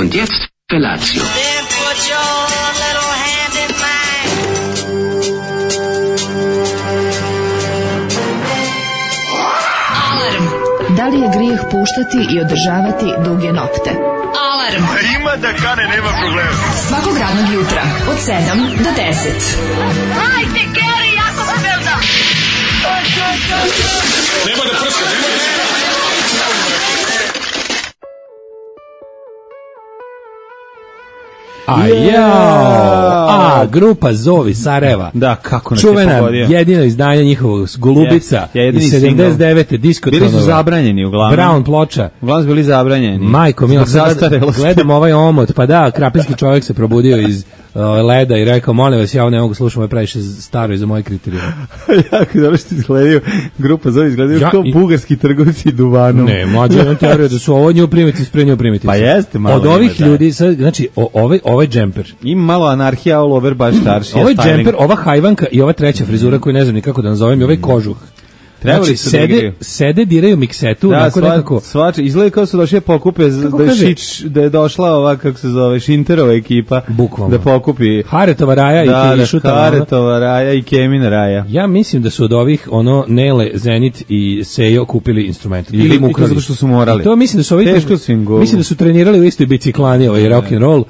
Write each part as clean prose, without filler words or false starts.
Und jetzt Felatio. Then put your little hand in mine. Alarm. Da li je grijeh puštati i održavati duge nokte? Alarm. Ima da kane, nema problema. Svakog radnog jutra od 7 do 10. Hajde, Geri, jako se velda. Nema da prska, nema da prska. Grupa Zovi Sarajeva. Da, kako nas čuvena, je pogodio. jedino izdanje njihovog Golubica iz 79. diskotonova. Bili su zabranjeni uglavnom. Brown ploča. Uglavnom su bili zabranjeni. Majko, milo, zastarelosti. gledam ovaj omot, pa da, krapinski čovjek se probudio iz leda i rekao, molim vas, ja ovo ne mogu slušati, ovo je previše staro i za moje kriterijume. Jako dobro što izgledaju, grupa Zovi izgledaju kao bugarski trgovci duvanom. Ne, mlađe, imam teoriju da su ovo nju primitiv, pre nju primitiv. Pa jeste malo. Od ovih ljudi, sad, znači, ovaj džemper. Ima malo anarhija all over, baš starši. Ovaj džemper, ova hajvanka i ova treća frizura koju ne znam ni kako da nazovem i ovaj kožuh. Trebali znači, sede, diraju miksetu, da, onako nekako. Izgleda kao su došli pokupe, da je došla ova, kako se zove, Šinterova ekipa. Bukvalno. Da pokupi. Haretova Raja i Šutava. Haretova Raja i Kemina Raja. Ja mislim da su od ovih, Nele, Zenit i Sejo kupili instrument. Ili mu ukrali. Zato što su morali. I to mislim da su ovi, mislim da su trenirali u istoj biciklani, rock and roll,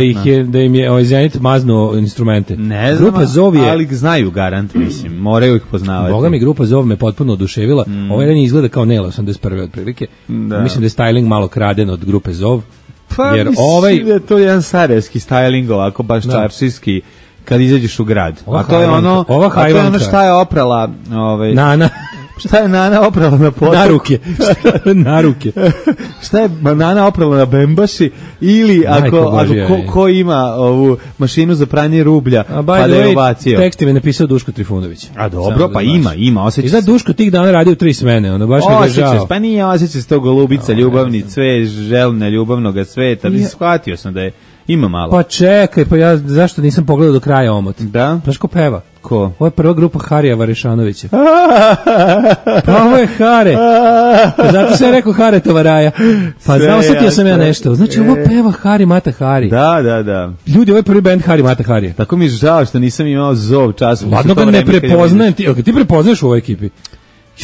i da im je Zenit maznuo instrumente. Ne znam, ali znaju garant, mislim, moraju ih poznavati. Boga mi, grupa Zov me potpuno oduševila. Ovaj jedan izgleda kao Nela 81. otprilike. Da. Mislim da je styling malo kraden od grupe Zov. Pa jer mislim da je to jedan sarajevski styling, ovako baš čaršijski, kad izađeš u grad. A to je ono šta je oprala Nana. Šta je Nana oprala na potok? Na ruke. Šta je Nana oprala na bembaši? Ili ko ima ovu mašinu za pranje rublja, pa da je ubacio. Tekst je napisao Duško Trifunović. A dobro, pa ima, osjeća se. I sad Duško tih dana radi u 3 smene, ono baš mi ga žao. Pa nije osjeća se to Golubica, ljubavni cvet, željna ljubavnoga sveta, bi shvatio sam da je ima malo. Pa čekaj, pa ja zašto nisam pogledao do kraja omot? Da? Znaš ko peva? Ko? Ovo je prva grupa Harija Varešanovića. Pa ovo je Hare. Pa zato sam rekao Haretova Raja. Pa znao, osjetio sam ja nešto. Znači ovo peva Hari Mata Hari. Da. Ljudi, ovo je prvi band Hari Mata Harija. Tako mi je žao što nisam imao Zov časom. Ladno ga ne prepoznajem. Ti prepoznaš u ovoj ekipi?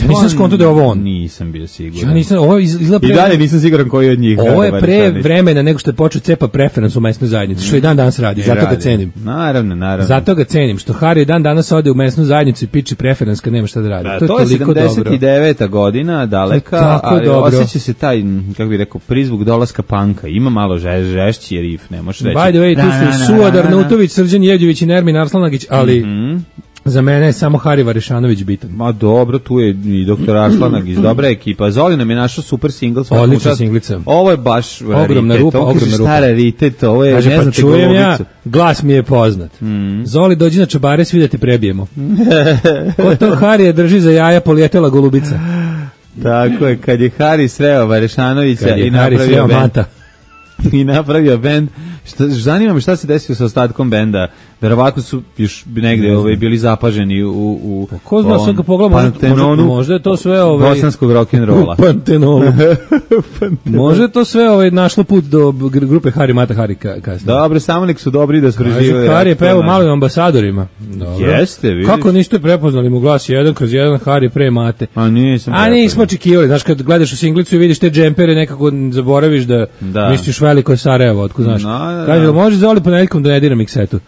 Ja nisam skonto da je ovo on. Nisam bio siguran. Ja nisam, ovo izgleda I dalje nisam siguran koji je od njih. Ovo je pre vremena nego što je počeo cepa preferans u mesnoj zajednici, što i dan danas radi, zato ga cenim. Naravno. Zato ga cenim, što Hari dan danas ode u mesnu zajednicu i piči preferans kad nema šta da radi. To je 79. godina, daleka, ali osjeća se taj, kako bih rekao, prizvuk dolaska panka. Ima malo žešći rif, ne možeš reći. By the way, tu su Suadar Nutović, Srđan Jevđević i Nermin Arslanagić, ali za mene je samo Hari Varešanović bitan. Ma dobro, tu je i doktor Arslanagić, dobra ekipa. Zoli nam je našao super singl. Odlična singlica. Ovo je baš ogromna rupa. Stara raritet, ovo je, kaže, ne znate čujem ja, glas mi je poznat. Zoli, dođi na Čabare, svi da te prebijemo. Ko to Harije drži za jaja, polijetela Golubica. Tako je, kad je Hari sreo Varešanovića i napravio bend. Zanima me šta se desilo sa ostatkom benda. Verovatno su još negde bili zapaženi u ko zna, sad ga pogledamo, možda je to sve bosanskog rock'n'rolla. Pantenolu. Može to sve našlo put do grupe Hari Mata Hari kasnije. Dobro, samo nek su dobri da spreživaju. Hari je pevao malim ambasadorima. Jeste, vidiš. Kako niste prepoznali mu glas 1/1 Hari pre Mate? A nismo očekivali. Znaš, kad gledaš u singlicu i vidiš te džempere, nekako zaboraviš da misliš veliko je Sarajevo, otko znaš. Kaže, može Zoli ponedjeljkom da ne dira miksetu.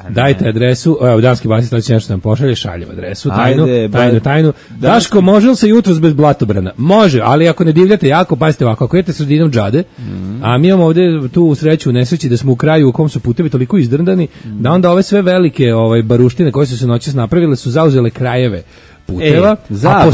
Dajte adresu, evo, danski basist sledeći nešto nam pošalje, šaljem adresu, tajnu. Daško, može li se jutros bez blatobrana? Može, ali ako ne divljate jako, pazite ovako, ako idete sredinom džade, a mi imamo ovde tu sreću u nesreći da smo u kraju u kom su putevi toliko izdrndani, da onda ove sve velike baruštine koje su se noćas napravile su zauzele krajeve puteva, a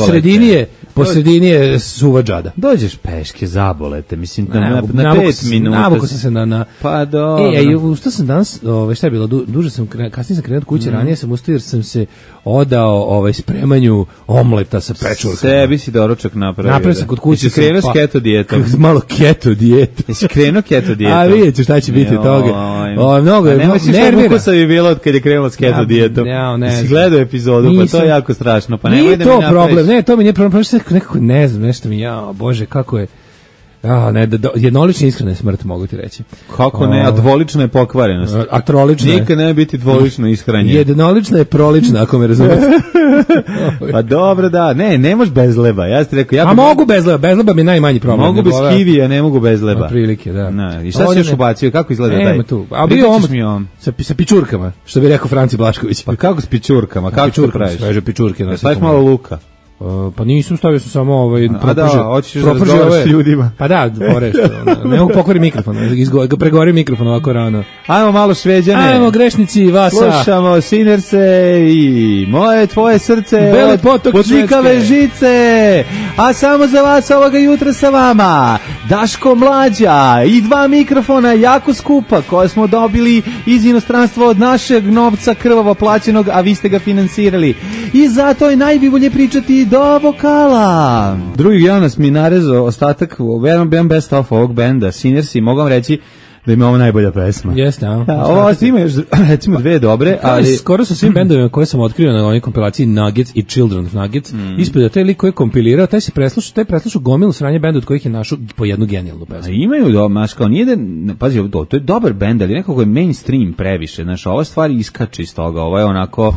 posredini je suva džada. Dođeš peške, zabolete, mislim, na 5 minuta. Navuko sam se na... Pa dobro. Ustao sam danas, šta je bilo, duže sam, kasnije sam krenuo od kuće, ranije sam ustao jer sam se odao spremanju omleta sa pečurkama. Sebi si doručak napravio. Napravio sam kod kuće. Jesi krenuo s keto dijetom? Malo keto dijetom. Jesi krenuo keto dijetom? A vidjet ću šta će biti toga. Mnogo je, nervira. Nemoj si bilo od kad je krenuo s keto dijetom. Jesi gledao epizodu, pa to je jako strašno. Nije to problem, ne, to mi nije problem, nekako ne znam, nešto mi, bože, kako je. Ne, jednolična iskrena je smrt, mogu ti reći. Kako ne, a dvolična je pokvarenost. A trolična je. Nikad ne biti dvolično ishranjen. Jednolična je prolična, ako me razumete. Pa dobro, da. Ne možeš bez leba. Ja ti rekao, mogu bez leba. Bez leba mi je najmanji problem. Mogu bez kivija, ne mogu bez leba. Prilike, da. I šta si još ubacio? Kako izgleda taj? A bio sa pičurkama, što bi rekao Franci Blašković. Pa kako s pičurkama? Kako to praviš? Sveže pičurke. Staviš malo luka. Pa nisam, stavio sam samo hoćeš da razgovaraš s ljudima. Pa da, ne mogu pokvariti mikrofon, pregori mikrofon ovako rano. Ajmo malo Šveđane. Ajmo grešnici Vasa. Slušamo Sinerse i Moje tvoje srce od Putnikave žice. A samo za vas ovoga jutra sa vama Daško Mlađa i 2 mikrofona jako skupa koje smo dobili iz inostranstva od našeg novca krvavo plaćenog, a vi ste ga finansirali. I zato je najbolje pričati do vokala. Drugi Jonas mi narezao ostatak jedan best of ovog benda Sinersi, mogu vam reći da ima ovo najbolja pesma. Jeste, ovo ima još recimo 2 dobre, ali skoro sa svim bendovima koje sam otkrio na ovoj kompilaciji Nuggets i Children of Nuggets, ispred da taj lik koji je kompilirao, taj preslušao gomilu sranje benda od kojih je našao po jednu genijalnu pesmu. Imaju domaš kao nije da pazi, to je dobar bend, ali nekako je mainstream previše, znači ova stvar iskače iz toga, ovo je onako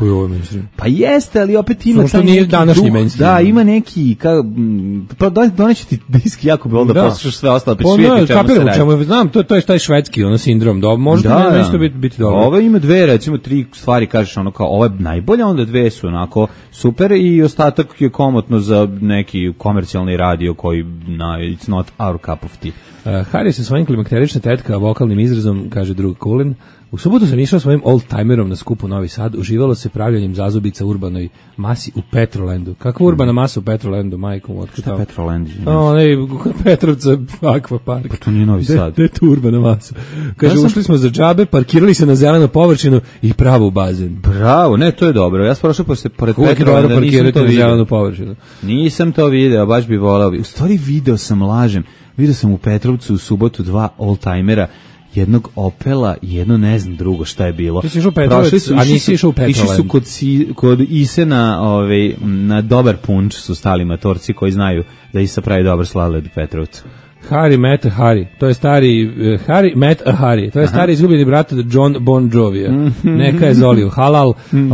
pa jeste, ali opet ima taj nije današnji mainstream. Da, ima neki pa doneću ti disk jako bi onda poslušaš sve ostalo pa svijet znam, to je taj švedski sindrom, možda nešto biti dobro. Ovo ima 2, recimo 3 stvari, kažeš ono kao ovo je najbolja, onda 2 su onako super i ostatak je komotno za neki komercijalni radio koji it's not our cup of tea. Harry sa svojim klimakterična tetka vokalnim izrazom, kaže drug Kulin. U subotu sam išao svojim old-timerom na skupu Novi Sad, uživalo se pravljanjem zazubica urbanoj masi u Petrolandu. Kakva urbana masa u Petrolandu, majkom? Šta je Petroland? Petrovca, akvapark. Pa to nije Novi Sad. Gde je tu urbana masa? Kaže, ušli smo za džabe, parkirali se na zelenu površinu i pravo u bazen. Bravo, ne, to je dobro. Ja sam prošao pored Petrolanda, nisam to vidio. Zelenu površinu. Nisam to video, baš bi volao. U stvari video sam, lažem. Video sam u Petrovcu u subotu 2 old-timera, jednog Opela i jedno ne znam drugo šta je bilo. Ti si išao u Petrovac, a nisi išao u Petroland. Išli su kod Isena na dobar punč su stali matorci koji znaju da Isa pravi dobar sladoled u Petrovcu. Harry met a Harry, to je stari Harry met a Harry, to je stari izgubljeni brat John Bon Jovija. Neka je Zoliju halal.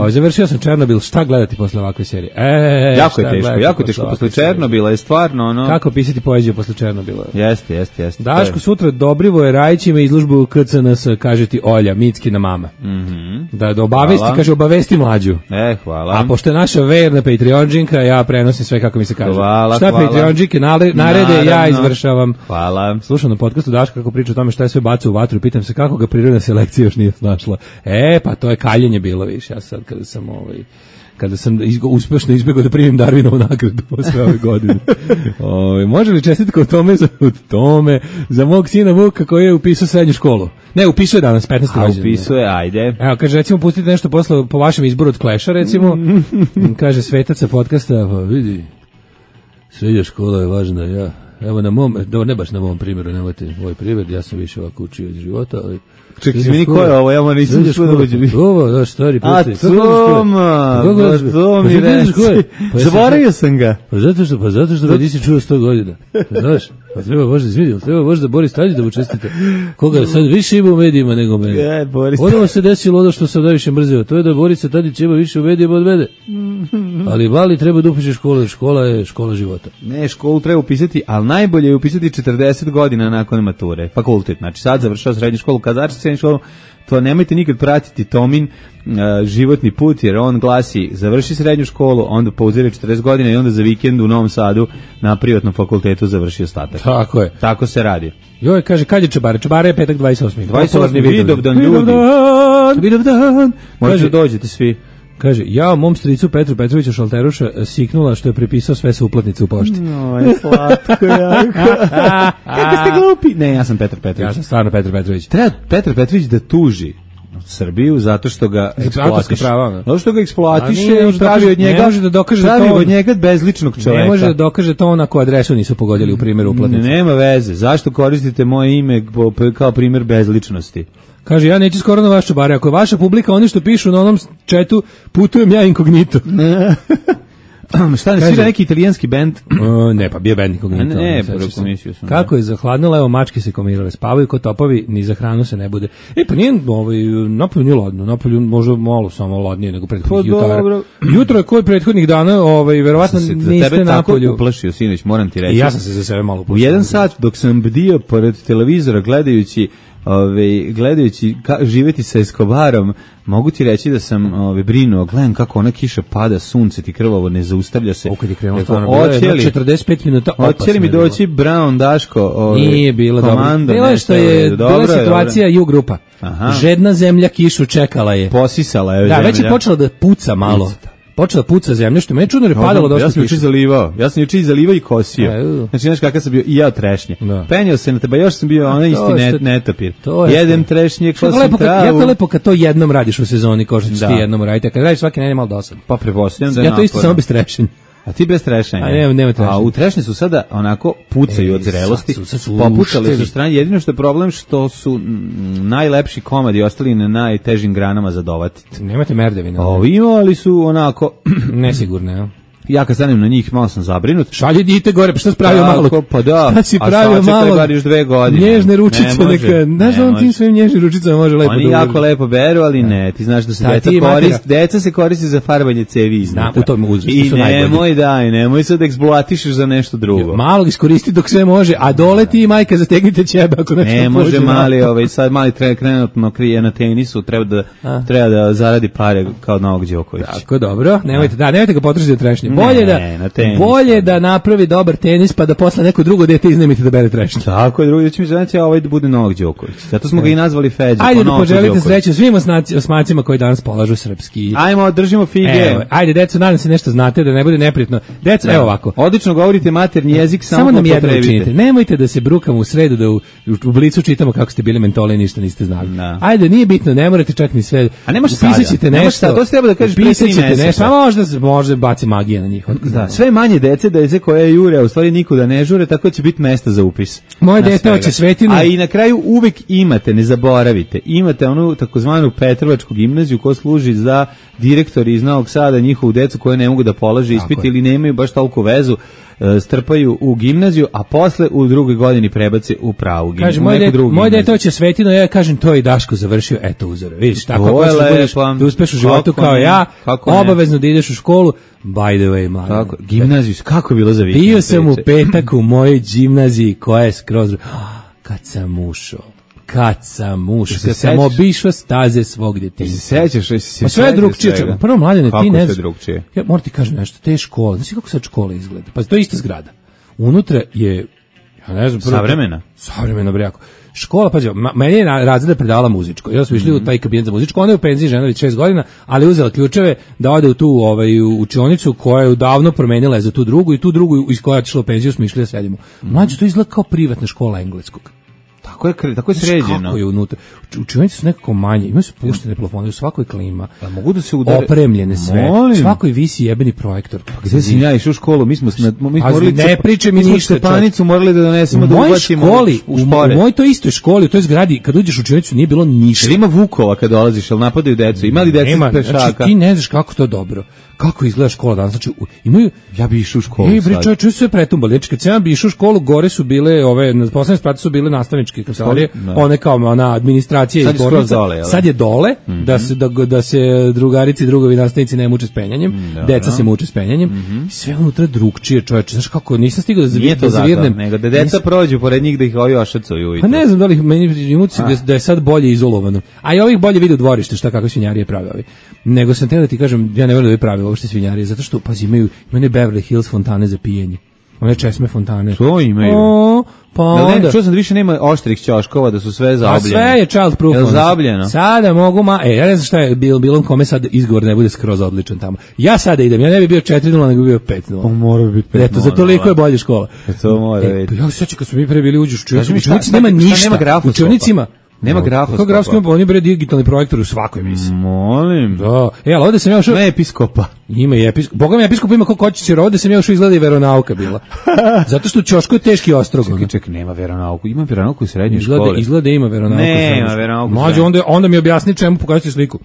Završio sam Černobil, šta gledati posle ovakve serije? Jako teško posle Černobila je stvarno ono. Kako pisati poeziju posle Černobila? Jeste. Daško sutra Dobrivoje Rajić ima izložbu KCNS, kaže ti Olja, Mickina mama. Da obavesti, kaže obavesti mlađu. Hvala. A pošto je naša verna Patreonđinka, ja prenosim sve kako mi se kaže. Šta Patreonđinke narede, ja izvršavam. Hvala. Slušam na podcastu Daška kako priča o tome šta je sve bacio u vatru i pitam se kako ga prirodna selekcija još nije snašla. Pa to je kaljenje bilo više. Ja sad kada sam uspešno izbjegao da primim Darwinovu nagradu posle ove godine. Može li čestitka o tome za mog sina Vuka koji je upisao srednju školu? Ne, upisuje danas, 15. rođendan. Upisuje, ajde. Evo, kaže, recimo, pustite nešto posle po vašem izboru od Clash-a, recimo. Kaže, Svetac sa podcasta, pa vidi, srednja škola je važna, evo na mom, ne baš na mom primjeru, nemojte moj primjer, ja sam više ovako učio iz života, ali... Čekaj, izvini, ko je ovo? Ja nisam što da uđe. Ovo, da, stari pusti. To mi reci. Zaboravio sam ga. Pa zato što ga nisi čuo 100 godina. Znaš, pa treba možda Boris Tadić da mu čestite. Koga sad više ima u medijima nego mene. Odmah se desilo ono što sam najviše mrzio, to je da Borisa Tadić ima više u medijima od mene. Ali Vali treba da upiše školu, škola je škola života. Ne, školu treba upisati, ali najbolje je upisati 40 godina nakon mature. Fakultet, znači sad završao srednju školu, Kazarčić srednju školu, to nemojte nikad pratiti Tomin životni put, jer on glasi završi srednju školu, onda pauzira 40 godina i onda za vikend u Novom Sadu na privatnom fakultetu završi ostatak. Tako je. Tako se radi. Joj, kaže, kad je Čabare? Čabare je petak 28. 28. Vidovdan, ljudi. Vidovdan. Možete dođete svi. Kaže, ja mom stricu Petru Petroviću Šalteruša siknula što je prepisao sve sa uplatnice u pošti. Oj, slatko jako. Kako ste glupi? Ne, ja sam Petar Petrović. Ja sam stvarno Petar Petrović. Treba Petar Petrović da tuži Srbiju zato što ga eksploatiše. Zato što ga eksploatiše i pravi od njega, pravi od njega bezličnog čoveka. Ne može da dokaže to na koju adresu nisu pogodili u primjeru uplatnice. Nema veze. Zašto koristite moje ime kao primjer bezličnosti? Kaže, ja neću skoro na vaš Čabare. Ako je vaša publika, oni što pišu na onom četu, putujem ja inkognito. Šta ne svira neki italijanski bend? Ne, pa bio bend nikog nije to. Ne, komisiju sam. Kako je zahladnilo, evo mačke se komirale, spavaju ko topovi, ni za hranu se ne bude. Pa nije, napolju nije ladno, napolju možda malo samo ladnije nego prethodnih jutara. Jutro je koji prethodnih dana, verovatno niste napolju. Tako uplašio, sinoć, moram ti reći. I ja sam se za sebe malo uplašio. U 1 sat dok sam bdio pored televizora gledajući živeti sa Escobarom, mogu ti reći da sam brinuo, gledam kako ona kiša pada, sunce ti krvavo ne zaustavlja se. Kad je krenulo stvarno, bilo je 45 minuta opasno. Hoće li mi doći Brown, Daško, nije bilo komando, dobro. Bilo je što je bila situacija U grupa. Žedna zemlja kišu čekala je. Posisala je zemlja. Da, već je počela da puca malo. Počela puca zemlja, što me je čudno jer je padalo dosta kiša. Ja sam juče zalivao i kosio. Znači, znaš kakav sam bio i ja trešnje. Penjao se na teba, još sam bio onaj isti netapir. Jedem trešnje, kosim travu. Jako lepo kad to jednom radiš u sezoni, kao što ćeš ti jednom raditi. Kad radiš svaki nedelje malo dosadno. Pa prepostavljam da je ja to isto samo bez trešenja. A ti bez trešanja. Nema trešanja. A u trešnje su sada onako pucaju od zrelosti. Popucali su strane. Jedino što je problem što su najlepši komadi ostali na najtežim granama za dovatiti. Nemate merdevina. Imali su onako nesigurne, ja. Ja kad stanem na njih malo sam zabrinut. Šalje dite gore, pa šta si pravio malo? Pa da. Šta si pravio malo? A još 2 godine. Nježne ručice neka. Znaš da on tim svojim nježnim ručicama može lepo oni jako lepo beru, ali ne. Ti znaš da se deca se koristi za farbanje cevi iznutra. U tom uzrastu su najbolji. I nemoj sad da eksploatišeš za nešto drugo. Malog iskoristi dok sve može, a dole ti i majka zategnite ćebe ako nešto ne može mali, sad mali trenutno krije na tenisu, treba da zaradi pare kao Novak Đoković. Tako, dobro. Nemojte ga potrošiti za trešnje. Bolje da napravi dobar tenis pa da posle neko drugo dete iznemite da bere trešnje. Tako je, drugi će mi znači ovaj da bude Novak Đoković. Zato smo ga i nazvali Feđa. Ajde da poželite sreću svim osmacima koji danas polažu srpski. Ajmo, držimo fige. Ajde, deco, nadam se nešto znate da ne bude neprijatno. Deco, evo ovako. Odlično govorite maternji jezik, samo nam jedno učinite. Nemojte da se brukamo u sredu da u Blicu čitamo kako ste bili mentoli i ništa niste znali. Ajde, nije bitno, ne morate čak ni sve. A ne možeš pisaćete nešto. To se treba da kažeš pre 3 meseca. Možda baci magija na njih. Da, sve manje dece koje jure, a u stvari nikuda ne žure, tako će biti mesta za upis. Moje dete hoće Svetinu. A i na kraju uvek imate, ne zaboravite, imate onu takozvanu Petrovačku gimnaziju koja služi za direktori iz Novog Sada, njihovu decu koje ne mogu da polaže ispit ili nemaju baš toliko vezu, strpaju u gimnaziju, a posle u drugoj godini prebace u pravu gimnaziju. Kaže, moje dete hoće Svetinu, ja kažem, to je Daško završio, eto uzor. Vidiš, tako ako budeš da uspeš u životu kao ja, obavezno da ideš u školu. By the way, mladen. Gimnaziju, kako je bilo za vikend? Bio sam u petak u mojoj gimnaziji koja je skroz... Kad sam ušao, kad sam obišao staze svog djetinjstva. Sećaš se? Pa sve je drugčije. Prvo, mladene, ti ne znaš. Drugčije? Ja moram ti kažem nešto, te škole, znaš kako sad škola izgleda? Pa to je ista zgrada. Unutra je, ja ne znam... Savremena, brejako. Škola, pađe, meni je razreda predavala muzičko. Ja smo išli u taj kabinet za muzičko, ona je u penziji žena već 6 godina, ali uzela ključeve da ode u tu učionicu koja je davno promenila za tu drugu i tu drugu iz koja je otišla u penziju smo išli da sedimo. Mlađe, to izgleda kao privatna škola engleskog. Tako je sređeno. Kako je unutra? Učionice su nekako manje, imaju su puštene plafone, u svakoj klima. A mogu da se udare? Opremljene sve. U svakoj visi jebeni projektor. Gde si ja išao u školu? Mi smo morali ne priče mi ništa. Stepanicu morali da donesemo da ubacimo u špore. U mojoj toj istoj školi, u toj zgradi, kad uđeš u učionicu nije bilo ništa. Jer ima Vukova kad dolaziš, al napadaju decu. Ima li deca pešaka? Znači ti ne znaš kako to dobro. Kako izgleda škola danas? Znači imaju, ja bi išao u školu. Čuj sve pretumbali. Znači kad sam bi išao u školu, gore su bile na poslednjem spratu su bile nastavničke kancelarije, one kao ona administracija i zbornica. Sad je dole, da se drugarici i drugovi nastavnici ne muče s penjanjem, deca se muče s penjanjem. Sve unutra drugčije, čoveče. Znaš kako nisam stigao da zavirnem. Nego da deca prođu pored njih da ih ovi ošacuju. Pa ne znam da li meni imuci da je sad bolje izolovano. A i ovih bolje vide u dvorište šta kako svinjarije prave ovi. Nego sam teo da ti kažem, ja ne verujem da bi pravilo uopšte svinjarije, zato što pazi imaju Beverly Hills fontane za pijenje. One česme fontane. To imaju. Pa onda. Čuo sam da više nema oštrih ćoškova, da su sve zaobljene. A sve je child proof. Je zaobljeno? Sada mogu ja ne znam šta je bilo kome sad izgovor ne bude skroz odličan tamo. Ja sada idem, ja ne bi bio 4:0, nego bi bio 5:0. Pa mora bi biti 5:0. Eto, za toliko je bolje škola. To mora biti. Ja se sećam kad smo mi pre bili uđeš u učionici, nema ništa. U učionicima nema grafoskopa. Kako grafoskopa? On je bre digitalni projektor u svakoj emisiji. Molim. Da. Ali ovde sam ja ušao... Ne episkopa. Ima i episkop. Boga mi episkop ima kako hoće jer ovde sam ja ušao izgleda i veronauka bila. Zato što u ćošku je teški ostrogon. Čekaj, nema veronauku. Ima veronauku u srednjoj školi. Izgleda ima veronauku. Nema veronauku. Može, onda mi objasni čemu pokažite sliku.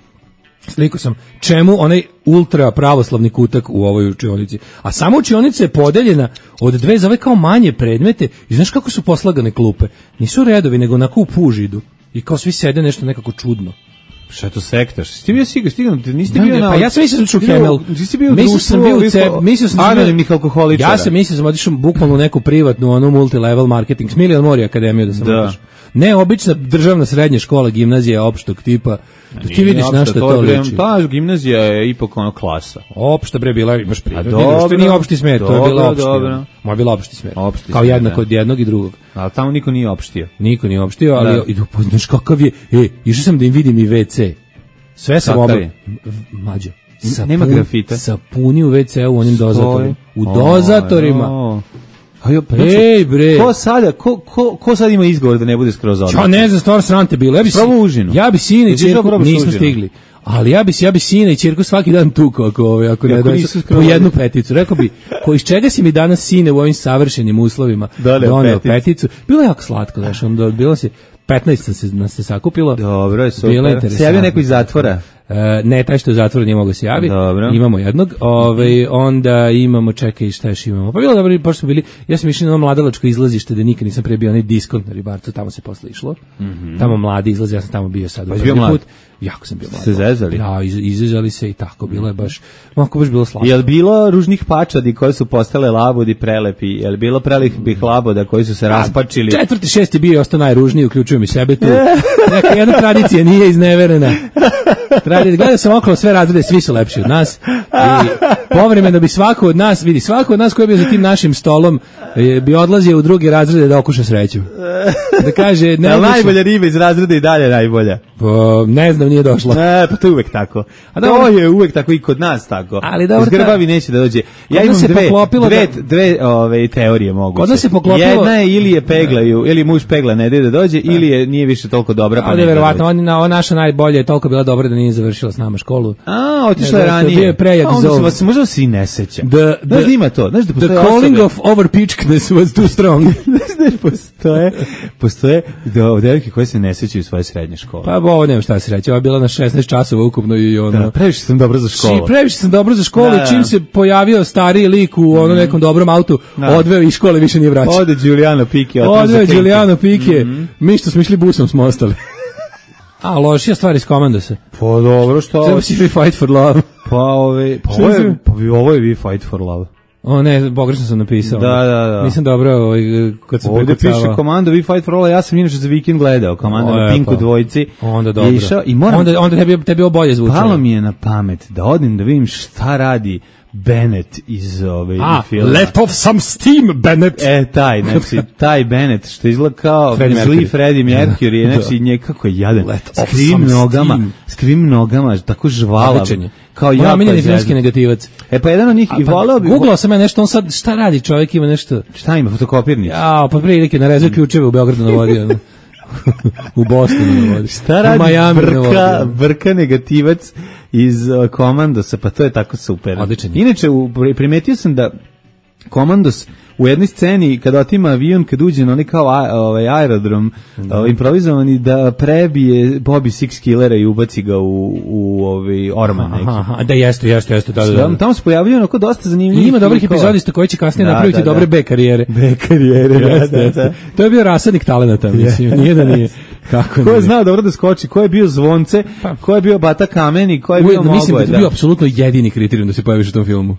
Sliku sam čemu onaj ultra pravoslavni kutak u ovoj učionici. A sama učionica je podeljena od dve za ove kao manje predmete i znaš kako su poslagane klupe? Nisu redovi, nego onako u pužidu. I kao svi sede nešto nekako čudno. Šta je to sektaš? Ti bio stigao, niste bio na... Pa ja sam mislio da ću Kemel. Nisi bio mislio sam anonimnih alkoholičara. Ja sam mislio da sam otišao bukvalno u neku privatnu, onu multilevel marketing, Smiljan Mori akademiju da sam otišao. Ne obična državna srednja škola, gimnazija opštog tipa. Da ti vidiš na šta to liči. Ta gimnazija je ipak ono klasa. Opšta bre bila, imaš prirodni. Što nije opšti smer, to je bila opšta. Moja bila opšti smer. Kao jednako od jednog i drugog. Ali tamo niko nije opštio. Niko nije opštio, ali idu poznaš kakav je. Išao sam da im vidim i WC. Sve sam obavio. Mlađo. Nema grafita. Sapuni u WC-u u onim dozatorima. U dozatorima. Ej bre. Ko sad ima izgovor da ne bude skroz odlično? Ja ne znam, stvarno srante bilo. Ja bi sine i ćerku nismo stigli. Ali ja bi sine i ćerku svaki dan tukao ako ne donesu po jednu peticu. Rekao bi, iz čega si mi danas sine u ovim savršenim uslovima doneo peticu? Bilo je jako slatko, znaš, onda bilo se 15 nas se sakupilo. Dobro, je super. Se javio neko iz zatvora? Ne, taj što je u zatvoru nije mogao se javiti. Imamo jednog. Onda imamo, čekaj, šta još imamo? Pa bilo dobro, pošto smo bili, ja sam išli na mladalačko izlazište, da nikad nisam pre bio onaj diskont na Ribarcu, tamo se posle išlo. Tamo mladi izlazi, ja sam tamo bio sad. Put. Jako sam bio mlad. Ste zezali? Da, izezali se i tako, bilo je baš bilo slatko. Je li bilo ružnih pačadi koje su postale labudi prelepi? Je li bilo prelepih laboda koji su se raspačili? 4. 6. bio ostao najružniji, uključujem i sebe tu. Neka jedna tradicija nije izneverena. Gledao sam okolo sve razrede, svi su lepši od nas i povremeno bi svako od nas koji je bio za tim našim stolom bi odlazio u drugi razrede da okuša sreću. Da kaže, najbolja riba iz razreda i dalje najbolja. Ne znam, nije došla. Pa to je uvek tako. To je uvek tako i kod nas tako. Ali dobro, zgrbavi neće da dođe. Ja imam dve teorije moguće. Kod nas se poklopilo. Jedna je ili je peglaju, ili muž pegla ne ide da dođe, ili je nije više toliko dobra pa ne. Ali verovatno ona naša najbolja je toliko bila dobra da nije završila s nama školu. Otišla je ranije. Bio je prejak zov. Možda se i ne seća. Znaš da ima to. Znaš da postoje the calling of overpitchedness was too strong. Postoje devojke koje se ne sećaju svoje srednje škole. Pa ovo nema šta se reći. Ova je bila na 16 časova ukupno i ono. Da, previše sam dobro za školu. Previše sam dobro za školu i čim se pojavio stariji lik u ono nekom dobrom autu, odveo iz škole, više nije vraćao. Ode Giuliano Pike. Mi što smo išli busom smo ostali. A, lošija stvar iz Komandosa. Pa dobro, što? Treba si We Fight for Love. Ovo je We Fight for Love. O ne, pogrešno sam napisao. Da. Nisam dobro kad sam ovdje piše Komando We Fight for All, ja sam inače za vikend gledao Komando na Pinku dvojici. Onda dobro. I moram, onda tebi ovo bolje zvučalo. Palo mi je na pamet da odim da vidim šta radi Bennett iz filma. Let off some steam, Bennett. Taj Bennett što izgleda kao zli Freddie Mercury, znači nekako je jadan. Skrivim nogama, tako žvala. Kao ja miljeni filmski negativac. Pa jedan od njih i voleo bi. Googlao sam ja nešto, on sad šta radi čovjek, ima nešto. Šta ima, fotokopirnicu? Pa prilike narezuje ključeve u Beogradu na vodi. U Bostonu na vodi. Šta radi vrka negativac iz Komandosa, pa to je tako super. Odličan. Inače, primetio sam da Komandos u jednoj sceni kada otima avion, kad uđe na onaj kao aerodrom improvizovani, da prebije Bobby Six Killera i ubaci ga u orman neki. Da, jeste. Da. Tamo se pojavljaju onako dosta zanimljivih. Ima dobrih epizodista koji će kasnije napraviti dobre B karijere. Da. To je bio rasadnik talenata, mislim, nije da nije. Ko je znao dobro da skoči, ko je bio Zvonce, ko je bio Bata Kameni, ko je bio Mogoj. Mislim da je bio apsolutno jedini kriterijum da se pojaviš u tom filmu.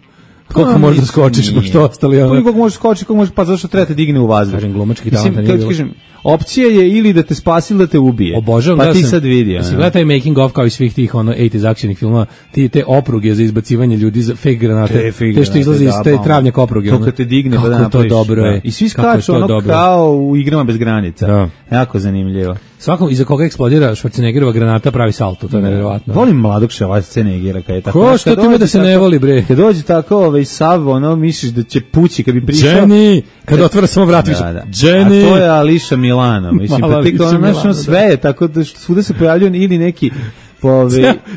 Koliko možeš da skočiš, pošto ostali ono. Koliko možeš skočiti, koliko možeš, pa zašto treba te digne u vazduh. Kažem, glumački talent nije bilo. Kažem, opcija je ili da te spasi ili da te ubije. Obožavam, pa ti sad vidi. Mislim, gledaj taj making of kao i svih tih 80s akcijnih filmova, te opruge za izbacivanje ljudi za fake granate, te što izlazi iz te travnjak opruge. To kad te digne, pa da napraviš. To dobro je. I svi skaču ono kao u Igrama bez granica. Jako zanimljivo. Svakom iza koga eksplodira Schwarzeneggerova granata pravi salto, to je nevjerovatno. Volim mladog Schwarzeneggera kad je tako. Ko što ti me da se ne voli, bre? Kad dođe tako sav, misliš da će pući kad bi prišao. Jenny, kad otvara samo vrat više. Jenny. A to je Ališa Milano, mislim, pa ti kao sve je tako da svuda se pojavljaju ili neki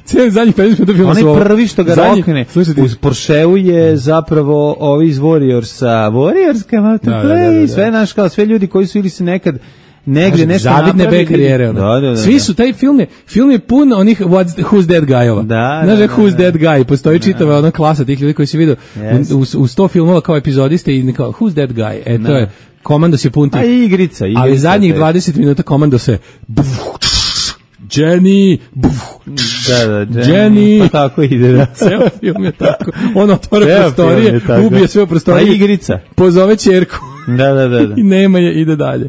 cijeli zadnjih 15 minuta filma su ovo. Onaj prvi što ga rokne uz Porscheu je zapravo ovi iz Warriorska Mountain Play, sve naš kao sve ljudi koji su ili se nekad negde nešto zavidne B karijere. Da. Svi su, taj film je pun onih Who's That Guy-ova. Znaš Who's That Guy, postoji čitava ona klasa tih ljudi koji si vidio u 100 filmova kao epizodiste i kao Who's That Guy, to je Komandos je pun tih. A igrica. Ali zadnjih 20 minuta Komandos se Jenny, Jenny, pa tako ide, da. Ceo film je tako. On otvara prostorije, ubije sve prostorije. Pa igrica. Pozove ćerku. Da. I nema je, ide dalje.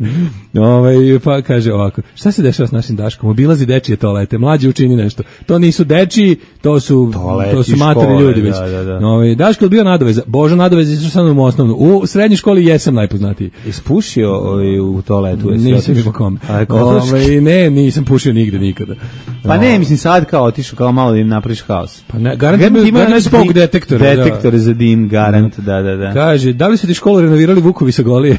Pa kaže ovako, šta se dešava s našim Daškom? Obilazi dečije toalete, mlađi učini nešto. To nisu dečiji, to su matori ljudi već. Daško je bio nadoveza. Božo nadoveza išao sam u osnovnu. U srednjoj školi jesam najpoznatiji. Ispušio u toaletu? Nisam ni po kome. Ne, nisam pušio nigde, nikada. Pa ne, mislim sad kao otišao kao malo da im napraviš haos. Pa ne, garant ima spog detektor. Detektor za dim, garant, da. Kaže, da li su ti školu renovirali Vukovi sa Golije?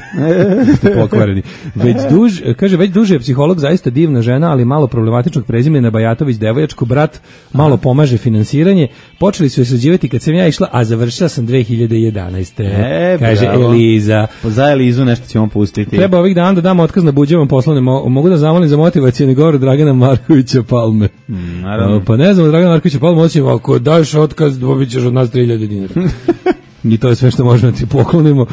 Pokvareni. Već duže je psiholog, zaista divna žena, ali malo problematičnog prezimena, Bajatović devoječko, brat malo pomaže finansiranje. Počeli su je sređivati kad sam ja išla, a završila sam 2011. Kaže Eliza. Za Elizu nešto ćemo pustiti. Treba ovih dana da damo otkaz na buđevom poslovnim. Mogu da zamolim za motivacijeni govor Dragana Markovića Palme. Pa ne znam, Dragana Markovića Palme, osim ako daš otkaz, dobit ćeš od nas 3000 dinara. I to je sve što možemo ti poklonimo.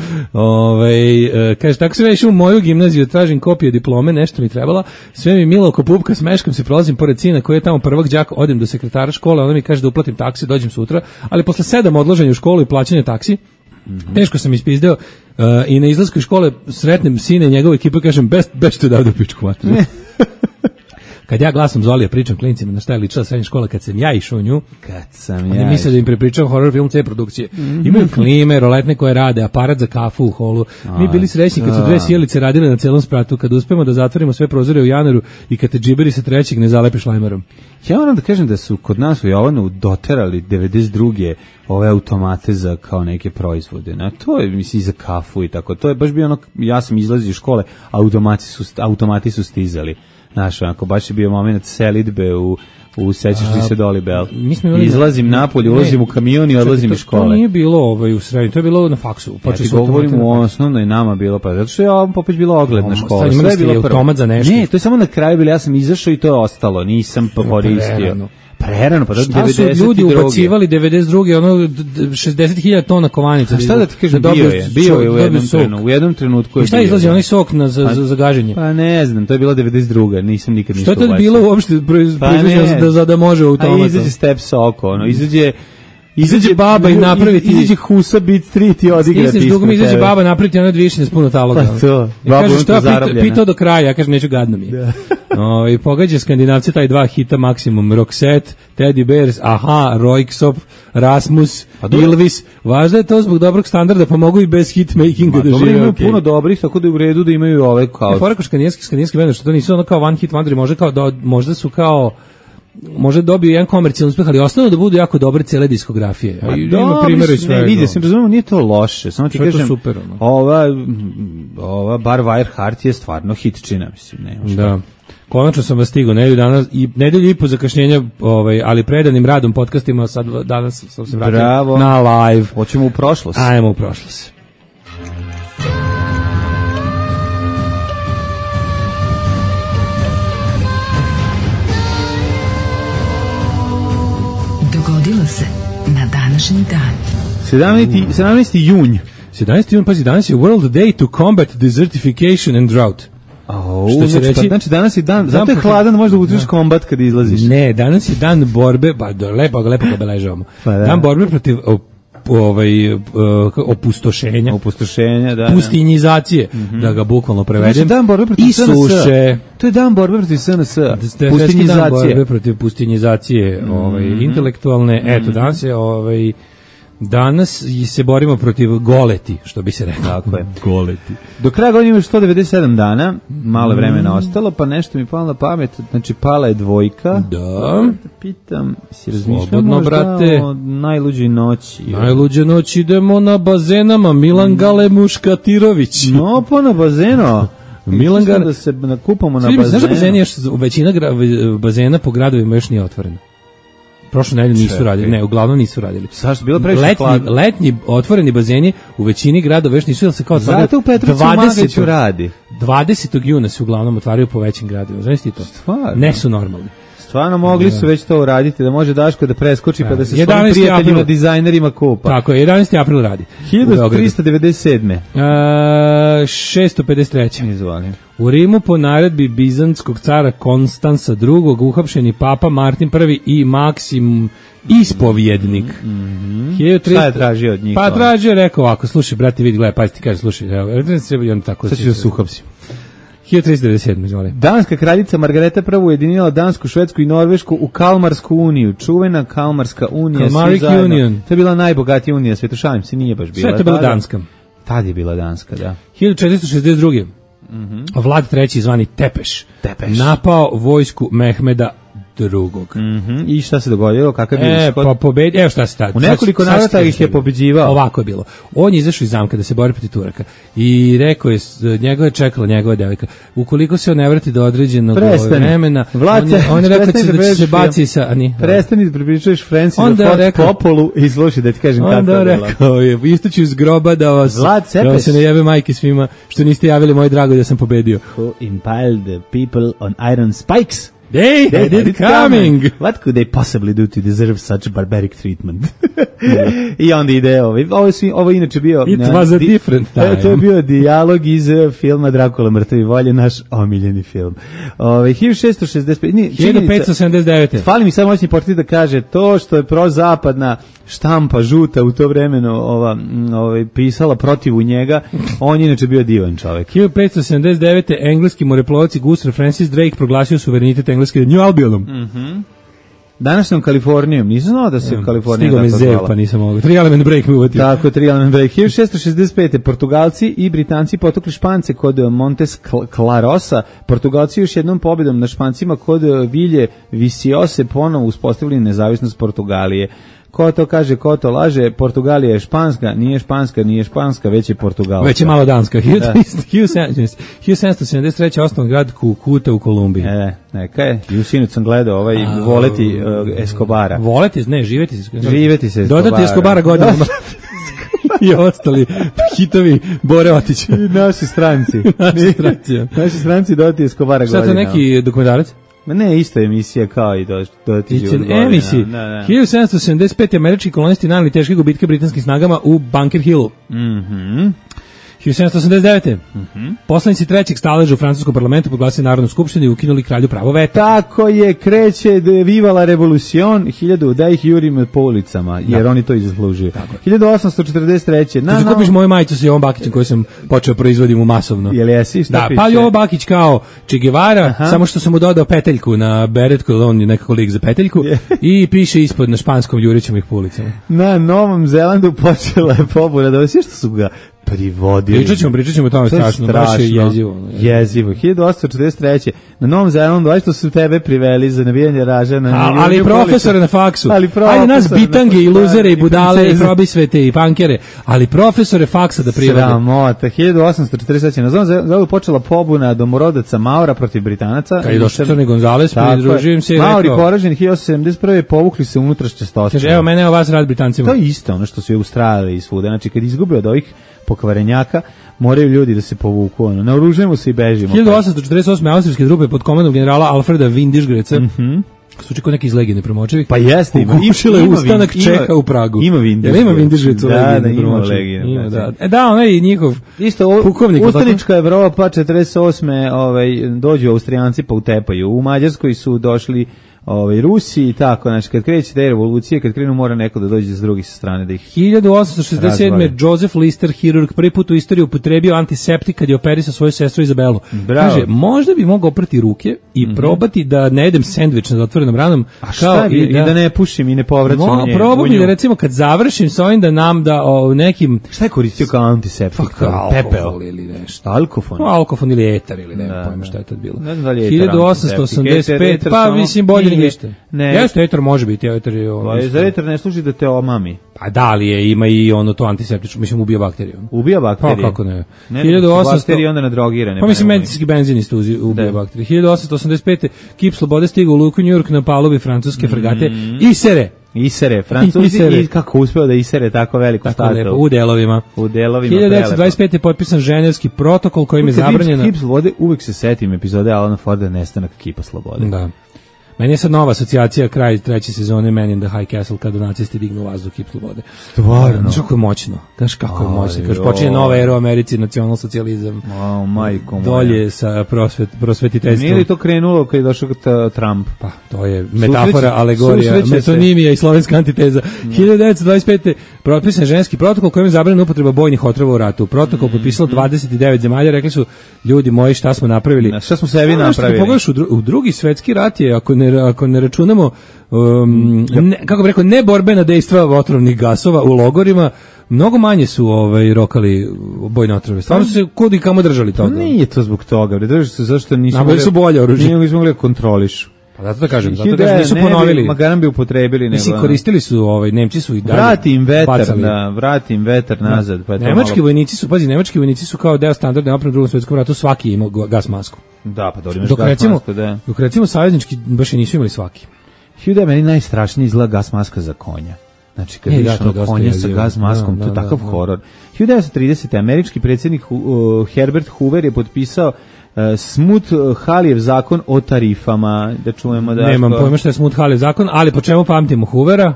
Kaže, tako sam ja išao u moju gimnaziju, tražim kopije diplome, nešto mi trebala, sve mi milo oko pupka, smeškam se, prolazim pored sina koji je tamo prvog đaka, odem do sekretara škole, ona mi kaže da uplatim taksi, dođem sutra, ali posle 7 odlaženja u školu i plaćanja taksi, teško sam ispizdeo i na izlasku iz škole sretnem sine i njegove ekipe, kažem, best to da u pičku materiju. Kad ja glasom Zolija pričam klincima na šta je ličila srednja škola kad sam ja išao u nju, oni misle da im prepričam horror film C produkcije. Imaju klime, roletne koje rade, aparat za kafu u holu. Mi bili srećni kad su dve sjelice radile na celom spratu, kad uspemo da zatvorimo sve prozore u januaru i kad te džiberi sa trećeg ne zalepiš lajmerom. Ja moram da kažem da su kod nas u Jovanu doterali 92. ove automate za kao neke proizvode. To je, mislim, za kafu i tako. To je baš bio ono, ja sam izlazio iz škole, automati su stizali. Znaš, onako, baš je bio moment selidbe u sećaš li se Doli Bell. Izlazim napolje, ulazim u kamion i odlazim iz škole. To nije bilo u srednji, to je bilo na faksu. Ja ti govorim u osnovnoj nama bilo, pa zato što je opet bilo ogledna škola. Imali ste automat za nešto? Ne, to je samo na kraju bilo, ja sam izašao i to je ostalo, nisam koristio. Prerano, pa šta su ljudi ubacivali 92. ono 60.000 tona kovanica. A šta da ti kažem, bio je u jednom trenutku. I šta izlazi onaj sok za gaženje? Pa ne znam, to je bila 92. Nisam nikad ništa ubacio. Što je to bilo uopšte proizvođeno da može u automat? A izađe step soko, izađe baba i napraviti izađe Husa Beat Street i odigra ti. Dugo mi izađe baba napraviti ono dvišine s puno taloga. Pa to. Kaže šta pitao do kraja, ja kažem neću, gadno mi. I pogađa Skandinavci taj dva hita maksimum, Roxette, Teddy Bears, Aha, Roixop, Rasmus, Ilvis. Važno je to zbog dobrog standarda, pa mogu i bez hitmakinga da žive. Imaju puno dobrih, tako da je u redu da imaju ove kao. Fora ko skandinavski bend, što to nisu ono kao one hit wonder, možda su kao može dobiju jedan komercijalni uspeh, ali osnovno da budu jako dobre cele diskografije. Ima primjera i svega. Vidio sam, razumemo, nije to loše. Samo ti kažem, super, ova Bar Wire Heart je stvarno hitčina, mislim. Da. Konačno sam vas stigao, nedelju i po zakašnjenja, ali predanim radom podcastima, sad danas sam se vratio na live. Hoćemo u prošlost. Ajmo u prošlost. Dogodilo se na današnji dan. 17. junj. 17. junj, pazi, danas je World Day to Combat Desertification and Drought. Što će reći? Znači danas je dan, zato je hladan, možda utriš kombat kad izlaziš. Ne, danas je dan borbe, lepo ga obeležavamo. Dan borbe protiv opustošenja, da, pustinjizacije, da ga bukvalno prevedem. Znači, dan borbe protiv suše. To je dan borbe protiv SNS. Pustinjizacije. Dan borbe protiv pustinjizacije, intelektualne. Eto, danas se borimo protiv goleti, što bi se rekao. Tako je. Goleti. Do kraja godine ima 197 dana, malo vremena ostalo, pa nešto mi palo na pamet, znači pala je dvojka. Da. Pitam, si razmišljao možda o najluđoj noći? Najluđe noći idemo na bazenama, Milan Gale Muškatirović. No, pa na bazeno. Milan Gale. Da se nakupamo na bazenu. Znaš da bazeni još, većina bazena po gradovima još nije otvorena. Prošle nedelje nisu radili, ne, uglavnom nisu radili. Zašto bilo previše hladno? Letnji otvoreni bazeni u većini gradova još nisu, se kao zato u Petrovcu Magaću radi. 20. juna se uglavnom otvaraju po većim gradovima. Znaš ti to? Stvarno? Ne su normalni. Stvarno mogli su već to uraditi, da može Daško da preskoči pa da se svojim prijateljima, dizajnerima kupa. Tako je, 11. april radi. 1397. 653. Izvolim. U Rimu po naredbi bizantskog cara Konstansa II. Uhapšeni papa Martin I i Maksim ispovjednik. Šta je tražio od njih? Pa tražio, rekao ovako, slušaj, brate, vidi, gledaj, pa ti kaže, slušaj, i on tako. Sad ću da se uhapsim. 1397, izvoli. Danska kraljica Margareta I ujedinila Dansku, Švedsku i Norvešku u Kalmarsku uniju. Čuvena Kalmarska unija. Kalmarik Union. To je bila najbogatija unija sveta, šalim se, nije baš bila. Sve to je bila Danska. Tad je bila Danska, da. 1462. Vlad III. Zvani Tepeš. Napao vojsku Mehmeda drugog. I šta se dogodilo? Kakav je ishod? Pa pobedi, evo šta se tad. U nekoliko navrata ih je pobeđivao. Ovako je bilo. On je izašao iz zamka da se bori protiv Turaka i rekao je, njega je čekala njegova devojka. Ukoliko se on ne vrati do određenog vremena, on je rekao da će se baci sa... Prestani da pripričuješ Francis o Fort Popolu i slušaj da ti kažem kako je bilo. Onda rekao je, istoću iz groba da se ne jave majke svima što niste javili moj drago da sam pobedio. Who impaled the people on iron spikes? They did coming. What could they possibly do to deserve such barbaric treatment? I onda ide ovo inače bio... It was a different time. To je bio dijalog iz filma Drakula mrtvi volje, naš omiljeni film. 1579. Fali mi samo moćni portir da kaže to što je prozapadna štampa žuta u to vremeno pisala protiv njega, on je inače bio divan čovjek. 1579. engleski moreplovac i gusar Francis Drake proglasio suverenitet engleske New Albionom. Današnjom Kalifornijom, nisam znao da se Kalifornija tako zvala. Stigao mi pa nisam mogao. 3 element break mi uvatio. Tako, 3 element break. 1665. Portugalci i Britanci potukli Špance kod Montes Clarosa. Portugalci još jednom pobjedom na Špancima kod Vilje Visiose ponovo uspostavili nezavisnost Portugalije. Ko to kaže, ko to laže, Portugalija je španska, nije španska, već je Portugalska. Već je malo danska. 1773. osnovan grad Kukuta u Kolumbiji. Neka je. Sinoć sam gledao voleti Escobara. Voleti, ne, živeti se Escobara. Dodati Escobara godinama. I ostali hitovi Bore Otića. Naši stranci. Naši stranci dodati Escobara godinama. Šta to neki dokumentarac? Ne, isto emisija kao i dodati život godina. Emisiji. 1775. američki kolonisti naneli teške gubitke britanskim snagama u Bunker Hillu. 1789. Poslanici trećeg staleža u francuskom parlamentu proglasili Narodnu skupštinu i ukinuli kralju pravo veta. Tako je, kreće Viva la Revolucion, 1000 da ih jurimo po ulicama, jer oni to i zaslužuju. 1843. Ti kupiš moju majicu sa Jovom Bakićem koju sam počeo proizvodim u masovno. Jel jesi? Da, pa Jovo Bakić kao Che Guevara, samo što sam mu dodao peteljku na beretku, on je nekako lik za peteljku, i piše ispod na španskom jurićem ih po ulicama. Na Novom Zelandu počela je pobuna, da sve što su ga privodili. Pričat ćemo o tome strašno, baš je jezivo. Jezivo. 1843. Na Novom Zelandu, što su tebe priveli za navijanje ražana. Ali profesore na faksu. Ajde nas bitange i luzere i budale i probisvete i pankere, ali profesore faksa da privede. Sramota. 1843. Na Novom Zelandu počela pobuna domorodaca Maura protiv Britanaca. Kad je došao Crni Gonzales, pridružujem se i rekao. Mauri poraženi 1871. povukli se unutrašnje stosne. Kaže, evo mene, evo vas rad Britancima. To je isto ono što su je Australiji i svuda. Znači, kad izgube od ovih pokvarenjaka, moraju ljudi da se povuku. Naoružujemo se i bežimo. 1848. austrijske trupe pod komandom generala Alfreda Windischgrätza suči kod neki iz legende promočevi. Pa jeste, ima ustanak Čeha u Pragu. Ima Windischgrätza. Ima Windischgrätza u legende promočevi. Da, onaj njihov pukovnik. Ustanička Evropa 48. Dođu Austrijanci pa utepaju. U Mađarskoj su došli Rusi i tako, znači kad kreće te revolucije, kad krenu mora neko da dođe s druge strane da ih 1867. Joseph Lister, hirurg, prvi put u istoriji upotrebio antiseptik kad je operisao svoju sestru Izabelu. Kaže, možda bi mogao oprati ruke i probati da ne jedem sendvič nad otvorenom ranom. A šta i da ne pušim i ne povraćam nje. Probam da recimo kad završim s ovim da nam da nekim... Šta je koristio kao antiseptik? Alkohol ili nešto. Alkofon ili etar ili ne pojma šta je tad bilo. 1885, pa mislim bolje ništa. Jeste, etar može biti, etar je... Za etar ne služi da te omami. Pa da li je, ima i ono to antiseptično, mislim ubija bakteriju. Ubija bakterije? Pa kako ne. 1800 bakterije onda nadrogirane. Pa mislim medicinski benzin isto ubija bakterije. 1885. Kip slobode stigao u luku New York na palubi francuske fregate Isere, Francuzi i kako uspeo da isere tako veliku statu. U delovima. 1925. je potpisan Ženevski protokol kojim je zabranjeno. Kip slobode, uvek se setim epizode Alana Forda Nestanak kipa slobode. Da. Meni je sad nova asocijacija, kraj 3. sezone Man in the High Castle, kada nacisti dignu vazduh kip slobode. Stvarno. Kako je moćno. Znaš kako je moćno. Kaže, počinje nova era u Americi, nacionalsocijalizam. Majko moja. Dolje sa prosvetiteljstvom. Nije li to krenulo kad je došao Trump? Pa, to je metafora, alegorija, metonimija i slovenska antiteza. 1925. potpisan ženski protokol kojim je zabranjena upotreba bojnih otrova u ratu. Protokol potpisalo 29 zemalja, rekli su, ljudi moji, šta smo napravili? Šta smo sebi napravili? Pogledaš, u drugi svetski rat je, ako ne računamo kako bih rekao, neborbena dejstva otrovnih gasova u logorima, mnogo manje su rokali bojne otrove. Stvarno su se kud i kamo držali toga. Nije to zbog toga, držali se zašto nisu bolje oružje. Nisu mogli da kontrolišu. Pa zato da kažem, nisu ponovili. Magaran bi upotrebili. Mislim, koristili su, Nemci su i dalje vrati im vetar nazad. Pa nemački vojnici su kao deo standardne opreme u Drugom svetskom ratu, svaki imao gas masku. Da, pa dobro imaš gas masku, da. Dok recimo saveznički baš i nisu imali svaki. Meni najstrašniji izgleda gas maska za konja. Znači, kad vidiš konja sa gas maskom, to je takav horor. 1930. američki predsjednik Herbert Hoover je potpisao Smoot-Halleyjev zakon o tarifama. Da čujemo da... Nemam pojma što je Smoot-Halleyjev zakon, ali po čemu pamtimo Hoovera,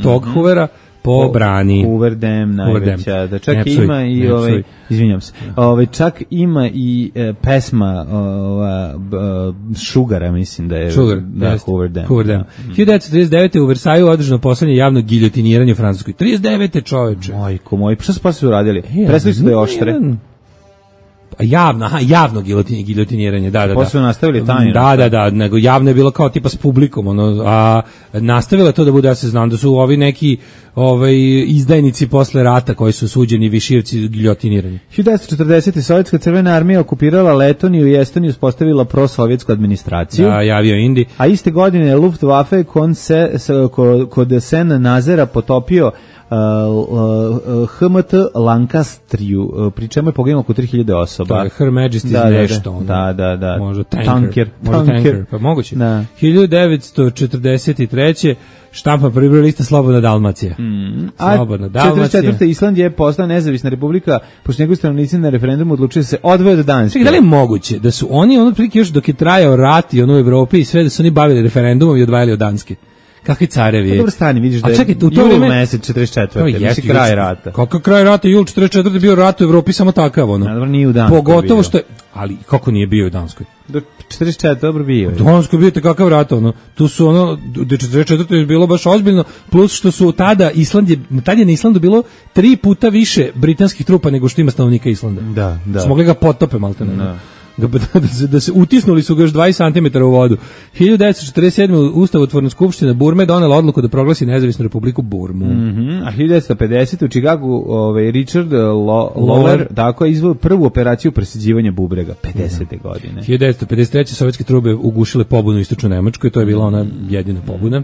tog Hoovera, po brani. Hoover Dam najveća. Da čak ima i izvinjam se. Čak ima i pesma Sugara, mislim da je Hoover Dam. 1939. u Versaju održano poslednje javno giljotiniranje u Francuskoj. 39. čoveče. Majko moj, pa šta su posle uradili? Presli su da je oštre. Javno giljotiniranje, da. Posle nastavili tajno. Da, nego javno je bilo kao tipa s publikom, a nastavilo je to da bude, ja se znam da su ovi neki izdajnici posle rata koji su suđeni višivci giljotinirani. 1940. Sovjetska crvena armija okupirala Letoniju i Estoniju, uspostavila prosovjetsku administraciju. Da, javio Indi. A iste godine je Luftwaffe kod Sen Nazera potopio HMT Lancastriju, pri čemu je poginulo oko 3000 osoba. To je Her Majesty's nešto. Da. Možda tanker. Pa moguće. 1943. štampa prvi lista Slobodna Dalmacija. Slobodna Dalmacija. 44. Island je postala nezavisna republika, pošto njegovi stanovnici na referendumu odlučili se odvoje od Danske. Čekaj, da li je moguće da su oni otprilike još dok je trajao rat i u Evropi i sve da su oni bavili referendumom i odvajali od Danske? Kakvi carevi je? Dobro stani, vidiš da je jul mesec 44. Mislim kraj rata. Kako kraj rata? Jul 44. bio rat u Evropi samo takav, Dobro, nije u Danskoj. Pogotovo što je, ali kako nije bio u Danskoj? Do 44. dobro bio. U Danskoj bio kakav rat, tu su do 44. je bilo baš ozbiljno, plus što su tada je na Islandu bilo 3 puta više britanskih trupa nego što ima stanovnika Islanda. Da. Su mogli ga potope maltene. Da se utisnuli su ga još 20 cm u vodu. 1947. Ustavotvorna skupština Burme donela odluku da proglasi nezavisnu republiku Burmu. A 1950. u Chicagu Richard Lawler tako je izveo prvu operaciju presađivanja bubrega 50. godine. 1953. sovjetske trube ugušile pobunu u istočnoj Nemačkoj, to je bila ona jedina pobuna.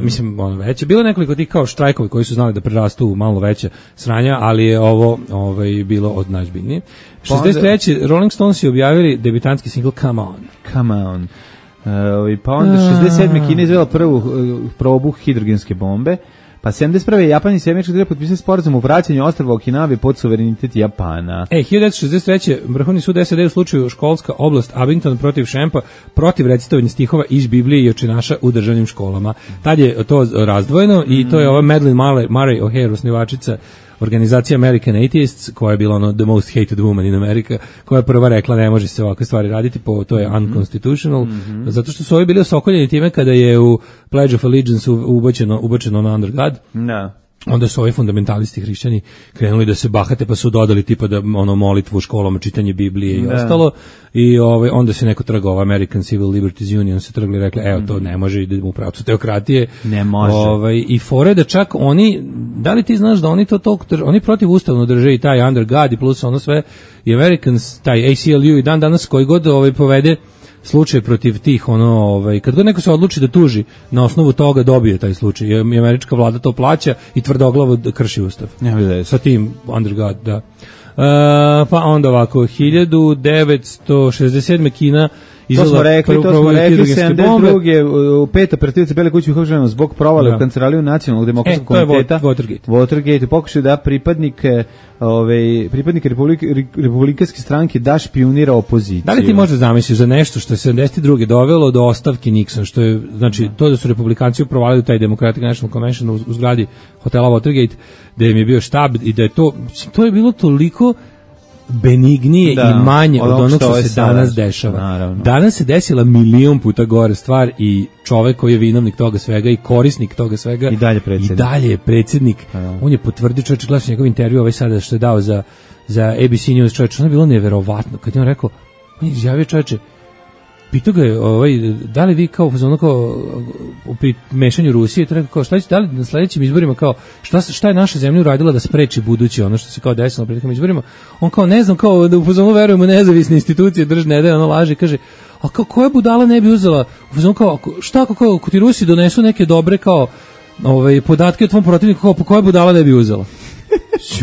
Mislim, ona veća. Bilo nekoliko tih kao štrajkovi koji su znali da prerastu u malo veće sranja, ali je ovo bilo od najozbiljnije. 63. Rolling Stones je objavili debitanski singl Come On. Pa onda 67. Kina izvela prvu probu hidrogenske bombe, pa 71. Japan i Sjemenička država potpisali sporazum o vraćanju ostrva Okinawe pod suverenitet Japana. 1963. Vrhovni sud SAD u slučaju školska oblast Abington protiv Šempa protiv recitovanja stihova iz Biblije i očinaša u državnim školama. Tad je to razdvojeno i to je ova Madeleine Murray O'Hare, osnivačica organizacija American Atheists, koja je bila the most hated woman in America, koja je prva rekla ne može se ovakve stvari raditi, to je unconstitutional, zato što su ovi bili osokoljeni time kada je u Pledge of Allegiance ubačeno na Under God. Da. Onda su ovi fundamentalisti hrišćani krenuli da se bahate, pa su dodali tipa da molitvu u školama, čitanje Biblije i ostalo. I onda se neko trgao, American Civil Liberties Union se trgli i rekli, evo to ne može, idemo u pravcu teokratije. Ne može. I fore da čak oni, da li ti znaš da oni to toliko, oni protiv ustavno drže i taj Under God i plus ono sve, i Americans, taj ACLU i dan danas koji god povede slučaj protiv tih kad god neko se odluči da tuži na osnovu toga dobije taj slučaj i američka vlada to plaća i tvrdoglavo krši ustav sa tim under God, da. Pa onda ovako 1967. Kina To smo rekli, 72. Peta operativca Bele kuće uhapšena zbog provale u kancelariju Nacionalnog demokratskog komiteta. Watergate. Pokušaj da pripadnike republikanske stranke da špijunira opoziciju. Da li ti možeš zamisliti za nešto što je 72. dovelo do ostavke Nixon, što je, znači, to da su republikanci provalili taj Democratic National Convention u zgradi hotela Watergate, da im je bio štab i da je to je bilo toliko benignije i manje od onog što se danas dešava. Naravno. Danas se desila milion puta gore stvar i čovek koji je vinovnik toga svega i korisnik toga svega i dalje je predsjednik. On je potvrdio, čovječe, gledaš njegov intervju sada što je dao za ABC News, čovječe, ono je bilo neverovatno kad je on rekao, on je izjavio, čovječe, pitao ga je, da li vi kao pri mešanju Rusije, to rekao kao, šta će, da li na sledećim izborima kao, šta je naša zemlja uradila da spreči buduće ono što se kao desilo na prethodnim izborima, on kao ne znam, kao da u fazonu verujemo nezavisne institucije držne, da je ono laže, kaže, a kao koja budala ne bi uzela, u fazonu kao, šta ako ti Rusi donesu neke dobre kao podatke o tvom protivniku, kao po koja budala ne bi uzela.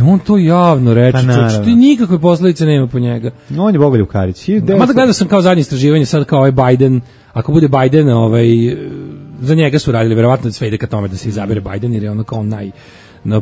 On to javno reče, što nikakve posledice nema po njega. No, on je Bogoljub Karić. Mada gledao sam kao zadnje istraživanje, sad kao Biden, ako bude Biden, za njega su radili, verovatno sve ide ka tome da se izabere Biden, jer je ono kao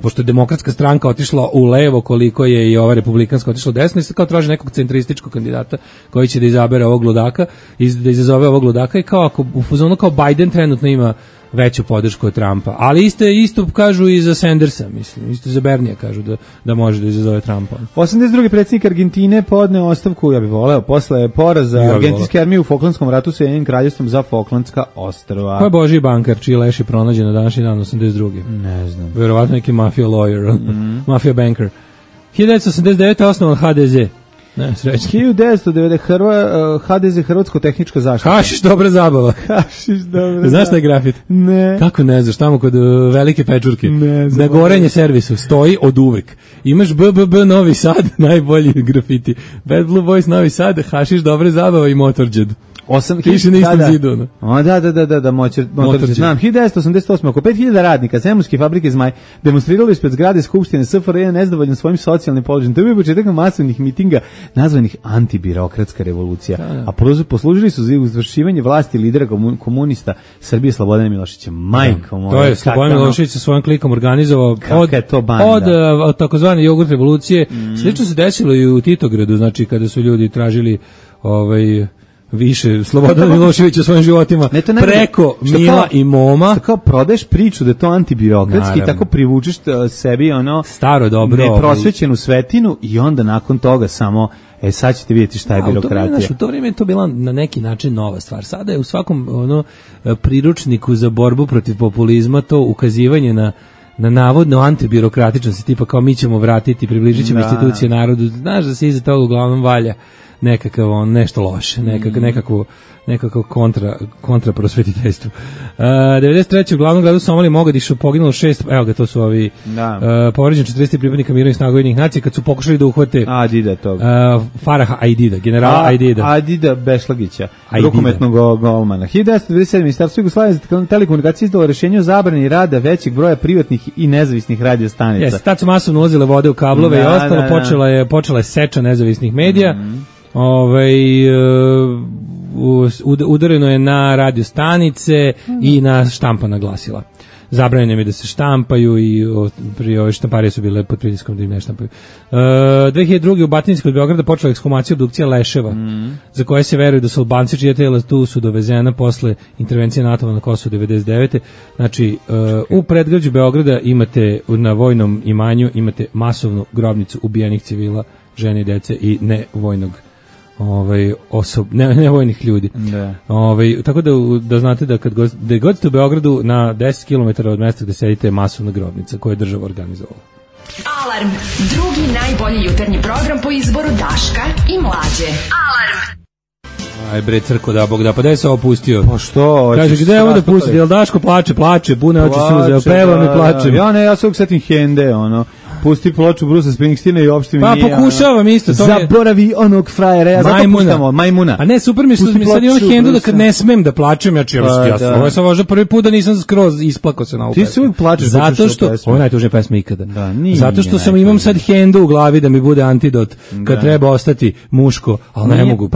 pošto je demokratska stranka otišla u levo koliko je i ova republikanska otišla u desno, i sad kao traži nekog centrističkog kandidata koji će da izabere ovog ludaka, da izazove ovog ludaka, i kao ako u fazonu kao Biden trenutno ima veću podršku od Trumpa, ali isto kažu i za Sandersa, mislim, isto za Bernija kažu da može da izazove Trumpa. 82. predsjednik Argentine podneo ostavku, ja bih voleo, posle poraza argentinske armije u Falklandskom ratu sa Ujedinjenim kraljevstvom za Falklandska ostrva. Ko je Božji bankar, čiji leš je pronađen na današnji dan 82. Ne znam. Verovatno neki mafia lawyer, mafia banker. 1989. osnovan HDZ. Ne, srećno. 1990. HDZ Hrvatsko tehnička zaštita. Hašiš dobra zabava. Znaš taj grafit? Ne. Kako ne znaš, tamo kod Velike Pečurke. Ne znam. Na gorenje servisu stoji od uvek. Imaš BBB Novi Sad, najbolji grafiti. Bad Blue Boys Novi Sad, hašiš dobra zabava i Motorđed. Piše na istom zidu. Da, Motorđed. Znam, 1988. oko 5000 radnika Zemunske fabrike Zmaj demonstrirali ispred zgrade Skupštine SFRJ nezadovoljni svojim socijalnim položajem. To je bio početak masovnih mitinga nazvanih antibirokratska revolucija. A poslužili su za izvršivanje vlasti lidera komunista Srbije Slobodana Miloševića. Majko moja. To je Slobodan Milošević sa svojim klikom organizovao od takozvane jogurt revolucije. Slično se desilo i u Titogradu, znači kada su ljudi tražili više Slobodana Miloševića svojim životima preko Mila i Moma. Kao prodaješ priču da je to antibirokratski i tako privučeš sebi staro dobro neprosvećenu svetinu i onda nakon toga samo sad ćete vidjeti šta je birokratija. U to vrijeme je to bila na neki način nova stvar. Sada je u svakom priručniku za borbu protiv populizma to ukazivanje na navodno antibirokratičnosti, tipa kao mi ćemo vratiti, približit ćemo institucije narodu. Znaš da se iza toga uglavnom valja nekakav nešto loše, nekako kontra prosvetiteljstvu. 93. u glavnom gradu Somalije Mogadišu poginulo 6, evo ga, to su ovi povređeni 40 pripadnika mirovnih snaga Ujedinjenih nacija kad su pokušali da uhvate Faraha Aidida, generala Aidida Bešlagića, rukometnog golmana. 1997. Ministarstvo Jugoslavije za telekomunikacije izdalo rješenje o zabrani rada većeg broja privatnih i nezavisnih radio stanica. Tad su masovno ulazile vode u kablove i ostalo, počela je seča nezavisnih medija. Udareno je na radio stanice i na štampana glasila. Zabranjeno je da se štampaju i prije ove štamparije su bile pod pritiskom da im ne štampaju. 2002. u Batinskoj kod Beograda počela ekshumacija obdukcija leševa, za koje se veruje da su Albanci čija tela tu su dovezena posle intervencije NATO na Kosovo 99. Znači, u predgrađu Beograda imate na vojnom imanju imate masovnu grobnicu ubijenih civila, žene i dece i nevojnog nevojnih ljudi. Tako da znate da kad god ste u Beogradu na 10 km od mesta gde sedite je masovna grobnica koju je država organizovala. Alarm, drugi najbolji jutarnji program po izboru Daška i Mlađe. Alarm. Aj bre crko da Bog da, pa da je se opustio. Pa što? Kaže gde je ovo da pusti? Jel Daško plače, pune oči suze, peva mi plačem. Ja se uvijek setim Hende, pusti ploču Brusa Springsteena i uopšte mi nije... Pa pokušavam isto. Zaboravi onog frajera, ja zato puštamo Majmuna. A ne, super mi što mi sad imam hendu da kad ne smem da plačem, ja sam možda prvi put da nisam skroz isplakao se na ovu pesmu. Ti se uvijek plačeš zato što, ovo je najtužnija pesma ikada. Zato što sam imam sad hendu u glavi da mi bude antidot kad treba ostati muško, ali ne mogu.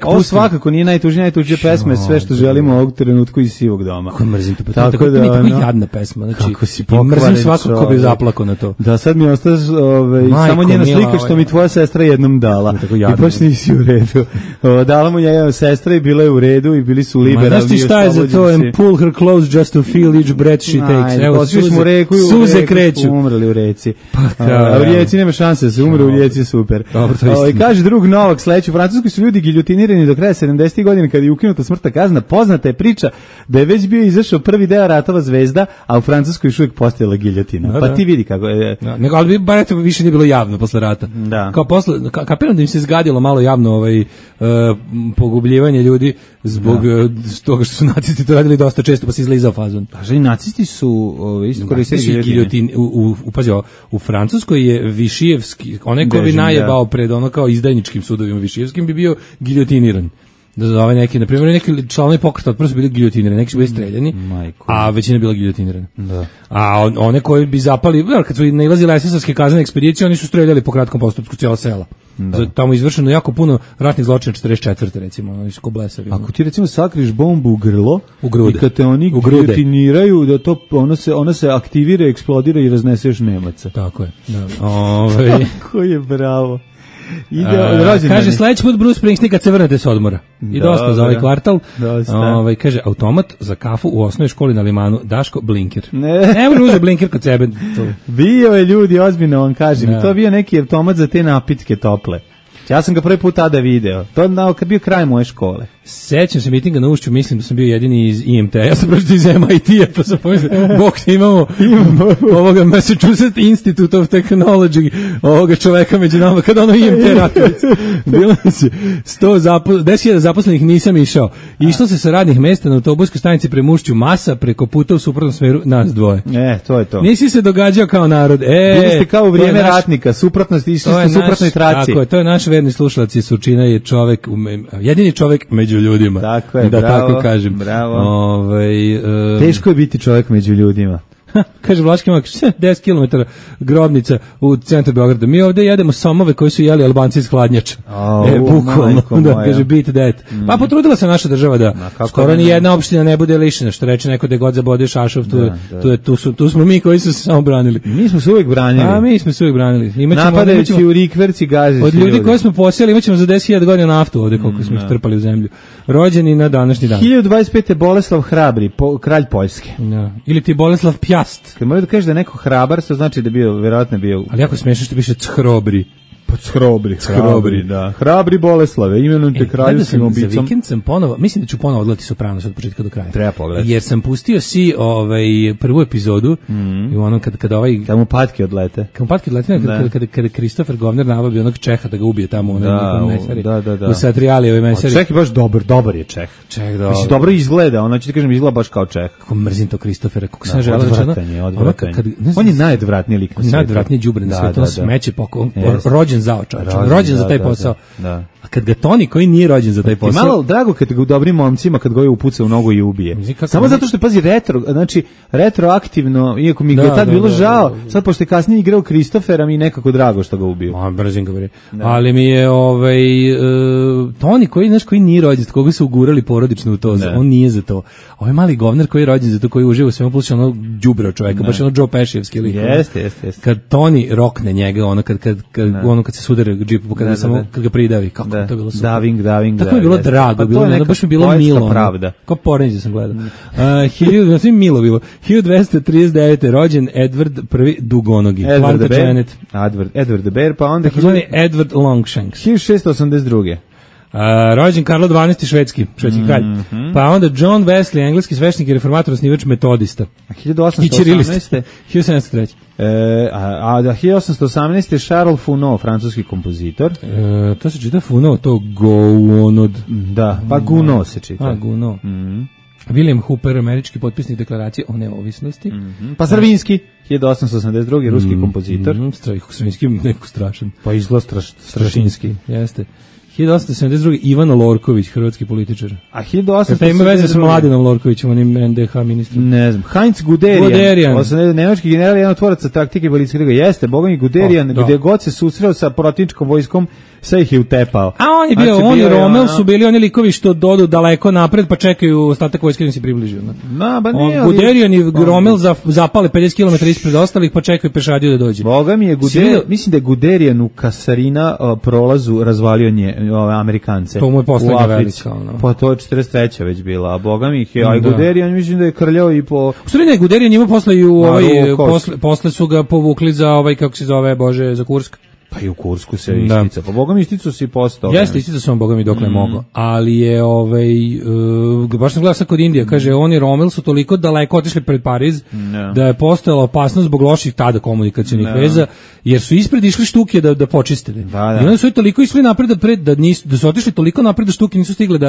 Ovo svakako nije najtužnija pesma, sve što želimo ovog trenutku iz Sivog doma. Kako mrzim to, tako da je jadna pesma, znači mrzim svako ko bi zaplakao na to. Da, sad mi ostaje samo njena slika što mi tvoja sestra jednom dala i baš nisi u redu. Dala mu njega sestra i bila je u redu i bili su liberalni. Znaš ti šta je za to? And pull her close just to feel each breath she takes. Evo, suze kreću. Umrli u reci. A u rijeci nema šanse da se umre, u rijeci je super. Kaže drug Novak, sledeći u Francuskoj su ljudi giljotinirani do kraja 70. godina kada je ukinuta smrtna kazna. Poznata je priča da je već bio izašao prvi deo Ratova zvezda, a u Francuskoj još uvijek postojala giljotina. Pa ti vidi kako je. Nego, ali bar eto više nije bilo javno posle rata. Kao posle, kapiram da im se zgadilo malo javno pogubljivanje ljudi zbog toga što su nacisti to radili dosta često, pa se izlizao fazon. Pa i nacisti su isto koristili giljotin. U Francuskoj je Višijevski, onaj ko bi najebao pred ono kao izdajničkim sudovima Višijevskim bi bio giljotiniran. Da za ovaj neki, na primjer, neki članovi pokreta otpora su bili giljotinirani, neki su bili streljani, a većina bila giljotinirana. A one koji bi zapali, kad su nailazile esesovske kaznene ekspedicije, oni su streljali po kratkom postupku cijela sela. Tamo je izvršeno jako puno ratnih zločina 44. recimo, oni su ko blesavi. Ako ti recimo sakriš bombu u grlo, i kad te oni giljotiniraju, da to ona se aktivira, eksplodira i raznese još Nemaca. Tako je. Kako je bravo. Kaže sledeći put Bruce Springsteen kad se vrnete s odmora. I dosta za ovaj kvartal. Kaže automat za kafu u osnovnoj školi na Limanu, Daško Blinker. Ne može uzeti Blinker kod sebe. Bio je ljudi, ozbiljno vam kažem. To je bio neki automat za te napitke tople. Ja sam ga prvi put tada video. To kad bio kraj moje škole. Sećam se mitinga na Ušću, mislim da sam bio jedini iz IMT. Ja sam prošao iz MIT-a, pa sam pomislio, bok, imamo ovoga Massachusetts Institute of Technology, ovoga čoveka među nama, kada ono IMT Ratovica. Bilo se 10.000 zaposlenih, nisam išao. Išlo se sa radnih mesta na autobuskoj stanici prema Ušću, masa preko puta u suprotnom smeru, nas dvoje. To je to. Nisi se događao kao narod. Bili ste kao u vrijeme ratnika, suprotnosti, išli ste u suprotnoj traci. Tako je, to je naš verni slušalac i Surčina je čovek, jedini čovek među ljudima. Tako je, da bravo, tako kažem. Bravo. Teško je biti čovjek među ljudima. Kaže Vlaški Mak, 10 km grobnica u centru Beograda. Mi ovdje jedemo somove koji su jeli Albanci iz hladnjača. Bukvalno, da, kaže, beat that. Pa potrudila se naša država da skoro ni jedna opština ne bude lišena, što reče neko da god zabode šašov, tu smo mi koji su se samo branili. Mi smo se uvijek branili. A mi smo se uvijek branili. Napadajući u rikverci gazi. Od ljudi koji smo posijali imaćemo za 10.000 godina naftu ovdje, koliko smo ih trpali u zemlju. Rođeni na današnji dan. 1025. Boleslav Hrabri, kralj Poljske. Ili ti Boleslav Pjast. Kad možeš da kažeš da je neko hrabar, to znači da bio, vjerojatno bio... Ali jako smiješno što piše Chrobri. Pa Hrobri, da. Hrabri Boleslave, imenom te kraljevskim obicom. Za vikend sam ponovo, mislim da ću ponovo odgledati Sopranos od početka do kraja. Treba pogledati. Jer sam pustio prvu epizodu i ono kada Kad mu patke odlete. Kada Christopher Govner navabi onog Čeha da ga ubije tamo u nekom mesari. Da. U Satrijalijevoj mesari. Čeh je baš dobar je Čeh. Mislim, dobro izgleda, ono ću ti kažem, izgleda baš kao Čeh. Kako mrzim to Christophera, kako sam odvratan. On je najodvratniji lik na svijetu. Najodvratniji đubre na svijetu, on smeće rođen za taj posao. A kad ga Toni koji nije rođen za taj posao. Malo drago kad ga u dobrim momcima kad ga je upuca u nogu i ubije. Samo zato što pazi retroaktivno, iako mi ga je tad bilo žao, sad pošto je kasnije igrao Christophera, mi je nekako drago što ga ubio. Brzim ga bre. Ali mi je Toni koji nije rođen, koga su ugurali porodično u to, on nije za to. Ovaj mali govner koji je rođen za to, koji uživa u svemu plus ono đubreo čoveka, baš ono Joe Pescijeski lik. Jeste. Kad Toni rokne njega, ono kad se sudare džipu, kad ga pridavi, kako to je bilo super. Daving. Tako mi je bilo drago, baš mi je bilo milo. Kao porenđe sam gledao. Milo bilo. 1239. rođen Edward I Dugonogi. Edward the Bear, pa onda... Edward Longshanks. 1682. Rođen Karlo XII švedski kralj. Pa onda John Wesley, engleski sveštenik i reformator, osnivač metodista. 1818. 1703. A 1818. Charles Gounod, francuski kompozitor. To se čita Gounod, to Gounod. Da, pa Gounod se čita. Gounod. William Hooper, američki potpisnik deklaracije o neovisnosti. Pa Stravinski, 1882. ruski kompozitor. Stravinski neko strašan. Pa izgleda Strašinski. Jeste. 1872. Ivan Lorković, hrvatski političar. A 1872. Ima veze sa Mladinom Lorkovićem, onim NDH ministrom. Ne znam. Heinz Guderian. Nemački general, jedan od tvoraca taktike balističke druge. Jeste, boga mi Guderian, gdje god se susreo sa protivničkom vojskom, sve ih je utepao. A on je bio, on i Rommel su bili oni likovi što dodu daleko napred, pa čekaju ostatak vojske da se približio. Guderian i Rommel zapale 50 km ispred ostalih, pa čekaju pešadiju da dođe. Boga mi je Guderian, mislim da je Guderian u Kasarina prolazu razvalio Amerikance. To mu je poslednja velika. Pa to je 43. već bila, a boga mi ih je, a Guderian mislim da je krljao i po... U stvari ne, Guderian ima posle i posle su ga povukli za kako se zove, za Kursk. Pa i u Kursku se istica. Pa boga mi isticu si postao. Jeste, istica sam boga mi dokle mogo. Ali je, baš sam gledao sad kod Indija, kaže, oni Rommel su toliko daleko otišli pred Pariz, da je postojala opasnost zbog loših tada komunikacionih veza, jer su ispred išli štuke da počistili. I onda su toliko išli napred da su otišli toliko napred da štuke nisu stigle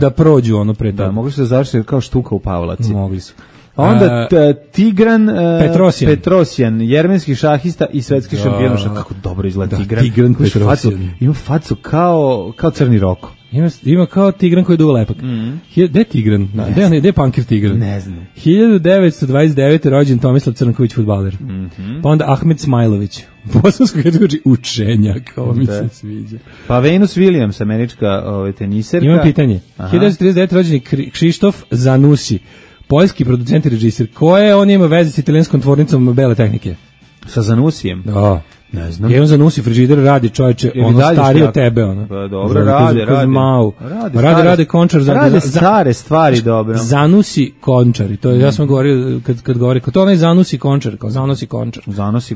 da prođu ono pred. Da, mogli su da završiti kao štuka u Pavlaci. Mogli su. Onda Tigran Petrosjan, jermenski šahista i svetski šampion. Kako dobro izgleda Tigran Petrosjan. Ima facu kao Crni Roko. Ima kao Tigran koji je dugo lepak. Gde je Tigran? Gde je Pankir Tigran? Ne znam. 1929. rođen Tomislav Crnković, fudbaler. Pa onda Ahmed Smajlović. Bosansko kaže učenjak, ovo mi se sviđa. Pa Venus Williams, američka teniserka. Imam pitanje. 1939. rođen Krzysztof Zanussi. Poljski producent i režiser. Koje on ima veze s italijanskom tvornicom bele tehnike? Sa Zanusijem? Da. Ne znam. Jedan Zanussi frižider radi, čovječe, ono starije od tebe. Pa dobro, radi Končar. Rade stare stvari, dobro. Zanussi Končar. I to ja sam govorio, kad govori, to onaj Zanussi Končar, kao Zanussi Končar.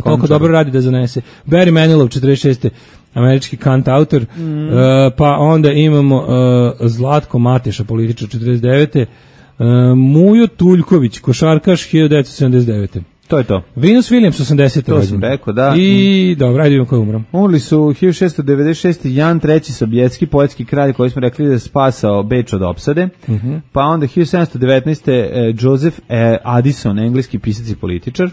Toliko dobro radi da zanese. Barry Manilow, 46. američki kant autor. Pa onda imamo Zlatko Mateša, političar, 49. Mujo Tuljković, košarkaš, 1979. To je to. Venus Williams, 80. To sam rekao, da. I dobro, ajde vidimo koji umro. Umrli su 1696. Jan III. Sovjetski poetski kralj koji smo rekli da je spasao Beč od opsade. Pa onda 1719. Joseph Addison, engleski pisac i političar.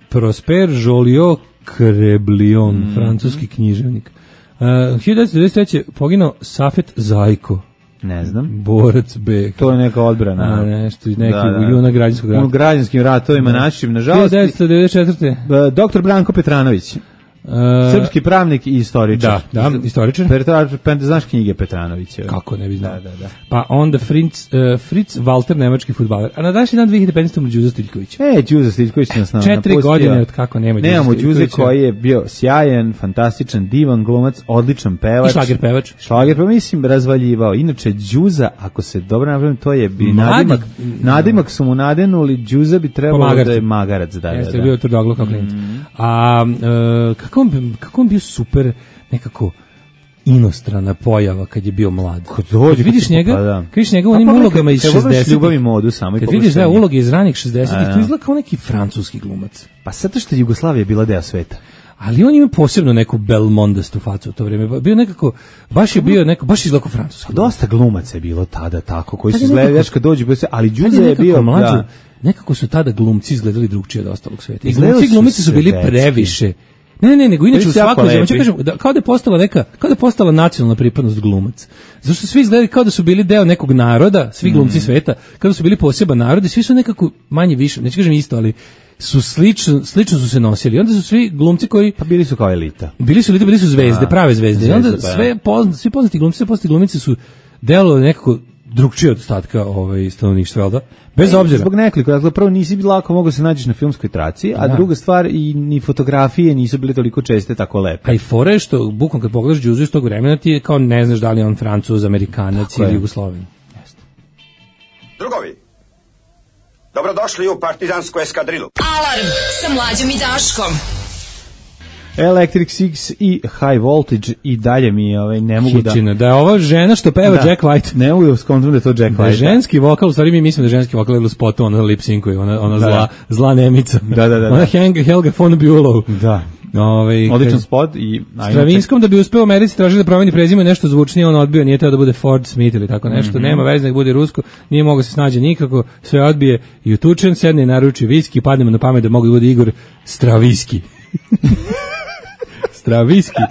Prosper Joliot Crebillon, francuski književnik. 1993. poginuo Safet Zajko. Ne znam. Borac B. To je neka odbrana. Nešto, neki junak građanskog rata. U građanskim ratovima našim, nažalost. 1994. Dr. Branko Petranović. Srpski pravnik i istoričar. Da, istoričar. Znaš knjige Petranovića? Kako ne bi znao. Da. Pa onda Fritz Walter, nemački fudbaler. A na današnji dan 2015. Đuza Stiljković. Đuza Stiljković nas napustio. 4 godine od kako nema Đuza Stiljkovića. Nemamo Đuze koji je bio sjajan, fantastičan, divan glumac, odličan pevač. I šlager pevač. Šlager, pa mislim, razvaljivao. Inače, Đuza, ako se dobro napravim, to je bi nadimak su mu nadenuli, Đuza bi trebalo da je magarac. Jeste bio tvrdoglav kao klinac. A kako on bio super nekako inostrana pojava kad je bio mlad. Kad vidiš njega, u onim ulogama iz 60-ih. Ljubav i modu samo. Kad vidiš uloge iz ranih 60-ih, to izgleda kao neki francuski glumac. Pa zato što Jugoslavija je bila deo sveta. Ali on ima posebno neku belmondastu facu u to vrijeme. Bio nekako, baš izgleda kao francuski. Dosta glumaca je bilo tada tako, koji su izgledali kad dođu, ali Đuza je bio mlađi. Nekako su tada glumci izgledali drugčije od ostalog sveta. I glumci su bili previše. Ne, nego inače u svakoj zemlji, kažem, kao da je postala nacionalna pripadnost glumac. Zašto svi izgledali kao da su bili deo nekog naroda, svi glumci sveta, kao da su bili poseban narod i svi su nekako manje više, neću kažem isto, ali su slično su se nosili. Onda su svi glumci koji pa bili su kao elita. Bili su zvezde, prave zvezde. I onda svi poznati glumice su delovali nekako drugčije od ostatka stanovništva, jel da? Bez obzira. Zbog nekoliko, dakle, prvo nisi lako mogao se nađeš na filmskoj traci, a druga stvar, i ni fotografije nisu bile toliko česte tako lepe. A i fora je što, bukvalno kad pogledaš Đuzu iz tog vremena, ti je kao ne znaš da li je on Francuz, Amerikanac ili Jugosloven. Drugovi, dobrodošli u partizansku eskadrilu. Alarm sa Mlađom i Daškom. Electric Six i High Voltage i dalje mi ne mogu da je ova žena što peva Jack White. Ne mogu da skontram da je to Jack White. Da je ženski vokal, u stvari mi mislimo da je ženski vokal ili u spotu, ona lip-synkuje, ona zla nemica. Da. Ona Helga von Bülow. Da. Odličan spot i Stravinskom da bi uspeo u Americi tražili da promeni prezime nešto zvučnije, on odbio, nije teo da bude Ford Smith ili tako nešto, nema veze, nek bude rusko, nije mogao se snađe nikako, sve odbije i utučen, sedne i naruči viski, padne mu na pamet da mogu da bude Igor Straviski. Straviski.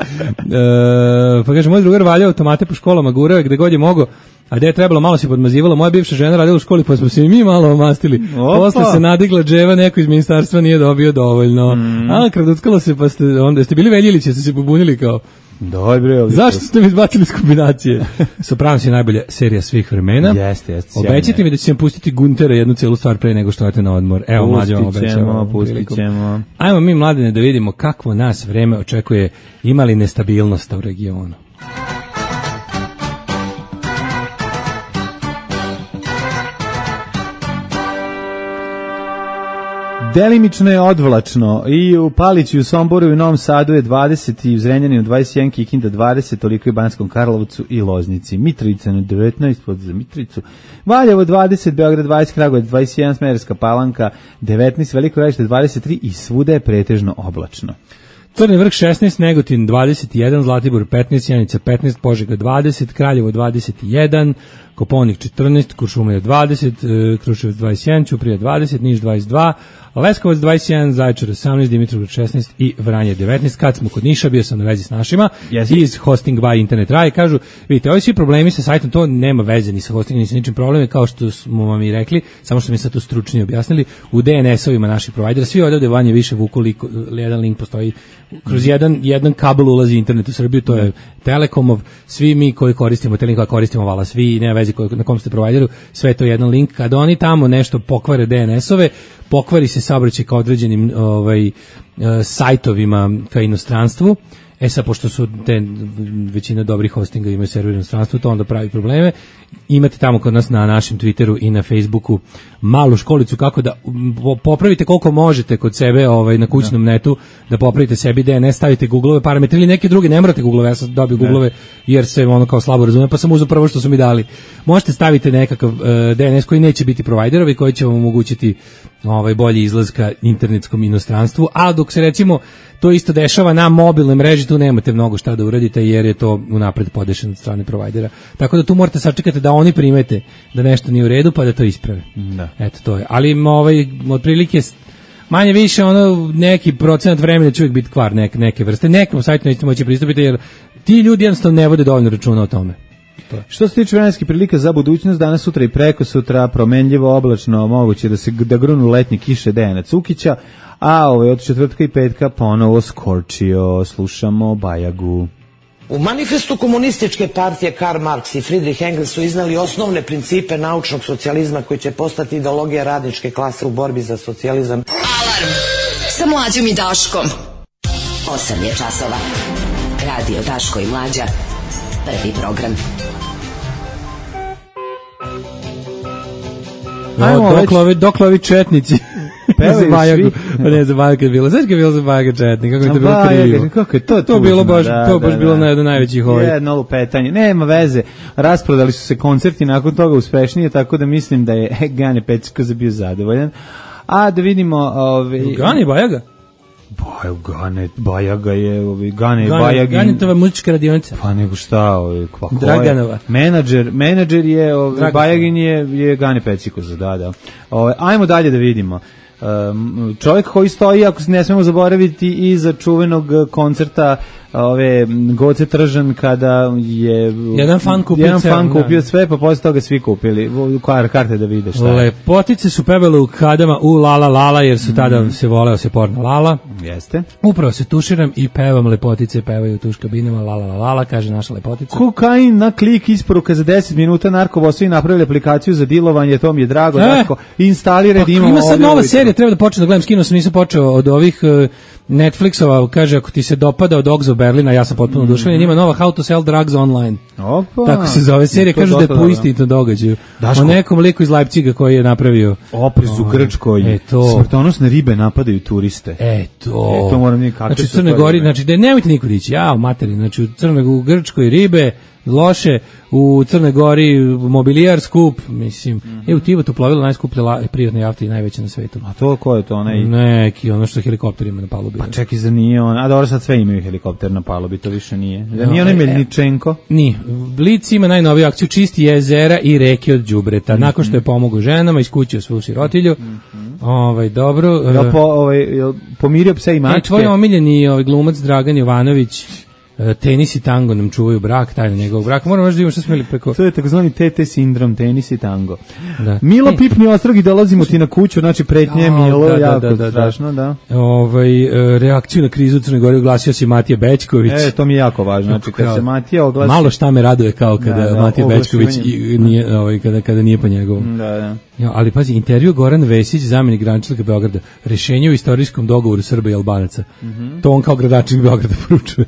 Pa kaže, moj drugar valjao automate po školama, gurao je gde god je mogao, a gde je trebalo, malo se podmazivalo. Moja bivša žena radila u školi, pa smo se i mi malo omastili. Posle se nadigla dževa, neko iz ministarstva nije dobio dovoljno. A, kraduckalo se, pa ste bili Veljilići, ste se pobunili kao... Dobro, zašto ste mi izbacili iz kombinacije? Sopranos je najbolja serija svih vremena. Jeste. Obećajte mi da će vam pustiti Guntera jednu celu stvar pre nego što odete na odmor. Evo, mlađe vam obećamo. Pustit ćemo. Ajmo mi, mladine, da vidimo kakvo nas vreme očekuje, imali nestabilnost u regionu. Delimično je odvlačno i u Paliću, u Somboru i u Novom Sadu je 20 i u Zrenjaninu 21, Kikinda 20, toliko i u Banskom Karlovcu i Loznici. Mitrovica na 19, pod za Mitrovicu. Valjevo 20, Beograd 20, Kragujevac 21, Smederevska Palanka 19, Veliko Gradište 23 i svuda je pretežno oblačno. Crni vrh 16, Negotin 21, Zlatibor 15, Sjenica 15, Požega 20, Kraljevo 21, Koponik 14, Kuršumlija 20, Kruševac 21, Ćuprija 20, Niš 22, Leskovac 21, Zaječar 18, Dimitrovgrad 16 i Vranje 19. Kad smo kod Niša, bio sam na vezi s našima iz Hosting by Internet Raj, kažu, vidite, ovi svi problemi sa sajtom, to nema veze ni sa hostingom, ni sa ničim problemi, kao što smo vam i rekli, samo što mi sad to stručnije objasnili, u DNS-ovima naših provajdera, svi odavde vanje više vuku jedan link postoji, kroz jedan kabel ulazi internet u Srbiju, to je Telekomov, svi mi koji koristimo Telekom, koristimo vala, svi, nema veze na kom ste provajderu, sve je to jedan link, kada oni tamo nešto pokvare DNS-ove, pokvari se saobraćaj ka određenim sajtovima ka inostranstvu. Sad, pošto su većina dobrih hostinga imaju server u inostranstvu, to onda pravi probleme. Imate tamo kod nas na našem Twitteru i na Facebooku malu školicu kako da popravite koliko možete kod sebe na kućnom netu, da popravite sebi DNS, stavite Google-ove parametre ili neke druge, ne morate Google-ove, ja sam dobio Google-ove jer se kao slabo razume, pa sam uzeo prvo što su mi dali. Možete staviti nekakav DNS koji neće biti providerovi, koji će vam omogućiti bolji izlaz ka internetskom inostranstvu, a dok se recimo to isto dešava na mobilnoj mreži, tu nemate mnogo šta da uradite jer je to unapred podešeno od strane provajdera. Tako da tu morate sačekati da oni primete da nešto nije u redu pa da to isprave. Da. Eto, to je. Ali otprilike manje više neki procenat vremena će uvijek biti kvar neke vrste. Nekom sajtu nećete moći pristupiti jer ti ljudi jednostavno ne vode dovoljno računa o tome. Što se tiče vremenskih prilika za budućnost, danas, sutra i preko sutra promenljivo, oblačno, moguće da grunu letnje kiše Dejana Cukića, a od četvrtka i petka ponovo Skorčio. Slušamo Bajagu. U manifestu komunističke partije Karl Marx i Friedrich Engels su iznali osnovne principe naučnog socijalizma koji će postati ideologija radničke klase u borbi za socijalizam. Alarm sa Mlađom i Daškom. 8 je časova. Radio Daško i Mlađa. Prvi program. Dokle ovi četnici za Bajagu, ne za Bajaga je bilo, znaš je bilo za Bajaga četnik, kako je to bilo krivo, kako je to tužno, bilo baš bilo na jedno najvećih jedno lupetanje, nema veze, rasprodali su se koncerti nakon toga uspešnije, tako da mislim da je Gane Pecikoza bio zadovoljan, a da vidimo Gane Bajaga? Bajaga je Ganetova muzička radionica. Pa nego šta, Draganova. Menadžer je Bajagin je Gane Pecikoza, da. Ajmo dalje da vidimo. Čovjek koji stoji, ako ne smemo zaboraviti, iza čuvenog koncerta Goce Tržan, kada je jedan fan kupio sve, pa posle toga svi kupili karte da vide šta je. Lepotice su pevale u kadama u Lala Lala, jer su tada se voleo se porno Lala. Jeste. Upravo se tuširam i pevam, lepotice pevaju u tuš kabinama Lala Lala, kaže naša lepotica. Kokain na klik, isporuka za 10 minuta, narkobosovi napravili aplikaciju za dilovanje, to mi je drago, Daško, instaliraj da imamo. Ima sad nova serija, treba da počnem da gledam, skinuo sam, nisam počeo od ovih Netflixova, kaže, ako ti se dopada od Dogs of Berlina, ja sam potpuno oduševljen, ima nova How to Sell Drugs Online. Opa, tako se zove serija, kažu da je po istinito događaju. O nekom liku iz Leipziga koji je napravio oprez u Grčkoj, smrtonosne ribe napadaju turiste. To moram nikako. Znači u Crnoj Gori, znači da nemojte niko dići, materinu, znači u Grčkoj ribe loše, u Crnoj Gori mobilijar skup, mislim, u Tivotu plovilo najskuplje privatne jahte i najveće na svetu. A to ko je to? Neki, ono što helikopter ima na palubi. Pa čekaj, za nije on, a dobro sad sve imaju helikopter na palubi, to više nije. Da nije onaj Melničenko? Nije. Blic ima najnoviju akciju čisti jezera i reke od đubreta. Nakon što je pomogao ženama, iskućio svu sirotilju. Dobro. Pomirio pse i mačke. Tvoj omiljeni glumac Dragan Jovanović, tenis i tango nam čuvaju brak, tajna njegovog braka. Moramo još da imamo što smo ili preko... To je takozvani TT sindrom, tenis i tango. Da. Milo pipni ostrog i dolazimo ti na kuću, znači pretnje Milo, jako strašno, da. Reakciju na krizu u Crnoj Gori oglasio si Matija Bećković. To mi je jako važno, znači kad se Matija oglasi... Malo šta me raduje kao kada Matija Bećković nije, kada nije po njegovom. Da. Ali pazi, intervju Goran Vesić, zamjenik gradonačelnika Beograda, rešenje u istorijskom dogovoru Srba i Albanaca. To on kao gradonačelnik Beograda poručuje.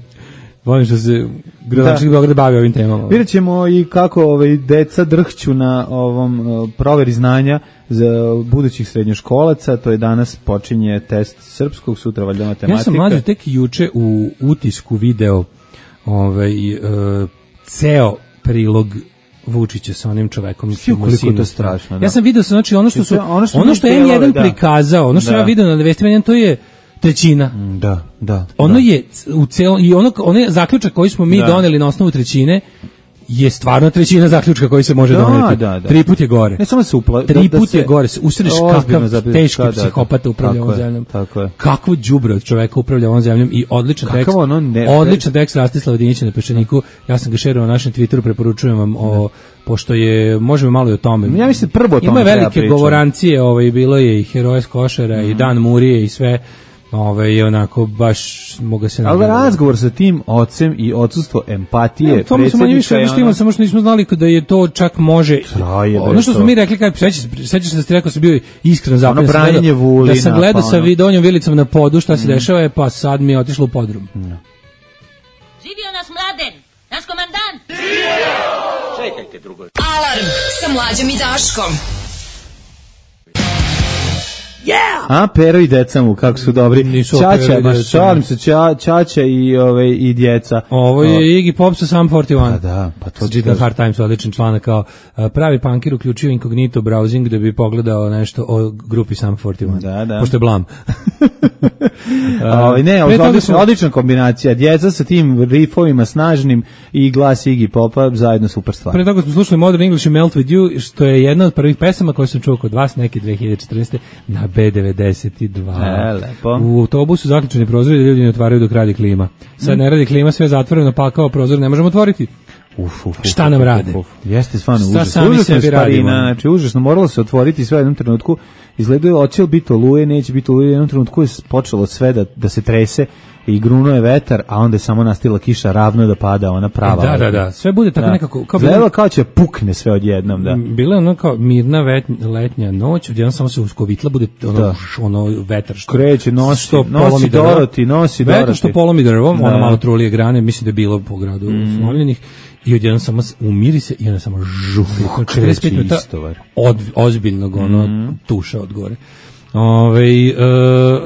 Volim što se gradonačelnik Beograda bavi ovim temama. Vidjet ćemo i kako deca drhću na ovom proveri znanja za budućih srednjoškolaca. To je danas počinje test srpskog, sutra valjda matematika. Ja sam mlađe tek juče u utisku video ceo prilog Vučića sa onim čovekom. Koliko je to strašno. Ja sam video, znači ono što je N1 prikazao, ono što ja vidio na vestima, to je trećina. Da. Ono je u celom i ono je zaključak koji smo mi doneli na osnovu trećine je stvarno trećina zaključka koji se može doneti. Da. 3 put je gore. Ne samo se Tri put je gore. Usreš kakav teški psihopata upravlja ovom zemljom. Tako je. Kakvo đubre od čoveka upravlja ovom zemljom i odličan tekst. Odličan tekst Rastislava Dinića na Peščaniku. Ja sam ga šerovao na našem Twitteru, preporučujem vam pošto je, možemo malo i o tome. Ja mislim prvo o tome. Ima velike govorancije, bilo je i Heroje s Košara i Dan Murije i sve. Je onako baš mogu se ali razgovor sa tim ocem i odsustvo empatije predsjednika samo što nismo znali kada je to čak može ono što smo mi rekli sećaš se da ste rekao sam bio iskreno zapresan da sam gledao sa Donjom Vilicom na podu šta se dešava pa sad mi je otišlo u podrum. Živio nas Mladen, naš komandant. Čekajte drugo. Alarm sa Mlađom i Daškom. A Pero i deca mu kako su dobri. Ćaća, šalim se, Ćaća i djeca. Ovo je Iggy Pop sa Sum 41. Da, pa to čita Hard Times, odličan članak kao pravi punkir uključio incognito browsing da bi pogledao nešto o grupi Sum 41. Da. Pošto je blam. Odlična kombinacija. Djeca sa tim riffovima snažnim i glas Iggy Popa zajedno super stvar. Pre toga smo slušali Modern English i Melt With You, što je jedna od prvih pesama koje sam čuo kod vas neke 2014. na B92. Lepo. U autobusu zaključeni prozori da ljudi ne otvaraju dok radi klima. Sad ne radi klima, sve zatvoreno, pa kao prozor ne možemo otvoriti. Šta nam rade? Jeste stvarno užasno. Znači, užasno, moralo se otvoriti sve u jednom trenutku. Izgledaju, hoće li biti oluje, neće biti oluje. U jednom trenutku je počelo sve da se trese i grunuo je vetar, a onda je samo nastila kiša ravno da pada, ona prava. Da. Sve bude tako nekako... Gledalo kao će pukne sve odjednom, da. Bila je ono kao mirna letnja noć, odjednom samo se uskovitla, bude ono vetar što... Kreće, nosi Doroti. Vetar što polomi drvom, ono malo trulije grane, mislim da je bilo po gradu uslovljenih. I odjednom samo umiri se i onda samo žuh. 45 minuta ozbiljnog tuša od gore.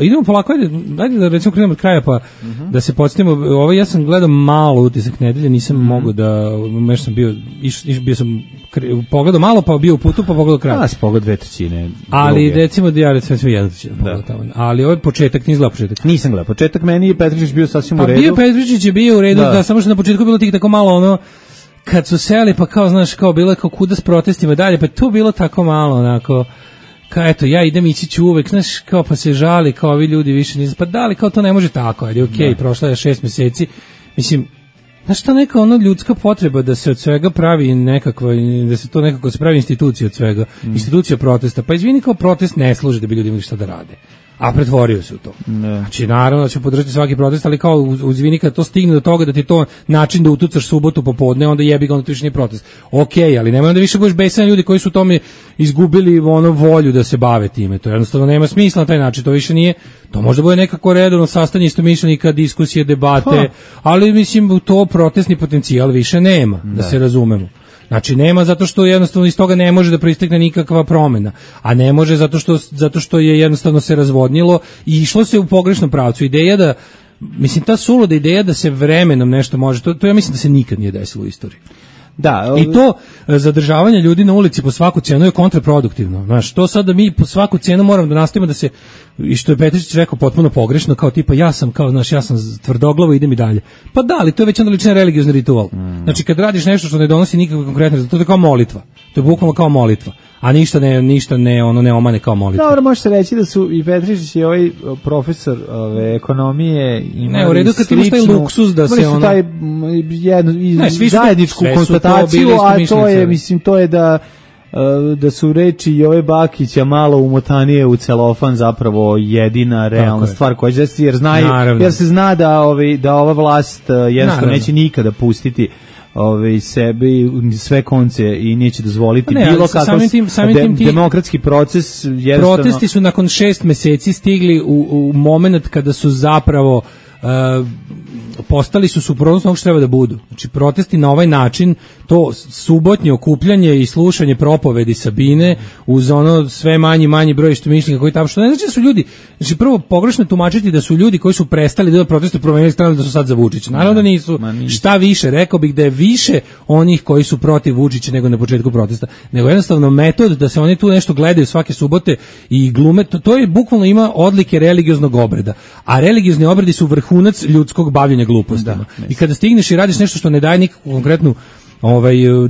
Idemo polako, ajde da recimo krenemo od kraja pa da se podsjetimo. Ja sam gledao malo Utisak nedelje, nisam mogao da, nešto sam bio sam pogledao malo pa bio u putu pa pogledao kraj. Si pogledao 2/3. Ali recimo da ja recimo 1/3 pogledao tamo. Ali ovaj početak, nisi gledao početak? Nisam gledao početak, meni je Petričić bio sasvim u redu. Bio Petričić je bio u redu, da samo što na početku bilo tako malo ono kad su seli pa kao znaš kao bilo kao kuda s protestima dalje, pa tu bilo tako malo onako kao eto ja idem ići ću uvek, znaš kao pa se žali kao ovi ljudi više nisu, pa da li kao to ne može tako, ali okej, prošlo je 6 meseci, mislim znaš to neka ono ljudska potreba da se od svega pravi nekakva, da se to nekako se pravi institucija od svega, institucija protesta, pa izvini kao protest ne služi da bi ljudi imali šta da rade. A pretvorio se u to. Znači, naravno da će podržati svaki protest, ali kao uzvini kad to stigne do toga da ti to način da utucaš subotu popodne, onda jebi ga, onda to više nije protest. Okej, ali nemoj onda više budeš besan ljudi koji su tome izgubili volju da se bave time. To jednostavno nema smisla na taj način, to više nije, to možda bude nekako redovno sastanje istomišljenika, diskusije, debate, ali mislim to protestni potencijal više nema, da se razumemo. Znači nema zato što jednostavno iz toga ne može da proistekne nikakva promena, a ne može zato što je jednostavno se razvodnilo i išlo se u pogrešnom pravcu. Ideja da mislim, ta suluda ideja da se vremenom nešto može, to ja mislim da se nikad nije desilo u istoriji. Da, i to zadržavanje ljudi na ulici po svaku cenu je kontraproduktivno. Znaš, to sad da mi po svaku cenu moramo da nastavimo da se, i što je Petričić rekao potpuno pogrešno, kao tipa ja sam tvrdoglavo, idem i dalje. Pa da, ali to je već onda lični religiozni ritual. Znači kad radiš nešto što ne donosi nikakve konkretne rezultate, to je kao molitva. To je bukvalno kao molitva. A ništa ne omane kao molitva. Dobro, može se reći da su i Petričić i ovaj profesor ekonomije imali ne, u redu kad sličnu, imaš taj luksuz da se ono... taj zajedničku konstataciju, a to je, mislim, to je da su reči Jove Bakića malo umotanije u celofan zapravo jedina realna stvar koja će se, jer se zna da ova vlast jednostavno neće nikada pustiti sebi sve konce i neće dozvoliti bilo kakav demokratski proces. Protesti su nakon 6 meseci stigli u moment kada su zapravo postali su suprotnost onog što treba da budu. Znači protesti na ovaj način, to subotnje okupljanje i slušanje propovedi Sabine uz ono sve manji broj istomišljenika koji tamo, što ne znači da su ljudi, znači prvo pogrešno tumačiti da su ljudi koji su prestali da protestuju promenili stranu da su sad za Vučića. Naravno da nisu. Šta više, rekao bih da je više onih koji su protiv Vučića nego na početku protesta. Nego jednostavno metod da se oni tu nešto gledaju svake subote i glume, to je bukvalno ima odlike religioznog obreda. A religiozni obredi su vrhunac ljudskog bavljenja glupostima. I kada stigneš i radiš nešto što ne daje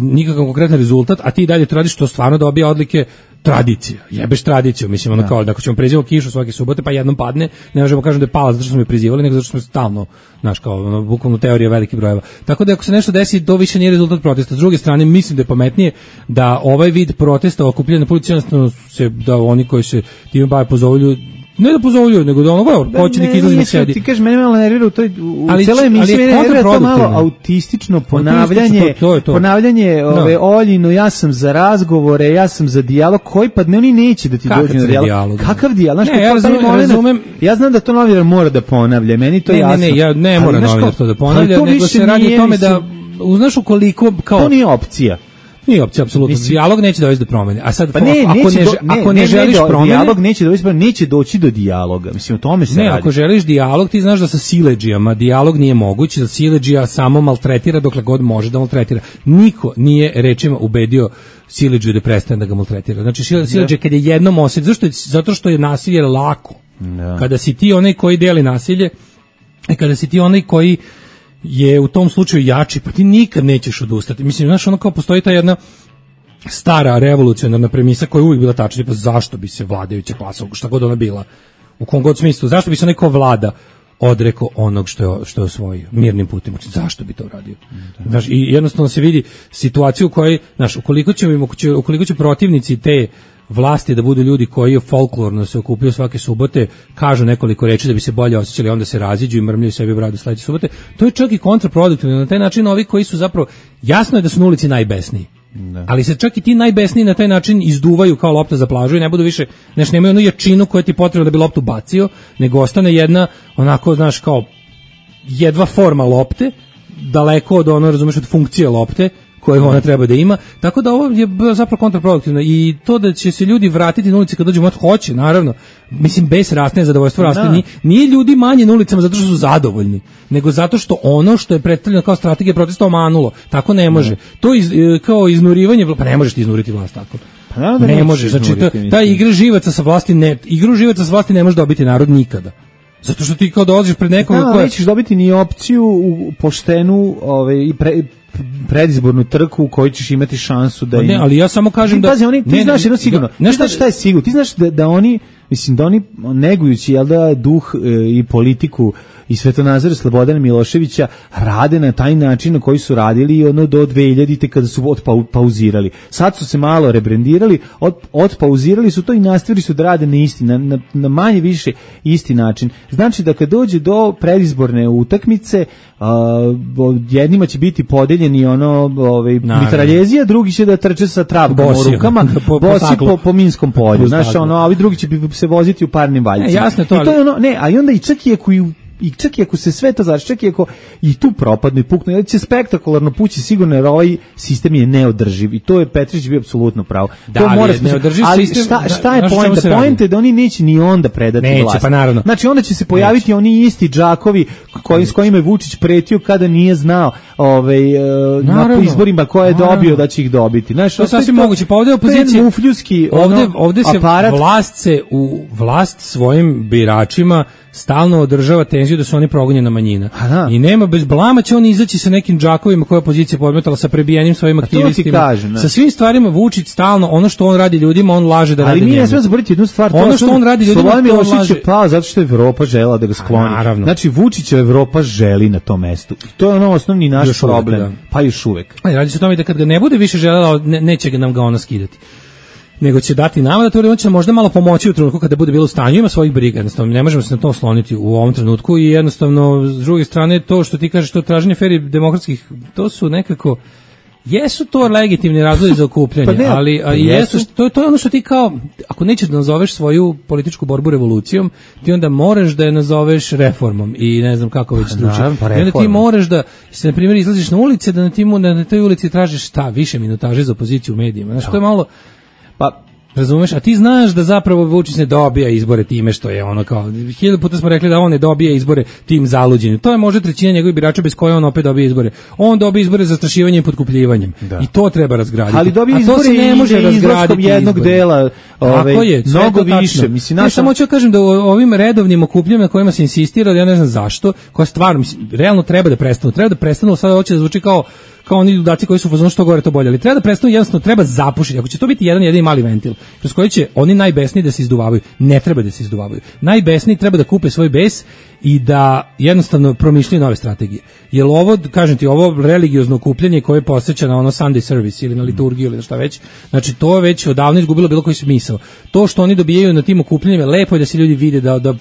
nikakav konkretan rezultat, a ti dalje to radiš, to stvarno dobija odlike tradicija. Jebeš tradiciju, mislim, ono kao da ako ćemo prizivati kišu svake subote, pa jednom padne, ne možemo kažem da je pala zato što smo je prizivali, nego zato što smo stalno, znaš, kao bukvalno teorija velikih brojeva. Tako da ako se nešto desi, to više nije rezultat protesta. S druge strane, mislim da je pametnije da ovaj vid protesta okupljanja na policiji, jednostavno da oni koji se time bave pozovu ne da pozovljuju, nego da ono početnik izlazi na sedi. Ti kažeš, mene malo nervira u celoj emisiji, mene nervira to malo autistično ponavljanje Oljino, ja sam za razgovore, ja sam za dijalog, koji pa ne, oni neće da ti dođu na dijalog. Kakav dijalog? Ja znam da to novinar mora da ponavlja, meni to jasno. Ne mora novinar to da ponavlja, nego se radi o tome da, znaš ukoliko, kao... To nije opcija. Nije opcija, apsolutno. Dijalog neće dovesti do promene. A sad, ako ne želiš promene... Dijalog neće dovesti do promene, neće doći do dijaloga. Mislim, o tome se radi. Ne, ako želiš dijalog, ti znaš da sa siledžijama dijalog nije moguć, da siledžija samo maltretira dokle god može da maltretira. Niko nije rečima ubedio siledžiju da prestane da ga maltretira. Znači, siledžija kad je jednom osjeti, zato što je nasilje lako. Kada si ti onaj koji deli nasilje, i kada si ti onaj koji je u tom slučaju jači, pa ti nikad nećeš odustati. Mislim, znaš, ono kao postoji ta jedna stara revolucionarna premisa koja je uvijek bila tačna, pa zašto bi se vladajuća klasa, šta god ona bila, u kom god smislu, zašto bi se neko vlada odrekao onog što je osvojio mirnim putem, zašto bi to uradio? Znaš, i jednostavno se vidi situaciju u kojoj, znaš, ukoliko će protivnici te vlasti da budu ljudi koji folklorno se okupljaju svake subote, kažu nekoliko reči da bi se bolje osjećali, onda se raziđu i mrmljaju sebi bradu sledeće subote, to je čak i kontraproduktivno. Na taj način ovi koji su zapravo, jasno je da su na ulici najbesniji, ali se čak i ti najbesniji na taj način izduvaju kao lopta za plažu i ne budu više, znači nemaju onu jačinu koja ti potrebna da bi loptu bacio, nego ostane jedna, onako, znaš, kao jedva forma lopte, daleko od ono, razumeš, od funkcije lopte, koje ona treba da ima, tako da ovo je zapravo kontraproduktivno i to da će se ljudi vratiti na ulici kad dođu, hoće, naravno, mislim, bez raste, zadovoljstvo raste, nije ljudi manje na ulicama zato što su zadovoljni, nego zato što ono što je predstavljeno kao strategija protesta omanulo, tako ne može. To kao iznurivanje, pa ne možeš ti iznuriti vlast tako. Ne možeš, znači ta igru živaca sa vlasti ne može dobiti narod nikada. Zato što ti kao dolaziš pred nekoga koja... Nećeš dobiti ni opciju u poštenu i predizbornu trku u kojoj ćeš imati šansu da... Ne, ali ja samo kažem da... Pazi, ti znaš jedno sigurno, ti znaš šta je sigurno, ti znaš da oni, mislim, da oni negujući, jel da, duh i politiku i svetonazor Slobodana Miloševića rade na taj način na koji su radili ono do 2000-te kada su pauzirali. Sad su se malo rebrendirali, otpauzirali su to i nastavili su da rade na isti, na manje više isti način. Znači da kad dođe do predizborne utakmice, jednima će biti podeljeni mitraljezija, drugi će da trče sa trapkom u rukama, bosi po minskom polju. Znaš, a ovi drugi će se voziti u parnim valjcima. Jasno to, ali... I to je ono, ne, a i onda i čak i ako i čak i ako se sve to završi, čak i ako i tu propadne i pukne, da će spektakularno pući sigurno, jer ovaj sistem je neodrživ i to je Petrić bio apsolutno pravo. Da, to mora neodrživ ali sistem. Šta je poenta? Poenta je da oni neće ni onda predati vlast. Pa naravno. Znači onda će se pojaviti oni isti džakovi s kojima je Vučić pretio kada nije znao na izborima koje je dobio da će ih dobiti. Znači, to je sasvim moguće. Pa ovde opozicija ovde se aparat. vlast svojim biračima stalno održava tenziju da su oni progonjena manjina. I nema bez blama će oni izaći sa nekim džakovima koje opozicija podmetala, sa prebijenim svojim aktivistima. Sa svim stvarima Vučić stalno, ono što on radi ljudima, on laže da radi. Ali mi ne smemo zaboraviti jednu stvar. Ono što on radi ljudima, Slobodan Milošević je pao zato što je Evropa želela da ga skloni. Znači Vučića Evropa želi na tom mestu. To je ono osnovni naš problem. Pa još uvek. Radi se o tome da kad ga ne bude više želela, neće nam ga ona skidati. Nego će dati nama da to će možda malo pomoći u trenutku kada bude bilo u stanju, ima svojih briga, jednostavno ne možemo se na to osloniti u ovom trenutku i jednostavno s druge strane to što ti kažeš, to traženje fer i demokratskih, to su nekako jesu to legitimni razlozi za okupljanje, ali jesu, to je ono što ti kao, ako nećeš da nazoveš svoju političku borbu revolucijom, ti onda moraš da je nazoveš reformom i ne znam kako već struče. I onda ti moraš da, se na primjer izlaziš na ulice, da na toj ulici tražiš više minutaže za opoziciju u medijima. Znači, to je malo, pa razumeš, a ti znaš da zapravo Vučić ne dobija izbore time što je ono kao, 1000 puta smo rekli da on ne dobija izbore tim zaluđenjem. To je možda trećina njegovih birača bez koje on opet dobije izbore. On dobije izbore zastrašivanjem i potkupljivanjem. I to treba razgraditi. Ali dobije izbore se ne može razgraditi jednog dela, mnogo više. Mislim, ja samo hoću kažem da ovim redovnim okupljanjima na kojima se insistira, ja ne znam zašto, koja stvarno realno treba da prestanu. Treba da prestanu, sada hoće da zvuči kao oni ludaci koji su u fazonu što gore to bolje, ali treba da prestanu, jednostavno treba zapušiti. Ako će to biti jedan jedini mali ventil kroz koji će oni najbesniji da se izduvavaju, ne treba da se izduvavaju. Najbesniji treba da kupe svoj bes i da jednostavno promišljaju nove strategije. Jer ovo, kažem ti, ovo religiozno okupljanje koje posjeća na ono Sunday service ili na liturgiju ili na šta već, znači to je već odavno izgubilo bilo koji smisao. To što oni dobijaju na tim okupljanjima, lepo je da se ljudi vide, da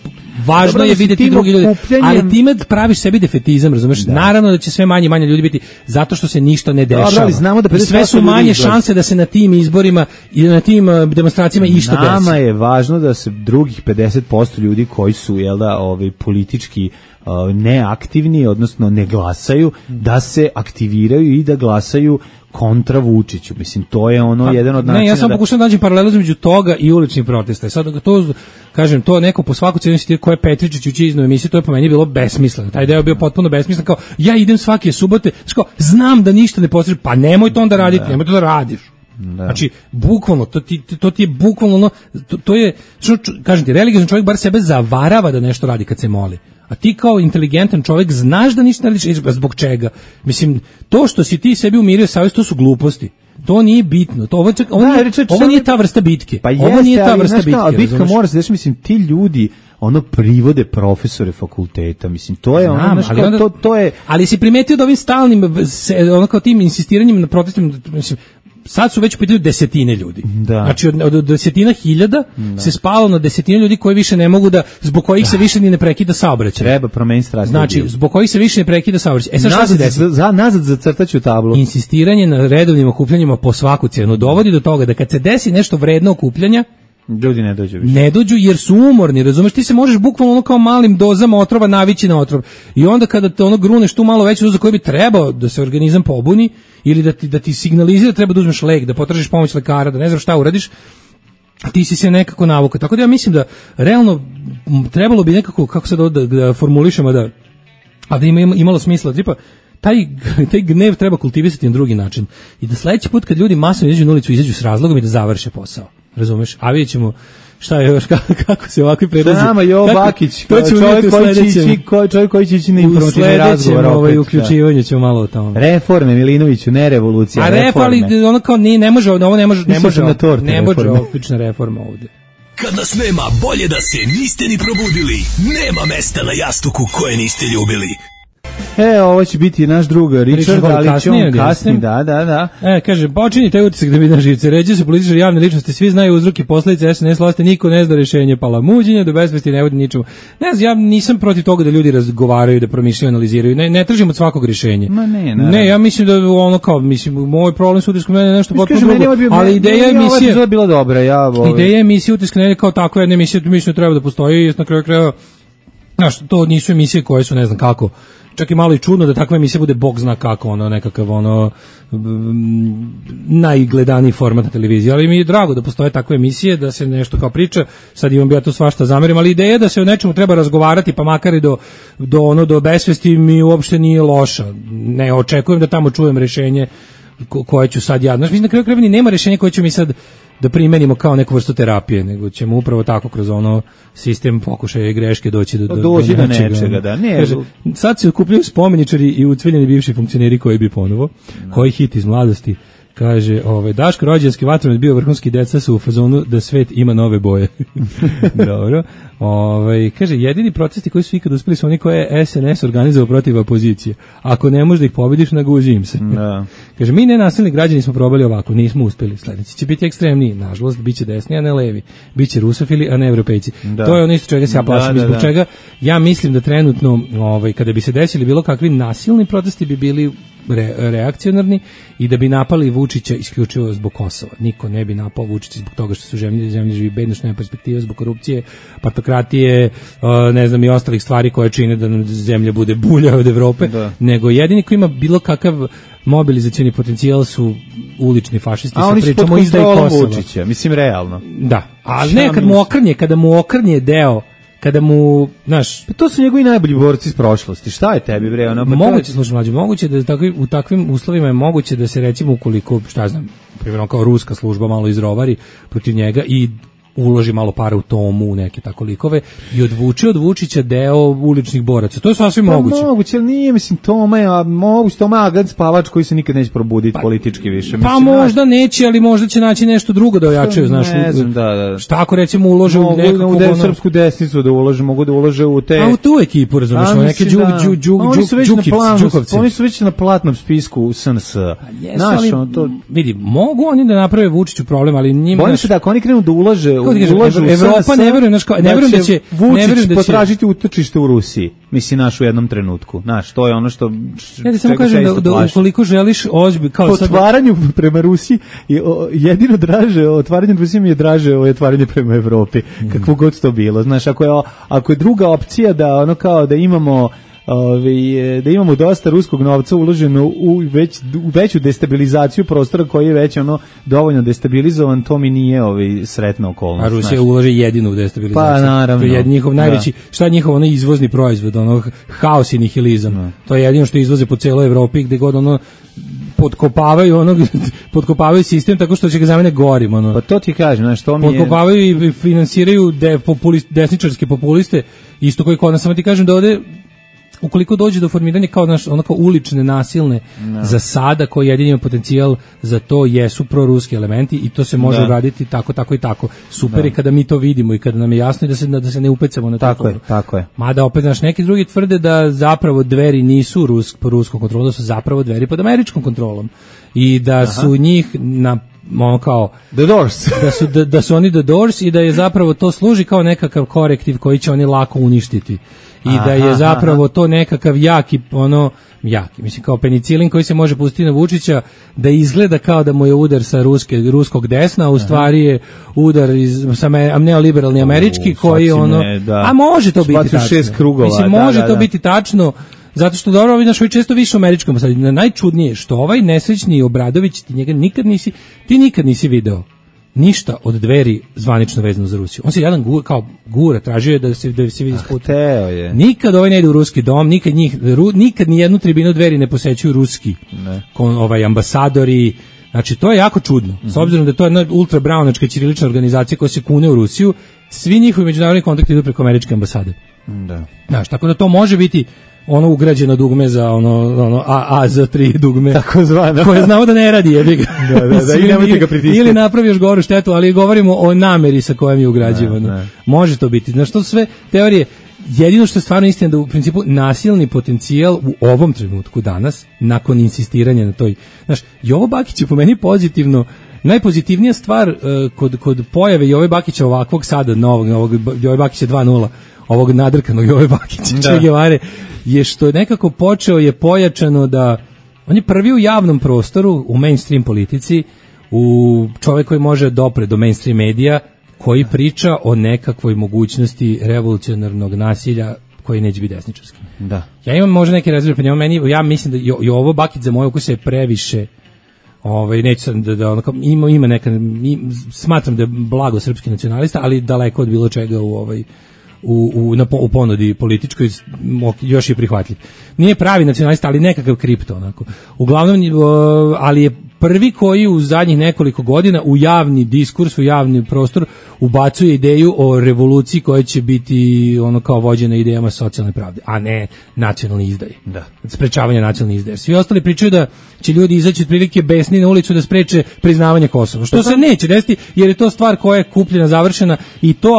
važno je vidjeti drugi ljudi, ali time praviš sebi defetizam, razumeš? Naravno da će sve manje i manje ljudi biti zato što se ništa ne dešava. Znamo da sve su manje šanse da se na tim izborima i na tim demonstracijama išta desi. Nama je važno da se drugih 50% ljudi koji su politički neaktivni, odnosno ne glasaju, da se aktiviraju i da glasaju kontra Vučiću. Mislim, to je jedan od načina. Ne, ja sam pokušam da nađem paralelu između toga i uličnih protesta. Sad to, kažem, to neko po svaku cijenu insistira ko je Petričić ući iznove emisiju, to je po meni bilo besmisleno. Taj deo je bio potpuno besmislen, kao ja idem svake subote, znam da ništa ne postižem, pa nemoj to onda raditi, nemoj to da radiš. Znači, bukvalno, to ti je bukvalno to je, kažem ti, religiozni čovjek bar sebe zavarava da nešto radi kad se moli. A ti kao inteligentan čovjek znaš da ništa ne radiš, zbog čega? Mislim, to što si ti sebi umirio savjest, to su gluposti. To nije bitno. Ovo nije ta vrsta bitke. Pa ovo nije ta vrsta bitke. A bitka mora se desiti, mislim, ti ljudi privode profesore fakulteta, mislim, to je to je. Ali si primetio da ovim stalnim, kao tim insistiranjem na protestima, mislim, sad su već u pitanju desetine ljudi. Znači od desetina hiljada se spalo na desetine ljudi koji više ne mogu zbog kojih se više ni ne prekida saobraćaj. Treba promeniti strategiju. Znači, zbog kojih se više ne prekida saobraćaj. Sad šta se desi? Nazad zacrtaću tablu. Insistiranje na redovnim okupljanjima po svaku cijenu dovodi do toga da kad se desi nešto vredno okupljanja, ljudi ne dođu više. Ne dođu jer su umorni, razumeš, ti se možeš bukvalno kao malim dozama otrova navići na otrov. I onda kada te gruneš tu malo veću dozu koju bi trebao da se organizam pobuni ili da ti signalizira treba da uzmeš lek, da potražiš pomoć lekara, da ne znam šta uradiš, ti si se nekako navukao. Tako da ja mislim da realno trebalo bi nekako, kako se da formulišemo, da ima imalo smisla, tipa taj gnev treba kultivisati na drugi način. I da sledeći put kad ljudi masovno izađu na ulicu, izađu s razlogom i da završe posao. Razumeš? A vidjet ćemo šta je još, kako se ovakvi predlazi. Nama Jovo Bakić, čovjek koji će ići na informativni razgovor. U sledećem uključivanju ćemo malo o tome. Reforme, Milinoviću, ne revolucija, reforme. Ali ono kao ne može opična reforma ovdje. Kad nas nema, bolje da se niste ni probudili. Nema mesta na jastuku koje niste ljubili. Ovo će biti naš drug Richard, ali će on kasni, da. Kaže, počini taj utisak da mi na živce. Ređe se političari, javne ličnosti, svi znaju uzroke, posljedice SNS vlasti, niko ne zna rješenje, palamuđenje, do besvesti ne vodi ničemu. Ne znam, ja nisam protiv toga da ljudi razgovaraju, da promišljaju, analiziraju. Ne tražim od svakog rješenja. Ne, ja mislim da moj problem sa utiskom je nešto potpuno drugo. Ali ideja emisije je bila dobra. Ideja emisije Utisak nedelje kao takva jedna emisija, mislim da treba da postoji, na kraju krajeva Znaš, to nisu emisije koje su ne znam kako, čak i malo i čudno da takva emisija bude bog zna kako, nekakav najgledaniji format na televiziji, ali mi je drago da postoje takve emisije, da se nešto kao priča, sad imam ja to svašta zamerim, ali ideja da se o nečemu treba razgovarati, pa makar i do besvesti mi uopšte nije loša. Ne očekujem da tamo čujem rešenje koje ću sad ja, znaš, mislim na kraju krajeva nema rešenja koje ću mi sad da primenimo kao neku vrstu terapije, nego ćemo upravo tako kroz sistem pokušaja i greške doći do nečega. Da, ne. Kaže, sad se okupljaju spomeničari i ucveljeni bivši funkcioneri koji bi ponovo, koji hit iz mladosti. Kaže, Daško rođenski vatromet bio vrhunski, deca su u fazonu da svet ima nove boje. Dobro. Kaže, jedini protesti koji su ikad uspeli su oni koje je SNS organizovao protiv opozicije. Ako ne možeš da ih pobediš, naguzi im se. Da. Kaže, mi nenasilni građani smo probali ovako, nismo uspeli. Sledeći će biti ekstremniji, nažalost, bit će desni, a ne levi. Biće rusofili, a ne evropejci. Da. To je ono isto čega se ja plašim. Zbog čega ja mislim da trenutno, kada bi se desili bilo kakvi nasilni protesti, bi bili reakcionarni i da bi napali Vučića isključivo zbog Kosova. Niko ne bi napao Vučića zbog toga što su zemlje živi bedno, što nema perspektive, zbog korupcije, partokratije, ne znam, i ostalih stvari koje čine da nam zemlja bude bulja od Evrope, nego jedini koji ima bilo kakav mobilizacioni potencijal su ulični fašisti. A oni su pod kontrolom Vučića, mislim realno. Da, ali ne kada mu okrnje deo, kada mu, znaš, pa to su njegovi najbolji borci iz prošlosti. Šta je tebi, bre? Moguće, slušaj mlađe, moguće da u takvim uslovima je moguće da se, recimo, ukoliko, šta znam, primjer kao ruska služba malo izrovari protiv njega i uloži malo para u Tomu, u neke tako likove i odvuče od Vučića deo uličnih boraca. To je sasvim moguće. Moguće, ali nije, mislim, Toma je agent spavač koji se nikad neće probuditi politički više. Pa možda neće, ali možda će naći nešto drugo da ojačaju, znaš. Ne znam, da. Šta ako recimo ulože u nekakvu... U srpsku desnicu da ulože, mogu da ulože u te... A u tu ekipu, razumiješ, neke Đukovci. Oni su već na platnom spisku SNS. Znaš, vidi, mogu oni da naprave Vučiću problem, ali njima... Bojim se da ako oni krenu da ulaže Evropa ne verujem da će Vučić potražiti utočište u Rusiji. Mislim, naš u jednom trenutku. Znaš, to je ono što... Ja ti samo kažem da ukoliko želiš ozbiljno... Po otvaranju prema Rusiji, jedino draže, otvaranje Rusije mi je draže otvaranje prema Evropi. Kakvo god to bilo. Znaš, ako je druga opcija da da imamo... da imamo dosta ruskog novca uloženo u veću destabilizaciju prostora koji je već dovoljno destabilizovan, to mi nije sretna okolnost. A Rusija ulože jedinu u destabilizaciju. Pa naravno. To je njihov najveći, šta je njihov izvozni proizvod, haos i nihilizam. To je jedino što izvoze po celoj Evropi gde god potkopavaju sistem tako što će ga zamene gorim. Pa to ti kažem, znaš, to mi je... Potkopavaju i finansiraju desničarske populiste, isto koji kod nas, samo ti kažem da ovde ukoliko dođe do formiranja kao ulične nasilne zasada koji jedini ima potencijal za to jesu proruski elementi i to se može uraditi tako i tako. Super je kada mi to vidimo i kada nam je jasno i da se ne upecamo na to. Tako je. Mada opet, znaš, neki drugi tvrde da zapravo Dveri nisu po ruskom kontrolu, da su zapravo Dveri pod američkom kontrolom i da su njih kao The Doors. da su oni The Doors i da je zapravo to služi kao nekakav korektiv koji će oni lako uništiti. I da je zapravo to nekakav jaki, mislim kao penicilin koji se može pustiti na Vučića, da izgleda kao da mu je udar sa ruskog desna, a u stvari je udar sa neoliberalni američki koji a može to biti tačno. Mislim, može to biti tačno, zato što dobro, vidiš, često više u američkom, sad najčudnije što ovaj nesrećni Obradović, ti nikad nisi video ništa od Dveri zvanično vezano za Rusiju. On se jedan gura, tražio je da se vidi sput. Nikad ovaj ne ide u ruski dom, nikad ni jednu tribinu Dveri ne posećuju ruski ambasadori. Znači, to je jako čudno. S obzirom da to je jedna ultrabraunačka ćirilična organizacija koja se kune u Rusiju, svi njihovi međunarodni kontakti idu preko američke ambasade. Da. Znaš, tako da to može biti ugrađeno dugme za A za 3 dugme. Tako zvano. Koje znamo da ne radi, jebi ga. Da, i nemojte ga pritiskati. Ili napravi još goru štetu, ali govorimo o nameri sa kojom je ugrađivano. Može to biti. Znaš, to sve teorije, jedino što je stvarno istina da u principu nasilni potencijal u ovom trenutku danas, nakon insistiranja na toj, znaš, Jovo Bakić je po meni pozitivno, najpozitivnija stvar kod pojave Jove Bakića ovakvog sada, novog Jove Bakića 2.0, ovog nadrkanog Jove Bakića, Che Guevare, je što je nekako počeo je pojačano da on je prvi u javnom prostoru, u mainstream politici, u čovjek koji može dopre do mainstream medija, koji priča o nekakvoj mogućnosti revolucionarnog nasilja koji neće biti desničarski. Da. Ja imam možda neke rezerve prema njemu, ja mislim da i ovo Bakić za moje ukuse je previše, neću sad da ono, ima neka, smatram da je blago srpski nacionalista, ali daleko od bilo čega u ponudi političkoj, još je prihvatljiv. Nije pravi nacionalista, ali nekakav kripto, onako. Uglavnom, ali je prvi koji u zadnjih nekoliko godina u javni diskurs, u javni prostor ubacuje ideju o revoluciji koja će biti ono kao vođena idejama socijalne pravde, a ne nacionalni izdaj. Da. Sprečavanje nacionalne izdaje. Svi ostali pričaju da će ljudi izaći otprilike besni na ulicu da spreče priznavanje Kosova. Što se neće desiti, jer je to stvar koja je kupljena, završena, i to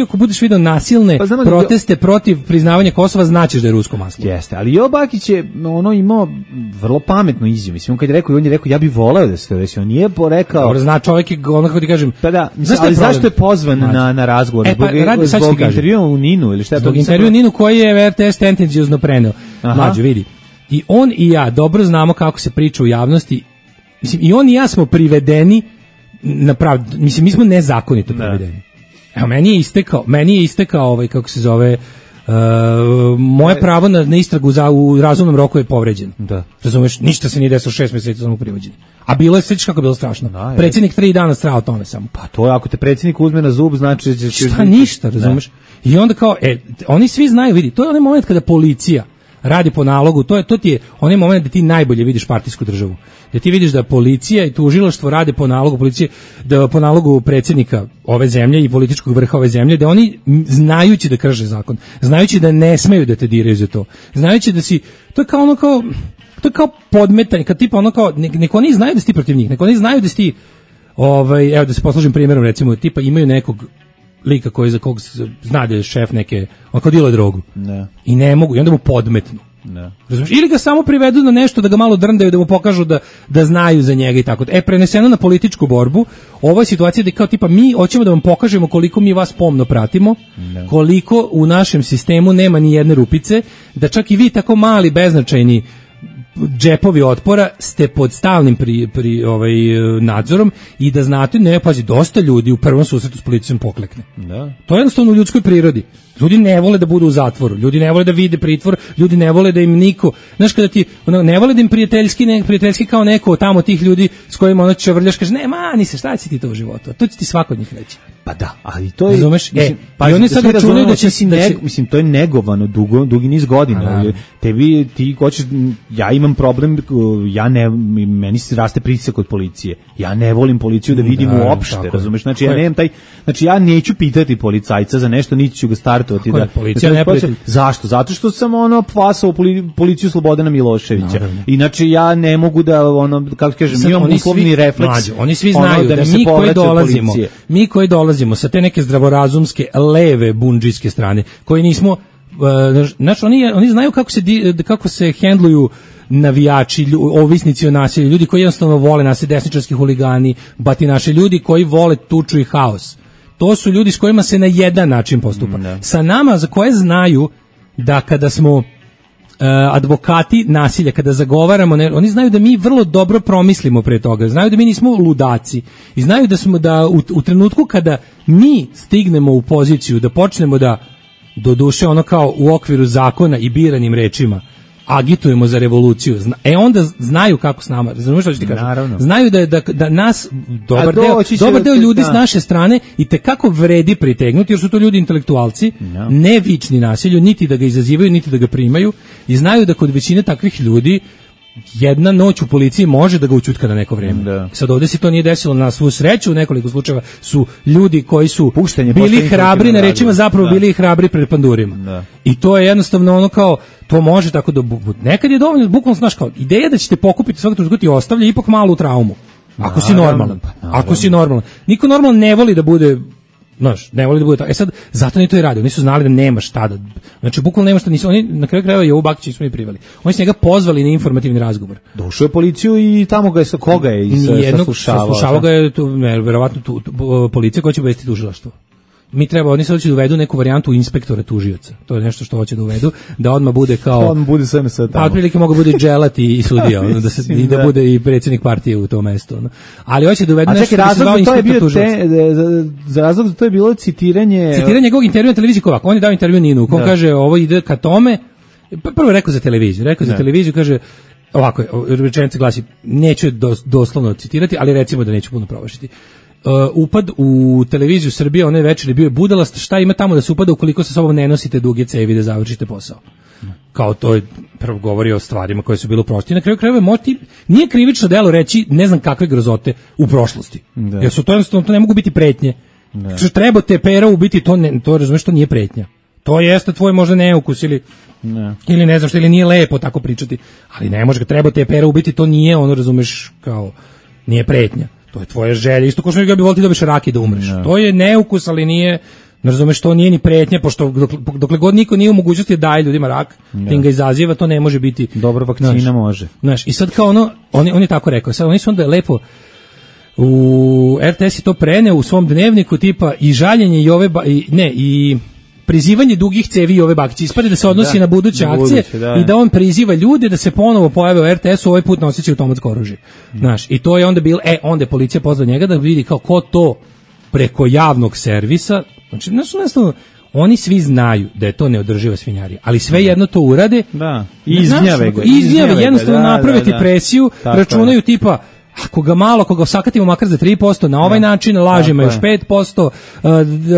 ako budeš video nasilne proteste protiv priznavanja Kosova, značiš da je rusko maslo. Jeste, ali Jo Bakić je imao vrlo pametnu izjavu. Mislim, on kad je rekao, on je rekao, ja bih voleo da se to desi. On nije rekao... Dobro, zna čovjek je, ono kako ti kažem... Pa da, ali zašto je pozvan na razgovor? Zbog intervjua u Ninu ili šta je? Zbog intervjua u Ninu koji je RTS tendencijozno preneo. Mlađo, vidi. I on i ja dobro znamo kako se priča u javnosti. Mislim, i on i ja smo privedeni na pravdu. Mislim, mi smo nezakonito privedeni. Evo, meni je istekao kako se zove... moje pravo na istragu u razumnom roku je povređeno. Da. Razumeš, ništa se nije desilo, 6 mjeseci samo privođenje. A bilo je, sveći kako je bilo strašno. Predsjednik 3 dana strao tome samo. Pa to je, ako te predsjednik uzme na zub, znači da će... Šta, ništa, razumeš? I onda kao, oni svi znaju, vidi, to je onaj moment kada policija radi po nalogu, to ti je onaj moment da ti najbolje vidiš partijsku državu. Da ti vidiš da policija i tužilaštvo rade po nalogu policije, da po nalogu predsjednika ove zemlje i političkog vrha ove zemlje, da oni znajući da krše zakon, znajući da ne smeju da te diraju za to, znajući da si, to je kao podmetanje, kad tipa ono kao, neko oni znaju da si ti protiv njih, neko oni znaju da si ti, evo da se poslužim primjerom, recimo, tipa imaju nekog lika koji za kog zna da je šef neke, on kao dilo drogu. Ne. I ne mogu, i onda mu podmetnu. Ne. Razumiješ? Ili ga samo privedu na nešto da ga malo drndaju, da mu pokažu da znaju za njega i tako. Preneseno na političku borbu, ovo je situacija da kao tipa mi hoćemo da vam pokažemo koliko mi vas pomno pratimo, koliko u našem sistemu nema ni jedne rupice, da čak i vi tako mali, beznačajni džepovi otpora ste pod stalnim nadzorom i da znate, pazi, dosta ljudi u prvom susretu s policijom poklekne. Da. To je jednostavno u ljudskoj prirodi. Ljudi ne vole da budu u zatvoru, ljudi ne vole da vide pritvor, ljudi ne vole da im niko, znaš, kada ti ne vole da im prijateljski kao neko tamo tih ljudi s kojima ono čavrljaš, kaže, ne, mani se, šta će ti to u životu? To će ti svako od njih reći. Pa da, ali to je... Razumeš? Pa i oni sad računaju da će... Mislim, to je negovano dugi niz godina. Ti hoćeš, ja imam problem, meni se raste pritisak od policije. Ja ne volim policiju da vidim uopšte, razumeš? Znači, ja neću pitati policajca za nešto, niti ću ga startovati. Policija ne prijatelj. Zašto? Zato što sam pasao policiju Slobodana Miloševića. Inače, ja ne mogu da, kako kažem, imam uslovni refleks. Oni svi znaju da mi koji dolazimo sa te neke zdravorazumske leve bundžijske strane, koji nismo, znači oni znaju kako se hendluju navijači, ovisnici o nasilju, ljudi koji jednostavno vole nasilje, desničarski huligani, batinaši, ljudi koji vole tuču i haos. To su ljudi s kojima se na jedan način postupa. Sa nama, za koje znaju da kada smo advokati nasilja, kada zagovaramo, oni znaju da mi vrlo dobro promislimo pre toga, znaju da mi nismo ludaci i znaju da smo u trenutku kada mi stignemo u poziciju da počnemo da, doduše ono kao u okviru zakona i biranim rečima, agitujemo za revoluciju. Onda znaju kako s nama, razumiješ što ću ti kažem? Znaju da nas dobar deo ljudi s naše strane i tekako vredi pritegnuti, jer su to ljudi intelektualci, ne vični nasilju, niti da ga izazivaju, niti da ga primaju, i znaju da kod većine takvih ljudi jedna noć u policiji može da ga učutka na neko vrijeme. Sad ovdje se to nije desilo, na svu sreću u nekoliko slučajeva su ljudi koji su bili hrabri na rečima, zapravo bili hrabri pred pandurima. I to je jednostavno ono kao, to može tako da nekad je dovoljno, bukvalno znaš kao, ideja da ćete pokupiti svakog trenutka ti ostavlja ipak malu traumu. Ako si normalan. Ako si normalan. Niko normalno ne voli da bude, znaš, ne voli da bude tako. Sad, zato ni to i radi. Oni su znali da nema šta da... Znači, bukvalno nema šta, nisu, oni na kraju krajeva Jovu Bakića nisu mi privali. Oni su njega pozvali na informativni razgovor. Došao je policiju i tamo ga je, koga je saslušavao? Saslušavao ga je, verovatno policija koja će obavestiti tužilaštvo. oni sad hoće da uvedu neku varijantu inspektora tužioca. To je nešto što hoće da uvedu, da odmah bude kao... On bude sve tamo. Pa otprilike mogu bude dželat i sudija, i da bude i predsjednik partije u tom mestu. Ali hoće da uvedu nešto da se zvao inspektor tužioca. Za razlog to je bilo citiranje... Citiranje njegovog intervjua na televiziji Kovak. On je dao intervju Ninu, ko kaže ovo ide ka tome. Prvo je rekao za televiziju, kaže... Ovako, rečenica glasi, neću doslovno citirati, ali recimo da neću puno provašiti. Upad u televiziju Srbije, onaj večer je bio budalast, šta ima tamo da se upada ukoliko sa sobom ne nosite duge cevi da završite posao. Kao to je prvo govori o stvarima koje su bile u prošlosti. Na kraju krajeva nije krivično delo reći ne znam kakve grozote u prošlosti. Jer su to jednostavno, to ne mogu biti pretnje. Što treba te pera ubiti, to razumeš, to nije pretnja. To jeste tvoj možda neukus ili ne znam što, ili nije lepo tako pričati, ali ne može, treba te pera ubiti, to nije ono, razumeš, kao nije pretnja, to je tvoja želja, isto kao što bi volio da dobiš raki da umreš, to je neukus, ali nije, ne razumeš, to nije ni pretnja, pošto dokle god niko nije u mogućnosti da daje ljudima rak, tim ga izaziva, to ne može biti. Dobra vakcina može. Znaš, i sad kao ono, on je tako rekao, sad oni su onda lepo u RTS i to preneo u svom dnevniku, tipa i žaljenje i prizivanje dugih cevi i ove bakiće. Ispade da se odnosi na buduće akcije i da on priziva ljude da se ponovo pojave u RTS-u, ovaj put noseći automatsko oružje. Znaš, i to je onda bilo, onda je policija pozvala njega da vidi kao ko to preko javnog servisa, znači, oni svi znaju da je to neodrživa svinjarija, ali sve jedno to urade. Da, izgnjave ga. Izgnjave, jednostavno napraviti presiju, računaju tipa, ako ga osakatimo makar za 3%, na ovaj način lažima još 5%,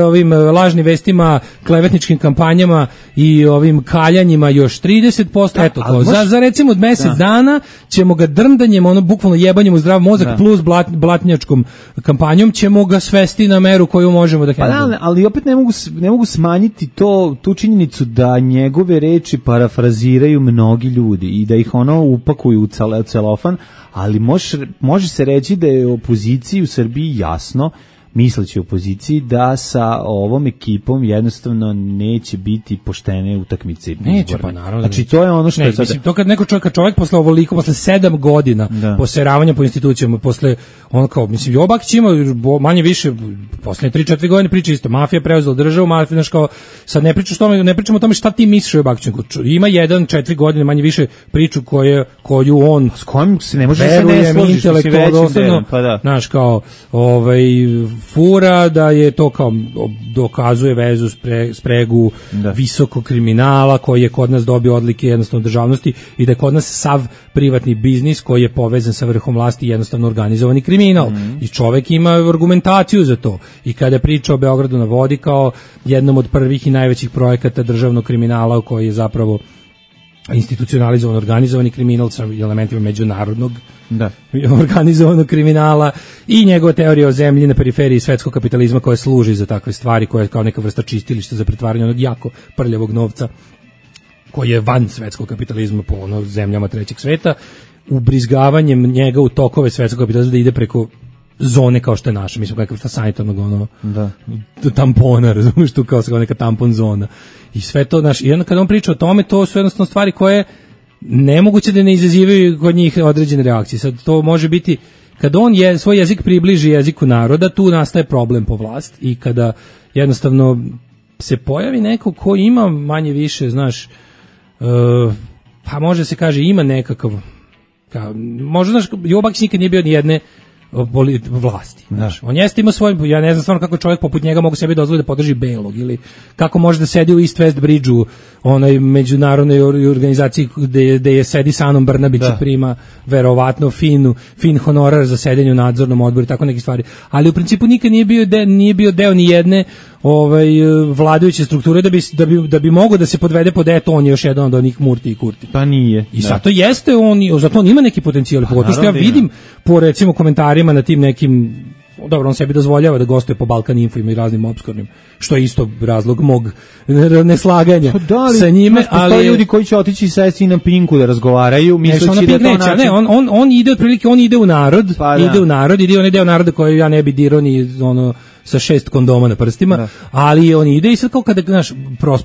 ovim lažnim vestima, klevetničkim kampanjama i ovim kaljanjima još 30%, eto to. Za recimo mjesec dana ćemo ga drndanjem, bukvalno jebanjem u zdrav mozak plus blatnjačkom kampanjom ćemo ga svesti na meru koju možemo da hendlujemo. Ali opet ne mogu smanjiti tu činjenicu da njegove reči parafraziraju mnogi ljudi i da ih upakuju u celofan, ali može se reći da je opoziciji u Srbiji jasno, misleći opoziciji, da sa ovom ekipom jednostavno neće biti poštene utakmice. Neće, pa naravno. Znači to je ono što je sada... Mislim, to kad čovjek posle ovoliko, posle 7 godina poseravanja po institucijama, posle Jobakić ima manje više, posle 3-4 godine priča isto, mafija preuzela državu, mafija, sad ne pričamo o tome šta ti misliš o Jobakiću, ima 1-4 godine manje više priču koju on s kojim se ne može se ne složiti, znaš, kao fura da je to kao dokazuje vezu, spregu visokog kriminala koji je kod nas dobio odlike jednostavno državnosti i da je kod nas sav privatni biznis koji je povezan sa vrhom vlasti jednostavno organizovani kriminal i čovek ima argumentaciju za to i kada priča o Beogradu na vodi kao jednom od prvih i najvećih projekata državnog kriminala u koji je zapravo institucionalizovan organizovani kriminal sa elementima međunarodnog organizovanog kriminala i njegova teorija o zemlji na periferiji svetskog kapitalizma koja služi za takve stvari, koja je kao neka vrsta čistilišta za pretvaranje onog jako prljavog novca koji je van svetskog kapitalizma po zemljama trećeg sveta, ubrizgavanjem njega u tokove svetskog kapitalizma da ide preko zone kao što je naša, mislim kakva vrsta sanitarnog tampona, razumiješ, tu kao neka tampon zona i sve to, i onda kada on priča o tome, to su jednostavno stvari koje nemoguće da ne izazivaju kod njih određene reakcije. Sad to može biti, kada on svoj jezik približi jeziku naroda, tu nastaje problem po vlast i kada jednostavno se pojavi neko ko ima manje više, znaš, pa može se kaže ima nekakav, možda, znaš, Jobakić nikad nije bio ni jedne vlasti. On jeste ima svoj, ja ne znam stvarno kako čovjek poput njega mogu sebi dozvoliti da podrži Belog ili kako može da sedi u East West Bridge-u, onoj međunarodnoj organizaciji gde je sedi sa Anom Brnabić i prima verovatno fin honorar za sedenje u nadzornom odboru i tako neke stvari. Ali u principu nikad nije bio deo ni jedne vladajuće strukture da bi mogao da se podvede pod on je još jedan od onih Murti i Kurti. Pa nije. I zato jeste zato on ima neki potencijal, pogotovo što ja vidim po recimo komentarima na tim nekim, dobro, on sebi dozvoljava da gostuje po Balkan Info i raznim opskurnim, što je isto razlog mog neslaganja sa njime, ali postoje ljudi koji će otići sesti na Pinku da razgovaraju, misleći da to način... on ide otprilike, on ide u narod, ide u narod, ide onaj deo naroda koji ja ne bi dirao ni sa 6 kondoma na prstima, ali on ide i sad kao kada, znaš,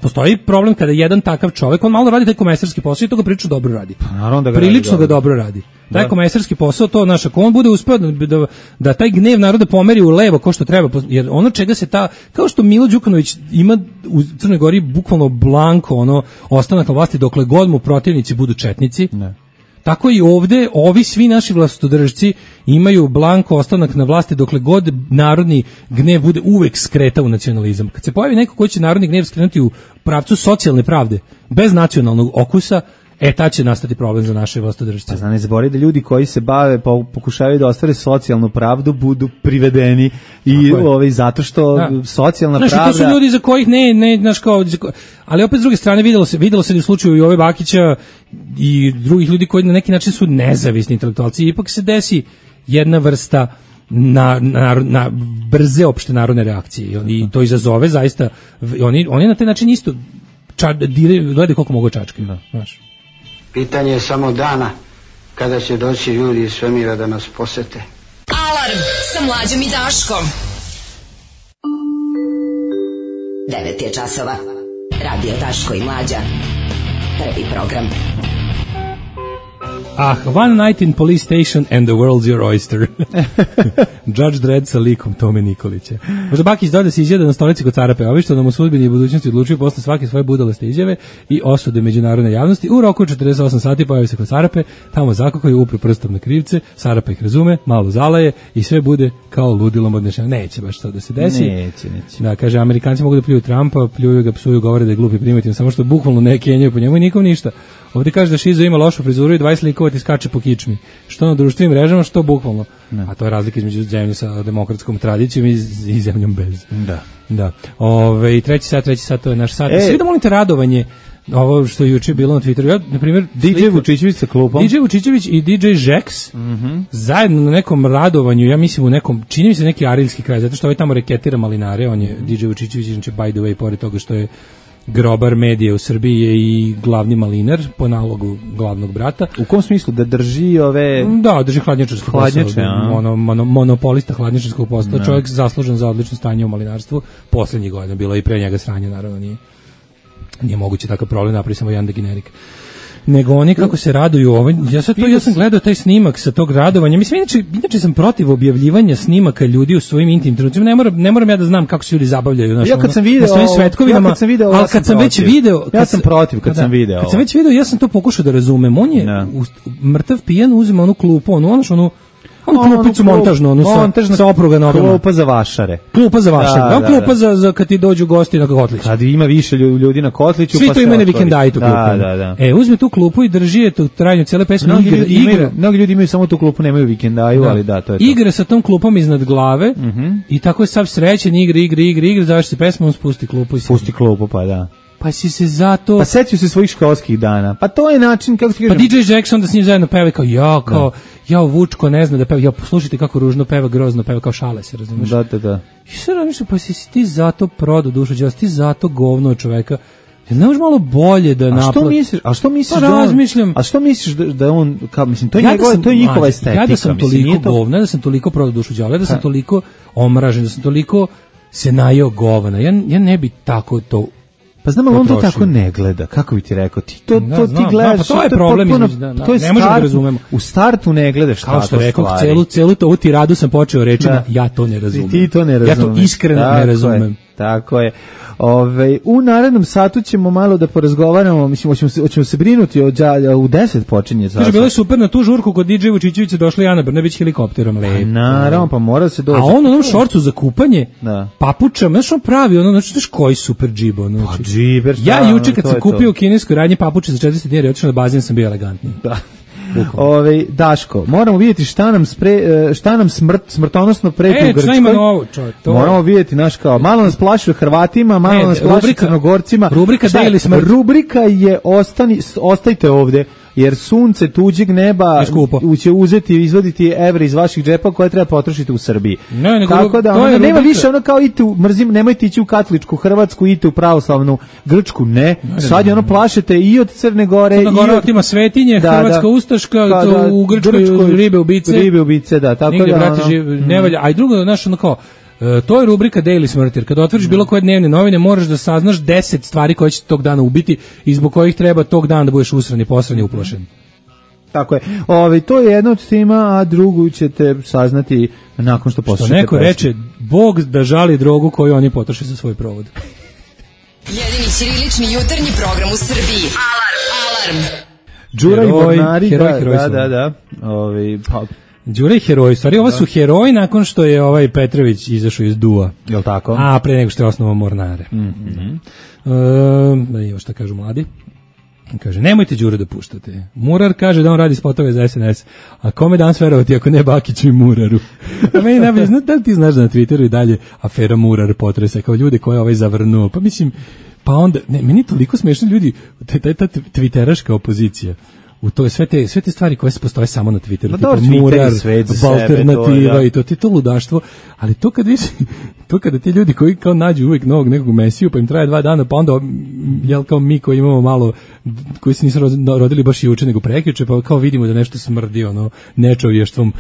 postoji problem kada jedan takav čovjek, on malo radi taj komesarski posao i to ga prilično dobro radi. Prilično ga dobro radi. Taj komesarski posao, to naš, ako on bude uspeo da taj gnev naroda pomeri u levo ko što treba, jer ono čega se kao što Milo Đukanović ima u Crnoj Gori bukvalno blanko ostanak na vlasti dokle god mu protivnici budu četnici. Tako i ovde, ovi svi naši vlastodržci imaju blanko ostanak na vlasti dokle god narodni gnev bude uvek skreta u nacionalizam. Kad se pojavi neko ko će narodni gnev skrenuti u pravcu socijalne pravde, bez nacionalnog okusa, tad će nastati problem za naše vlastodržce. Pa ne zaboravi da ljudi koji se bave, pokušavaju da ostvare socijalnu pravdu, budu privedeni i zato što socijalna pravda... Znaš, to su ljudi za kojih znaš kao... Ali opet s druge strane videlo se u slučaju Jove Bakića i drugih ljudi koji na neki način su nezavisni intelektualci. Ipak se desi jedna vrsta na brze opšte narodne reakcije i to izazove zaista... Oni na taj način isto gledaju koliko mogu čačke. Znaš. Pitanje je samo dana kada će doći ljudi iz svemira da nas posete. Alarm sa Mlađom i Daškom. 9 je časova. Radio Daško i Mlađa. Prvi program. One night in police station and the world's your oyster. Judge Dredd sa likom Tome Nikolića. Možda Bakić da se izjede na stolici kod Carape, ovi što nam u sudbini i budućnosti odlučuju posle svake svoje budalaste izjave i osude međunarodne javnosti. U roku 48 sati pojavi se kod Carape, tamo zakakaju, upru prstom na krivce, Carapa ih razume, malo zalaje i sve bude kao ludilom odnešeno. Neće baš to da se desi. Neće. Da, kaže, Amerikanci mogu da pljuju Trumpa, pljuju ga, psuju, govore da je glup i primitivan, samo što bukvalno ne kenjaju po njemu i nikom ništa. Ovdje kaže da Šizo ima lošu frizuru i 20 likova ti skače po kičmi. Što na društvenim mrežama, što bukvalno. A to je razlika između zemlje sa demokratskom tradicijom i zemljom bez. Da. Treći sat, to je naš sat. Svi da molite radovanje, ovo što je juče bilo na Twitteru. Ja, na primjer, DJ Vučićević sa klupom. DJ Vučićević i DJ Žeks zajedno na nekom radovanju, ja mislim u nekom, čini mi se neki arilski kraj, zato što ovaj tamo reketira malinare, on je DJ Vučićević, znači by the way, pored toga što je grobar medije u Srbiji je i glavni malinar po nalogu glavnog brata. U kom smislu? Da drži ove... Da, drži hladnjačarsko posao. Monopolista hladnjačarskog posla. Čovjek zaslužen za odlično stanje u malinarstvu. Poslednjih godina bilo i pre njega sranje, naravno nije moguće takav problem, napravi samo jedan generik. Nego oni kako se raduju ja sam gledao taj snimak sa tog radovanja. Mislim, inače sam protiv objavljivanja snimaka ljudi u svojim intimnim trenucima. Ne moram ja da znam kako se ljudi zabavljaju na svojim svetkovinama. Ali kad sam već video, ja sam protiv kad sam video. Kad sam već video, ja sam to pokušao da razumem. On je mrtav pijan, uzima onu klupu, onu klupicu montažnu, sa opruga nogama. Klupa za vašare. Klupa za kad ti dođu gosti na kotlić. Kad ima više ljudi na kotliću, svi to imaju na vikendajtu klupu. Da. Uzme tu klupu i drži je to trajanju cijele pesme. Mnogi ljudi imaju samo tu klupu, nemaju vikendaju, ali da, to je to. Igra sa tom klupom iznad glave i tako je sav srećen, igra, završi se pesma, on spusti klupu. Spusti klupu, pa da. Pa si se zato... Pa setio se svojih školskih dana. Pa to je način, kako ti kažem... Pa DJ Jackson da s njim zajedno peva kao Vučko ne zna da peva, poslušajte kako ružno peva, grozno peva, kao šale se, razumiješ? Da. I sad razmišljam, pa si ti zato prodao dušu, ti zato govno čoveka. Ne možeš malo bolje da naplati. A što misliš pa razmišljam. A što misliš da on, kao, mislim, to je njihova estetika. Ja da sam toliko govna, da sam toliko prodao dušu đavola, da sam toliko omražen, da sam toliko se najeo govana. Ja ne bi tako to... Pa znam, ali on to tako ne gleda, kako bi ti rekao, ti gledaš... Pa to je problem, ne možemo da razumemo. U startu ne gledaš tako stvari. Kao što rekao, celu ovu tiradu sam počeo rečima, ja to ne razumem. Ti to ne razumeš. Ja to iskreno ne razumem. Tako je. U narednom satu ćemo malo da porazgovaramo, mislim, hoćemo se brinuti u 10 počinje. Kaže, bilo je super na tu žurku kod DJ Vučićevića došla Ana Brnabić helikopterom. Naravno, pa mora se doći. A on onom šorcu za kupanje, papuča, znaš on pravi, znaš koji super džib. Pa džiber, ja juče kad sam kupio u kineskoj radnji papuče za 40 dinara, otišao na bazen, sam bio elegantniji. Da. Daško, moramo vidjeti šta nam smrtonosno preti u Grčkoj. Moramo vidjeti, malo nas plaši Hrvatima, malo nas plaši Crnogorcima. Rubrika je ostajte ovde, jer sunce tuđeg neba će uzeti i izvaditi evre iz vaših džepa koje treba potrošiti u Srbiji. Tako da nema više kao nemojte ići u katoličku Hrvatsku, idite u pravoslavnu Grčku, ne. Sad je plašete i od Crne Gore. Crna Gora ima svetinje, Hrvatska ustaška, u Grčkoj ribe ubice. Ribe ubice, da. Tako da ne valja. A i drugo, To je rubrika Daily Smrt, jer kad otvoriš bilo koje dnevne novine, moraš da saznaš 10 stvari koje će tog dana ubiti i zbog kojih treba tog dana da budeš usrani, posrani, uplašen. Tako je. To je jedna od tema, a drugu ćete saznati nakon što poslušate. Neko reče, Bog da žali drogu koju oni potroše za svoj provod. Jedini ćirilični jutarnji program u Srbiji. Alarm! Đura i Mornari, da. Đura i heroji, stvari, ovo su heroji nakon što je Petrović izašao iz DUA. Jel tako? A pre nego što je osnovao Mornare. Evo šta kažu mladi. Kaže, nemojte Đure da puštate. Murar kaže da on radi spotove za SNS. A kome danas verovati ako ne Bakiću i Muraru? A meni najbolje, da li ti znaš da na Twitteru i dalje afera Murar potresa kao ljude koje je zavrnuo? Pa mislim, pa onda, meni je toliko smešno ljudi, ta twitteraška opozicija. U to sve te stvari koje se postoje samo na Twitteru, tipa Murar, alternativa i to je to ludaštvo, ali to kada ti ljudi koji kao nađu uvek novog nekog mesiju, pa im traje 2 dana, pa onda kao mi koji imamo malo, koji se nisu rodili baš juče nego prekjuče, pa kao vidimo da nešto smrdi nečovještvom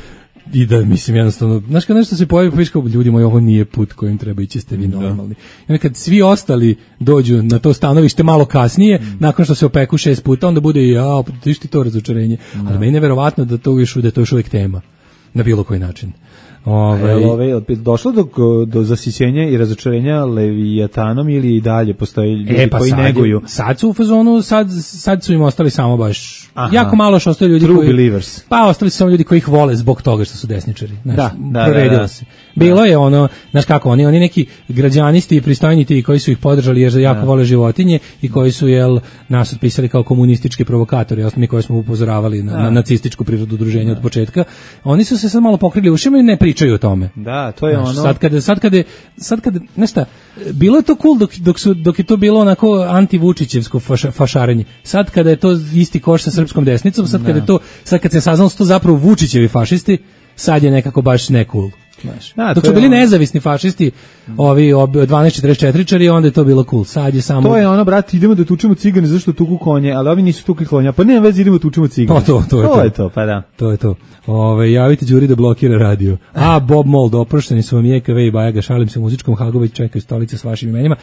i da, mislim, jednostavno, znaš kad nešto se pojavi, pa viš kao, ljudi moji, ovo nije put kojim treba ići, ste vi normalni. I onda kad svi ostali dođu na to stanovište malo kasnije, nakon što se opeku 6 puta, onda bude i, tiš ti to razočarenje. Ali meni je neverovatno da to još uvijek tema, na bilo koji način. Došlo do zasićenja i razočarenja Leviatanom ili i dalje postoje ljudi koji neguju? Sad su u fazonu, sad su im ostali samo baš jako malo što ostali ljudi True believers. Pa ostali su samo ljudi koji ih vole zbog toga što su desničari. Da. Se. Bilo je znaš kako, oni neki građanisti i pristojniti koji su ih podržali jer jako vole životinje i koji su nas otpisali kao komunistički provokatori, mi koji smo upozoravali na nacističku prirodu udruženja od početka. Oni su se sad malo pokrili ušima i ne pričaju o tome. Da, to je Sad kada nešto, bilo je to cool dok je to bilo onako anti-Vučićevsko fašarenje. Sad kada je to isti koš sa srpskom desnicom, sad kad se saznalo su to zapravo Vučićevi fašisti, sad je nekako baš ne cool. Dok su bili nezavisni fašisti, ovi 1244-čari, onda je to bilo cool. Sad je samo... To je brate, idemo da tučemo cigane, zašto tuku konje, ali ovi nisu tukli konja, pa nema veze, idemo da tučemo cigane. To je to, pa da. To je to. Javite Đuri da blokira radio. Bob Mold, oprošteni su vam JKV i Bajaga, šalim se u muzičkom Hagović, čekaju stolice s vašim imenima.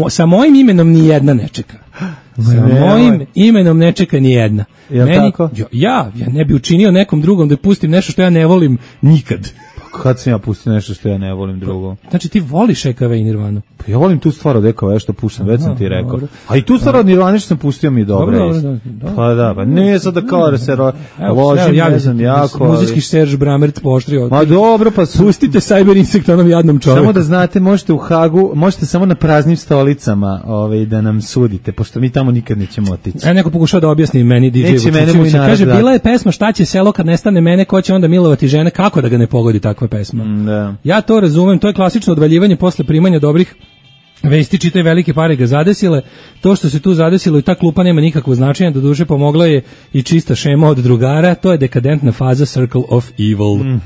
Sa mojim imenom ni jedna ne čeka. Sa mojim imenom ne čeka ni jedna. Ja ne bi učinio nekom drugom da pustim nešto što ja ne volim nikad. Kad sam ja pustio nešto što ja ne volim drugo. Znači ti voliš EKV i Nirvanu? Pa ja volim tu stvar od EKV što puštam, već sam ti rekao. Dobro. A i tu stvar od Nirvane što sam pustio mi je dobro. Pa nije sad da kao da se ložim, ne znam jako. Muzički Serge Bramert pooštrio. Ma dobro, pa pustite Cyber Insect onom jadnom čovjeku. Samo da znate, možete u Hagu, možete samo na praznim stolicama da nam sudite, pošto mi tamo nikad nećemo otići. Neko pokušao da objasni meni DJ Vučić. Kaže, bila je pesma Šta će selo kad nestane mene, ko će onda milovati žene, kako da ga ne pogodi takva pesma. Ja to razumem, to je klasično odvaljivanje posle primanja dobrih vesti, čitaj velike pare ga zadesile. To što se tu zadesilo i ta klupa nema nikakvo značenja, do duše pomogla je i čista šema od drugara, to je dekadentna faza Circle of Evil.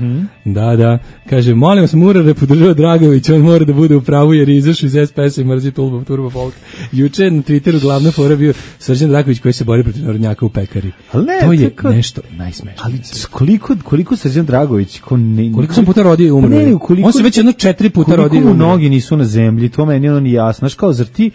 Da, kaže, molim vas, Murar podržava Dragović, on mora da bude u pravu jer je izašao iz SPS-a i mrzi Turbo Folk. Juče na Twitteru glavna fora bio Srđan Dragović koji se bori protiv narodnjaka u pekari. To je nešto najsmešnije. Ali koliko Srđan Dragović, koliko sam puta rodio i umro? On se već 4 puta rodio i umro. Koliko mu nogi nisu na zemlji, to meni ono jasno, znaš, kao zar ti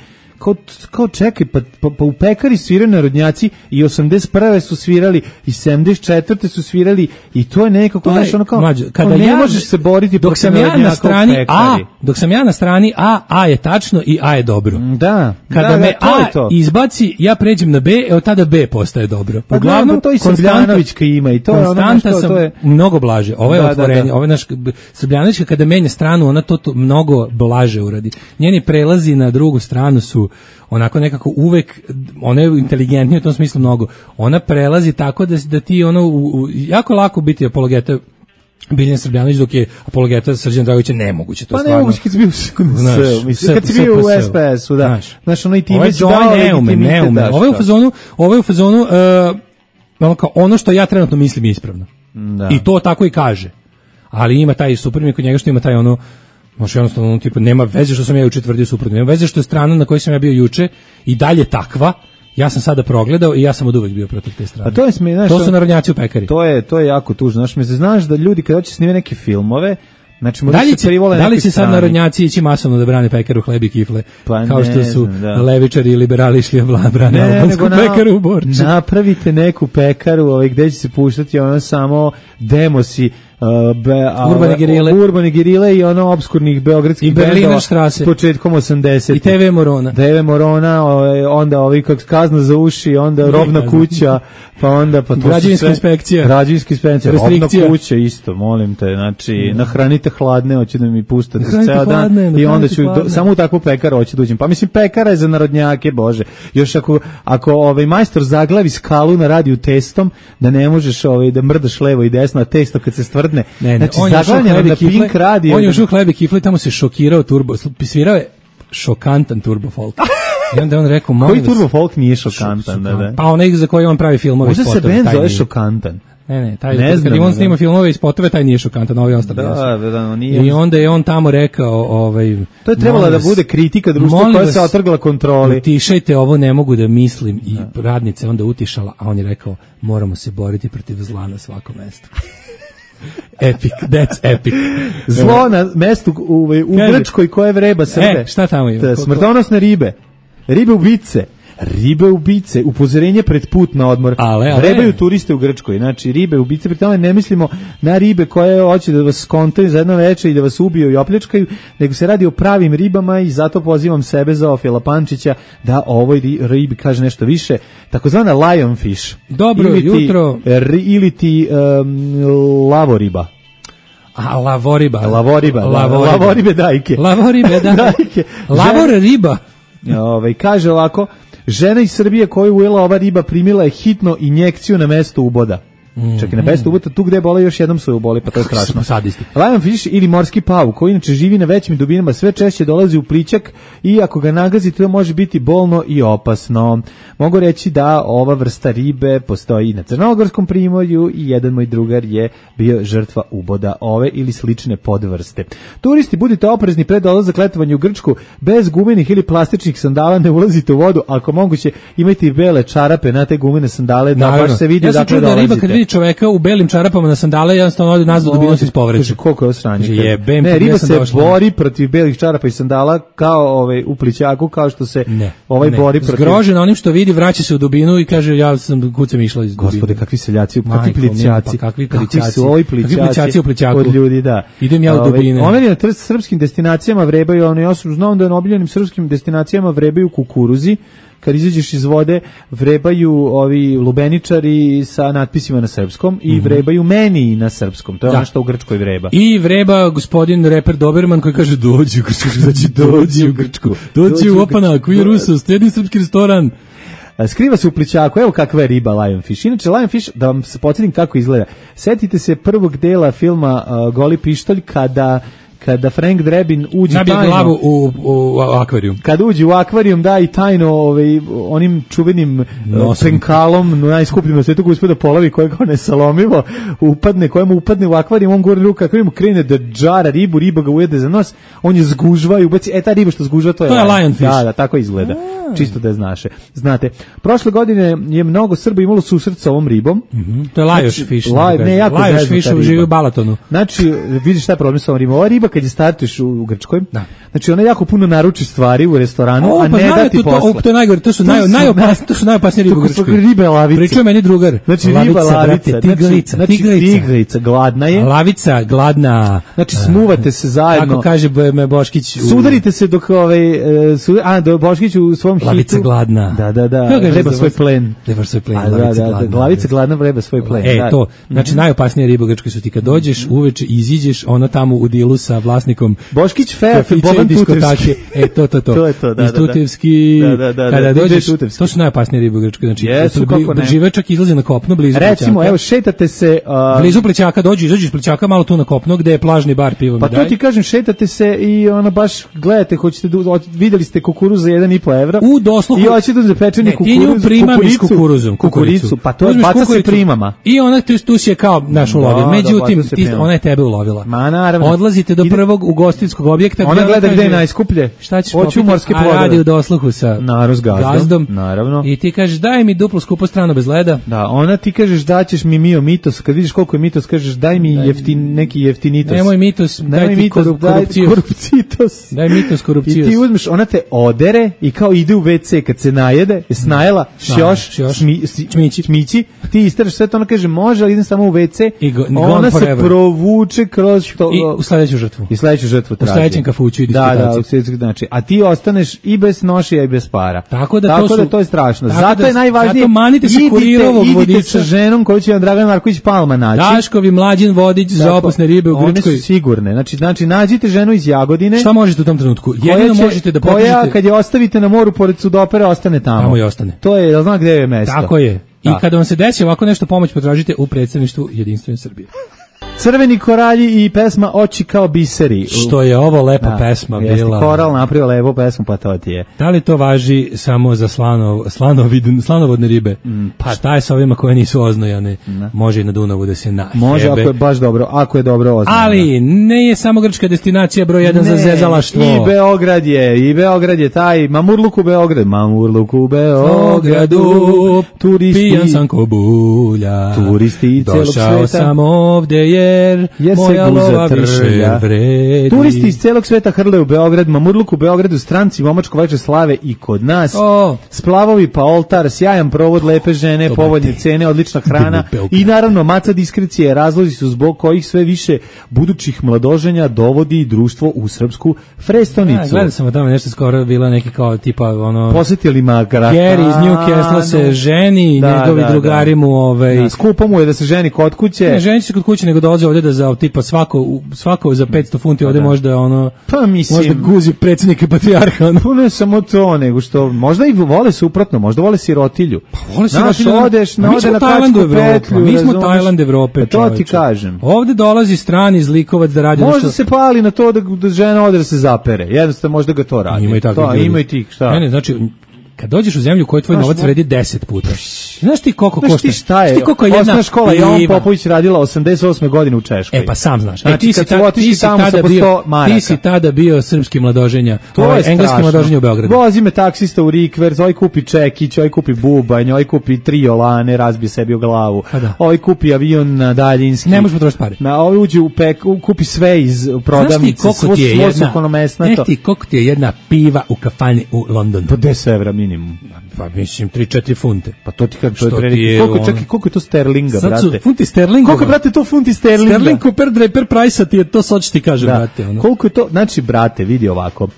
kao čekaj, pa u pekari sviraju narodnjaci i 81. su svirali i 74. su svirali i to je nekako, znaš, ono kao, kada ne možeš se boriti dok sam ja na strani A, dok sam ja na strani A je tačno i A je dobro. Da. Kada me A izbaci, ja pređem na B, od tada B postaje dobro. Uglavnom, to i Srbljanovićka ima i to je ono konstanta sam mnogo blaže. Ovo je otvorenje, ovo je naš Srbljanovićka kada menja stranu, ona to mnogo blaže uradi. Njeni prelazi na drugu stranu su onako nekako uvek, ona je inteligentnija u tom smislu mnogo. Ona prelazi tako da ti jako lako biti apologeta Biljan Srbljanović, dok je apologeta Srđan Dragovića nemoguće. To pa nemoguće kad si bio kad si bio u SPS-u, da. Znaš, ono i ti već dao neume. Ovo je u fazonu ono što ja trenutno mislim je ispravno. I to tako i kaže. Ali ima taj suprotnik kod njega što ima taj možda jednostavno tipa nema veze što sam ja juče tvrdio suprotno, nema veze što je strana na kojoj sam ja bio juče i dalje takva. Ja sam sada progledao i ja sam oduvek bio protiv te strane. To su narodnjaci u pekari. To je jako tužno. Znaš da ljudi kad hoće snimati neke filmove, Znači, da li će sad narodnjaci ići masovno da brane pekaru hleb i kifle, pa kao što su levičari i liberali išli brane albansku pekaru u Borči? Napravite neku pekaru gde će se puštati ono samo demosi urbane gerile i ono obskurnih beogradskih bendova početkom 80. I TV Morona. Onda kazna za uši, onda robna kuća, pa onda građevinska inspekcija, robna kuća isto, molim te, znači nahranite hladne, hoće da mi pustate ceo dan i onda ću samo u takvu pekaru hoću da uđem. Pa mislim, pekara je za narodnjake, bože. Još ako majstor zaglavi skalu na radiju testom, da ne možeš da mrdaš levo i desno, a testo kad se stvrdne. Znači, zaglavljeno na Pink radio. On je ušao hleb i kifle, tamo se šokirao turbo, svirao je šokantan turbo folk. I onda on rekao, koji turbo folk nije šokantan? Pa onaj za koji on pravi filmove i spotove. Možda se bend zove šokantan. Ne, taj kad on snima filmove i spotove, taj nije šokantan, ovaj ostali. I onda je on tamo rekao, to je trebalo da bude kritika društva koja se otrgla kontroli. Utišajte, ovo ne mogu da mislim, i radnice onda utišala, a on je rekao, moramo se boriti protiv zla na svakom mestu. Epic, that's epic. Zlo na mestu u Grčkoj koje vreba Srbe. Šta tamo ima? Smrtonosne ribe ubice, upozorenje pred put na odmor. Vrebaju turiste u Grčkoj. Znači, ribe ubice, pri tome ne mislimo na ribe koje hoće da vas skontaju za jedno veče i da vas ubiju i opljačkaju, nego se radi o pravim ribama i zato pozivam sebe za Ofila Pančića da o ovoj ribi kaže nešto više. Takozvana lionfish. Dobro jutro. Ili ti lavoriba. Lavoribe dajke. Lavor riba. Kaže ovako, žena iz Srbije koju ujela ova riba primila je hitno injekciju na mesto uboda. Čekaj, na mesto uboda, tu gde je bola još jednom su je uboli, pa to je strašno. Lionfish ili morski pauk, koji inače živi na većim dubinama, sve češće dolazi u plićak i ako ga nagazite, to može biti bolno i opasno. Mogu reći da ova vrsta ribe postoji i na Crnogorskom primorju i jedan moj drugar je bio žrtva uboda ove ili slične podvrste. Turisti, budite oprezni pred dolazak letovanja u Grčku, bez gumenih ili plastičnih sandala ne ulazite u vodu, ako moguće imajte i bele čarape na te gumene sandale da baš se vidi dakle dolazite. Čoveka u belim čarapama na sandale, jednostavno ode nazad u dubinu se ispovreće. Koliko je osranje? Ne, riba se bori protiv belih čarapa i sandala kao u plićaku, kao što se bori protiv... Zgrožen onim što vidi, vraća se u dubinu i kaže, ja sam kucem išla iz dubine. Gospode, kakvi seljaci, kakvi plićaci. Kakvi plićaci su ovi plićaci u plićaku. Od ljudi, da. Idem ja u dubine. Oni na srpskim destinacijama vrebaju, ja znam da na obiljenim srpskim destinacijama vrebaju kukuruzi, kad izađeš iz vode, vrebaju ovi lubeničari sa natpisima na srpskom i vrebaju meni na srpskom. To je ono što u Grčkoj vreba. I vreba gospodin reper Doberman koji kaže dođi u Grčku, znači dođi u Grčku, dođi u Opanak, u Jerusus, jedni srpski restoran. Skriva se u plićaku, evo kakva je riba lionfish. Inače, lionfish, da vam se podsjetim kako izgleda. Setite se prvog dela filma Goli pištolj, kada Frank Drebin uđe tajno... Nabije glavu u akvarijum. Kada uđe u akvarijum, da, i tajno onim čuvenim penkalom, najskupljim na svetu koji uspio da polavi, kojeg on nesalomivo kojemu upadne u akvarijum, on gore ruka, akvarijum krene da džara ribu, riba ga ujede za nos, on je zgužva i ubaci, ta riba što zgužva, to je lionfish. Da, tako izgleda. Čisto da znaš. Znate, prošle godine je mnogo Srba imalo susret sa ovom ribom. To je lionfish. Lionfish živi u Balatonu. Znači, vidiš šta je problem sa ovom ribom. Ova riba kad je startuješ u Grčkoj, znači ona jako puno naruči stvari u restoranu, a ne da ti posle. To je najgore, to su najopasnije ribe u Grčkoj. Ribe lavice. Pričao meni drugar. Znači riba lavica, tigrica, gladna je. Lavica, gladna. Znači smuvate se zajedno. Kako kaže Boškić. Sudarite se dok do Boškić u svom hitu. Lavica gladna. Da. Vreba svoj plen. Lavica gladna vreba svoj plen. To. Znači najopasnije ribe u Grčkoj su ti kad dođeš uveče, iziđeš, ona tamo u dilu sa vlasnikom Boškić Fefe, Boban Tutevski. To je to, da. Iz Tutevski, kada dođeš, to su najopasnije ribe u Grčkoj. Znači, žive čak izlazi na kopno, blizu Plićaka. Recimo, evo, šetate se... Blizu Plićaka, izađeš Plićaka, malo tu na kopno, gde je plažni bar, pivo mi daj. Pa to ti kažem, šetate se i ono baš gledate, videli ste kukuruz za 1,5 evra. U dosluhu. I hoćete da zapečeni kukuricu. Pa to baca se primama. I ona tu si je kao naš ulovila. Međutim, ona je tebe ulovila. Ma naravno. Odlazite do prvog ugostiteljskog objekta. Ona gleda gde je najskuplje? Šta ćeš popiti? A radi u dosluhu sa gazdom. Naravno. I ti kažeš daj mi duplo skupo strano bez leda. Da, ona ti kažeš daćeš mi Mio Mitos, kad vidiš koliko je Mitos kažeš daj mi neki jeftinitos. Nemoj Mitos, daj ti korupcitos. Daj Mitos korupcios. I ti uzmeš, ona te odere i kao ide u WC kad se najede, je snajela, šmići, ti isteraš sve to, ona kaže može, ali idem samo u WC, ona se provuče kroz to. I u sledeću žrtvu. traži. U sledećem kafuću i disputaciju. Znači, a ti ostaneš i bez nošija i bez para. Tako da to je strašno. Zato je najvažnije, idite sa ženom koju će vam Dragan Marković Palma naći. Daškovi Mlađin Vodić za opasne ribe u Grčkoj. One su sigurne. Znači, nađite ženu iz Jagodine. Šta možete u tom trenutku? Jedino možete da potražite. Koja kad je ostavite na moru pored Sudopere, ostane tamo. Tamo i ostane. To je, zna gde je mesto. Tako je. I kada vam se desi ovako nešto, pomoć potražite u predstavništvu Jedinstvene Srbije. Crveni koralji i pesma Oči kao biseri. Što je ovo lepa pesma bila. Koral napravio lepu pesmu, pa to ti je. Da li to važi samo za slanovodne ribe? Pa šta je sa ovima koje nisu oznojane? Može i na Dunavu da se nahebe. Može ako je baš dobro, ako je dobro oznojano. Ali ne je samo grčka destinacija broj 1 za zezalaštvo. I Beograd je taj Mamurluk u Beogradu. Turisti. Pijan sam ko bulja. Turisti celog sveta. Došao sam ovde jer moja lova više vredi. Turisti iz celog sveta hrle u Beograd, Mamurluk u Beogradu, stranci momačko veče slave i kod nas. Splavovi pa oltar, sjajan provod, lepe žene, povoljne cene, odlična hrana i naravno maca diskrecije. Razlozi su zbog kojih sve više budućih mladoženja dovodi društvo u srpsku prestonicu. Gledao sam tamo nešto skoro, bilo neki kao tipa ono... Posjetili Magrata. Gary iz Newcastle se ženi, njegovi drugari mu... Skupo mu je da se ženi kod kuće. Ne, ženi se kod kuće, nego dolaze ovdje da za tipa svako za 500 funti ovdje možda ono... Pa mislim... Možda guzi predsjednike patrijarha. Ono. Ne samo to, nego što... Možda i vole suprotno, možda vole sirotilju. Pa vole sirotilju. Odeš na kačku petlju. Mi smo Tajland Evrope. To ti kažem. Ovdje dolazi strani zlikovac da radi... Možda se pali na to da žena ode da se zapere. Jednostavno možda ga to radi. Ima i tih, šta? Ne, znači... Kad dođeš u zemlju koju tvoj novac vredi 10 puta. Znaš ti koliko košta? Znaš ti šta je? Osnovna škola Jovan Popović radila 88. godine u Češkoj. E pa sam znaš. Znači ti si tada bio srpski mladoženja. To je engleski mladoženja u Beogradu. Vozi me taksista u Rikverc, ovaj kupi čekić, ovaj kupi bubanj, ovaj kupi 3 olane, razbije sebi u glavu. Ovaj kupi avion na daljinski. Ne možeš potrošiti pare. Ovaj uđe u kupi sve iz prodavnice. Znaš ti koliko ti je jedna piva u kafani u Londonu? Po 10 evra minimum. Pa mislim 3-4 funte. Pa to ti kažem, to je preliko. Koliko je to sterlinga, sad brate? Funti sterlinga. Koliko brate to funti sterlinga? Sterling per price ti je to, sad ću ti kažem, brate. Ono. Koliko je to? Znači, brate, vidi ovako.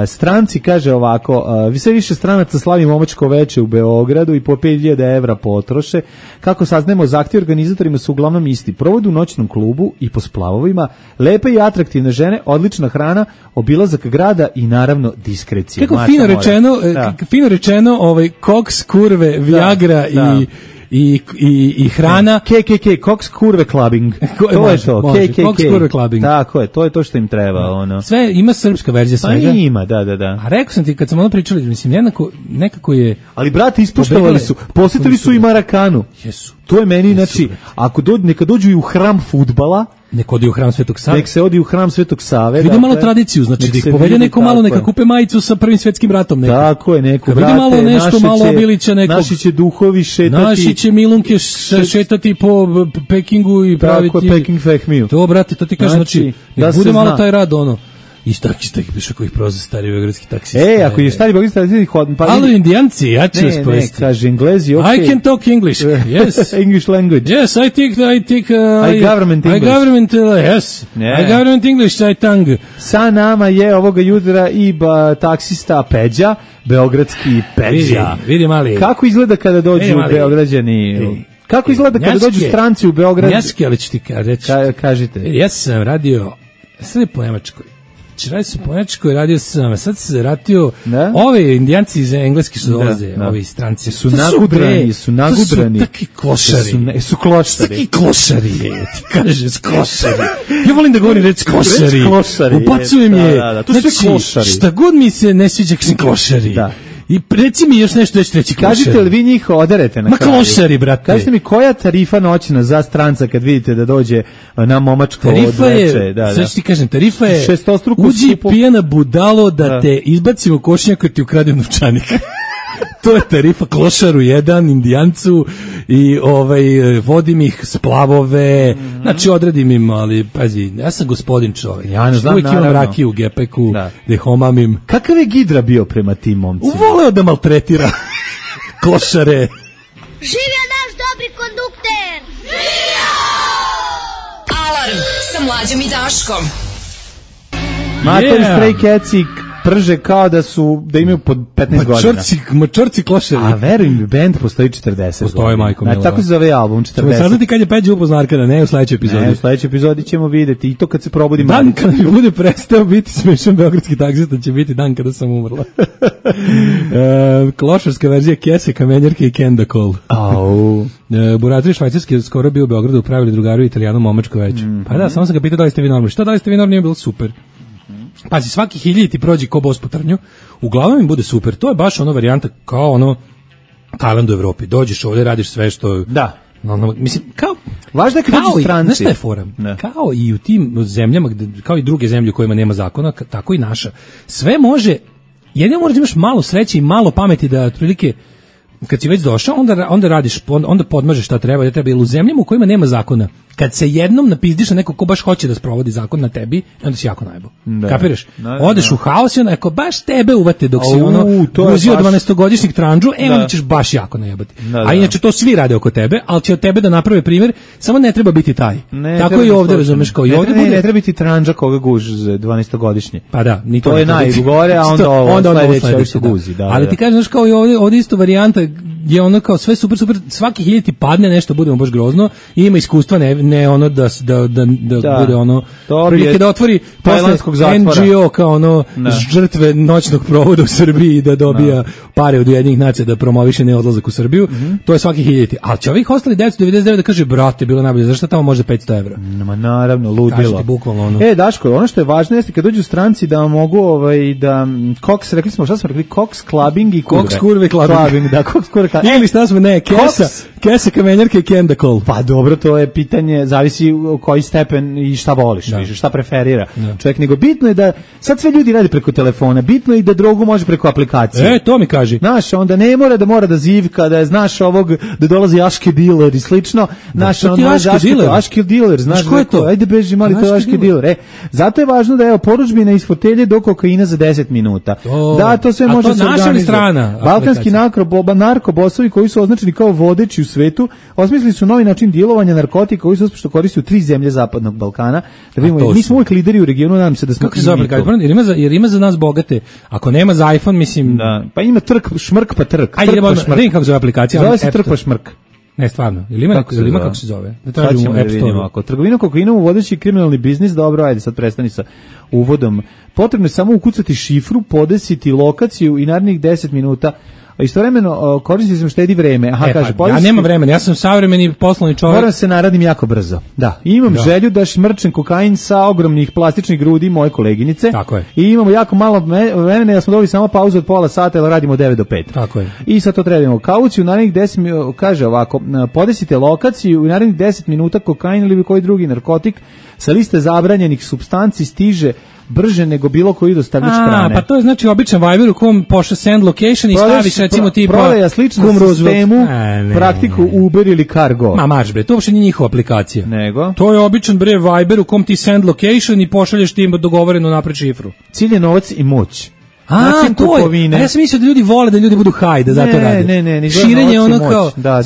Stranci kaže ovako, sve više stranaca slavi momačko veče u Beogradu i po 5000 evra potroše. Kako saznajemo, zahtjevi organizatorima su uglavnom isti. Provod u noćnom klubu i po splavovima, lepe i atraktivne žene, odlična hrana, obilazak grada i naravno diskrecija. Kako fino rečeno, koks, kurve, viagra i hrana. KKK, koks, kurve, clubbing. To je to, KKK. Koks, kurve, clubbing. Tako je, to je to što im treba. Ono. Sve, ima srpska verzija svega. Pa ima, da. A rekao sam ti, kad sam ono pričali, mislim, nekako je... Ali, brate, ispoštovali su, posjetili su i Marakanu. Jesu. To je meni, znači, neka dođu i u hram fudbala, nek odi u hram Svetog Save. Nek se odi u hram Svetog Save. Vidi malo tradiciju, znači da ih povede neko malo, neka kupe majicu sa Prvim svjetskim ratom. Tako je, neko vrate. Vidi malo nešto, malo obilića nekog. Naši će duhovi šetati. Naši će milunke šetati po Pekingu i praviti. Tako je, Peking Fehmiju. To, brate, to ti kažem, znači, nek bude malo taj rad, ono. I takih piše kojih proza stari beogradski taksista. Ako je stari beogradski taksista... Ali indijanci, ja ću vas povesti. Ne, kaže Englezi, okay. I can talk English, yes. English language. Yes, I government English. I government English, I tongue. Sa nama je ovoga jutra i taksista Peđa, beogradski Peđa. Vidi mali. Kako izgleda kada dođu Beograđani... Kako izgleda kada dođu stranci u Beograd? Njački, ali ću ti reći. Kažite. Ja sam radio, sad je po Nemačkoj. Radio sam po Nemačkoj, radio sam, sad se ratio, ove indijanci iz Engleske što dolaze, ovi stranci. Su nagudrani. To su taki klošari. Su klošari. Taki klošari, ti kažeš klošari. Ja volim da govorim reći klošari. Upacujem je. To su klošari. Šta god mi se ne sviđa, kažem klošari. I reci mi još nešto već treći klošari. Kažite li vi njih oderete na kraju? Ma klošari, brate. Kažite mi koja tarifa noćna za stranca kad vidite da dođe na momačko odveče? Sad ću ti kažem, tarifa je uđi pijena budalo da te izbacimo košnjak jer ti ukrade novčanik. To je tarifa klošaru jedan, indijancu i vodim ih splavove, znači odredim im, ali pazi, ja sam gospodin čovjek. Ja ne znam, uvijek imam rakiju u gepeku, da homamim. Kakav je Gidra bio prema tim momcima? Voleo da maltretira klošare. Živio naš dobri kondukter! Živio! Alarm sa Mlađom i Daškom. Matori Stray Catsi prže kao da imaju pod 15 godina. Mačorci klošari. A verujem, band postoji 40 Postoji, majko mila. Tako se zove album, 40. Čemo saznati kad je Peđa upoznao Arkada, ne u sledećoj epizodi. Ne, u sledećoj epizodi ćemo videti i to kad se probudi dan kada mi bude prestao biti smešan beogradski taksista će biti dan kada sam umrla. Klošarska verzija Kese, Kamenjarke i Kendakol. Buratori švajcarski skoro bio u Beogradu, upravili drugaru Italijanu momačko veće. Pa da, samo sam ga pitao da li ste vi normalni. Šta da li ste vi normalni, nije bilo super. Pazi, svaki 1000 ti prođe ko bos po trnju, uglavnom im bude super. To je baš ono varijanta kao ono Tajland u Evropi. Dođeš ovdje, radiš sve što... Da. Mislim, kao... Važno je kad dođu stranci. Znaš šta je fora? Kao i u tim zemljama, kao i druge zemlje u kojima nema zakona, tako i naša. Sve može, jedino možda imaš malo sreće i malo pameti da otprilike... Kad si već došao, onda radiš, onda podmažeš šta treba, jer u zemljama u kojima nema zakona, kad se jednom napizdiš na neko ko baš hoće da sprovodi zakon na tebi, onda si jako najbo. Kapiraš? Odeš u haos i onda ako baš tebe uvate dok si guzio 12-godišnjeg tranđu, onda ćeš baš jako najebati. A inače to svi rade oko tebe, ali će od tebe da naprave primjer, samo ne treba biti taj. Tako i ovde, razumeš, kao i ovde bude... Ne treba biti tranđa koga guži 12-godišnje. Pa da, ni to je najgore, a onda sledeće se guzi. Ali ti kažeš, znaš, kao i ovde isto varijanta je ono kao sve super, svaki 1000 ti padne nešto, budemo baš grozno i ima iskustva, ne ono da bude ono prilike da otvori posle NGO kao ono žrtve noćnog provoda u Srbiji da dobija pare od Ujedinjenih nacija da promoviše neodlazak u Srbiju, to je svaki 1000. Ali će ovih ostali 999 da kaže, brate, bilo najbolje, zašto tamo može 500 evra? Naravno, ludilo. Kažete bukvalno ono. Daško, ono što je važno jeste kad dođu stranci da mogu da Cox, rekli smo, šta smo rekli, Cox clubbing i kurve. Cox kurve clubbing. Da, Cox kurve. Ili šta smo, Kesa, Kamenjarke i Kendakol. Pa dobro, to je pitanje, zavisi u koji stepen i šta voliš, šta preferira čovjek, nego bitno je da, sad sve ljudi radi preko telefona, bitno je i da drogu može preko aplikacije. To mi kaži. Znaš, onda ne mora da zivka, da je, znaš, ovog, da dolazi Aške dealer i slično, znaš, Aške dealer, znaš, ko je to? Ajde beži mali, to je Aške dealer. Zato je važno da je porudžbina iz fotelje do kokaina za 10 minuta. Da, to sve može se organizovati. Balkanski narkobosovi koji su označeni kao vodeći u svetu, osmislili su novi način djelovanja narkotika koji se uspješno koriste u 3 zemlje zapadnog Balkana. Da vidimo, mi smo uvijek lideri u regionu, nadam se da smo... Kako se zove aplikacija? Jer ima za nas bogate. Ako nema za iPhone, mislim... Da, pa ima šmrk pa trk. Ajde, vidim kako se zove aplikacija. Zove se trk pa šmrk. Ne, stvarno. Ili ima kako se zove? Da tražimo App Store. Ako trgovina kokainom uvodeći kriminalni biznis, dobro, ajde, sad prestani sa uvodom. Potrebno je samo ukucati šifru, podesiti lokaciju i narednih 10 minuta. Istovremeno koristim se štedi vreme. Ja nemam vremena, ja sam savremeni poslovni čovjek. Moram se naradim jako brzo. Da, imam želju da šmrčem kokain sa ogromnih plastičnih grudi moje koleginice. Tako je. I imamo jako malo vremena, ja smo dobili samo pauzu od pola sata, jer radimo 9 do 5. Tako je. I sad to trebamo. Kauciju narednih 10 minuta, kaže ovako, podesite lokaciju i narednih 10 minuta kokain ili koji drugi narkotik sa liste zabranjenih supstanci stiže brže nego bilo koji dostavljač hrane. Pa to je znači običan Viber u kom pošle send location i staviš recimo tipa prodaja slično sistemu, praktiku Uber ili Cargo. Marš bre, to uopšte nije njihova aplikacija. Nego? To je običan bre Viber u kom ti send location i pošalješ tim dogovorenu napred šifru. Cilj je novac i moć. To je. A ja sam mislio da ljudi vole da ljudi budu high, da zato rade. Ne. Širenje ono kao... Da.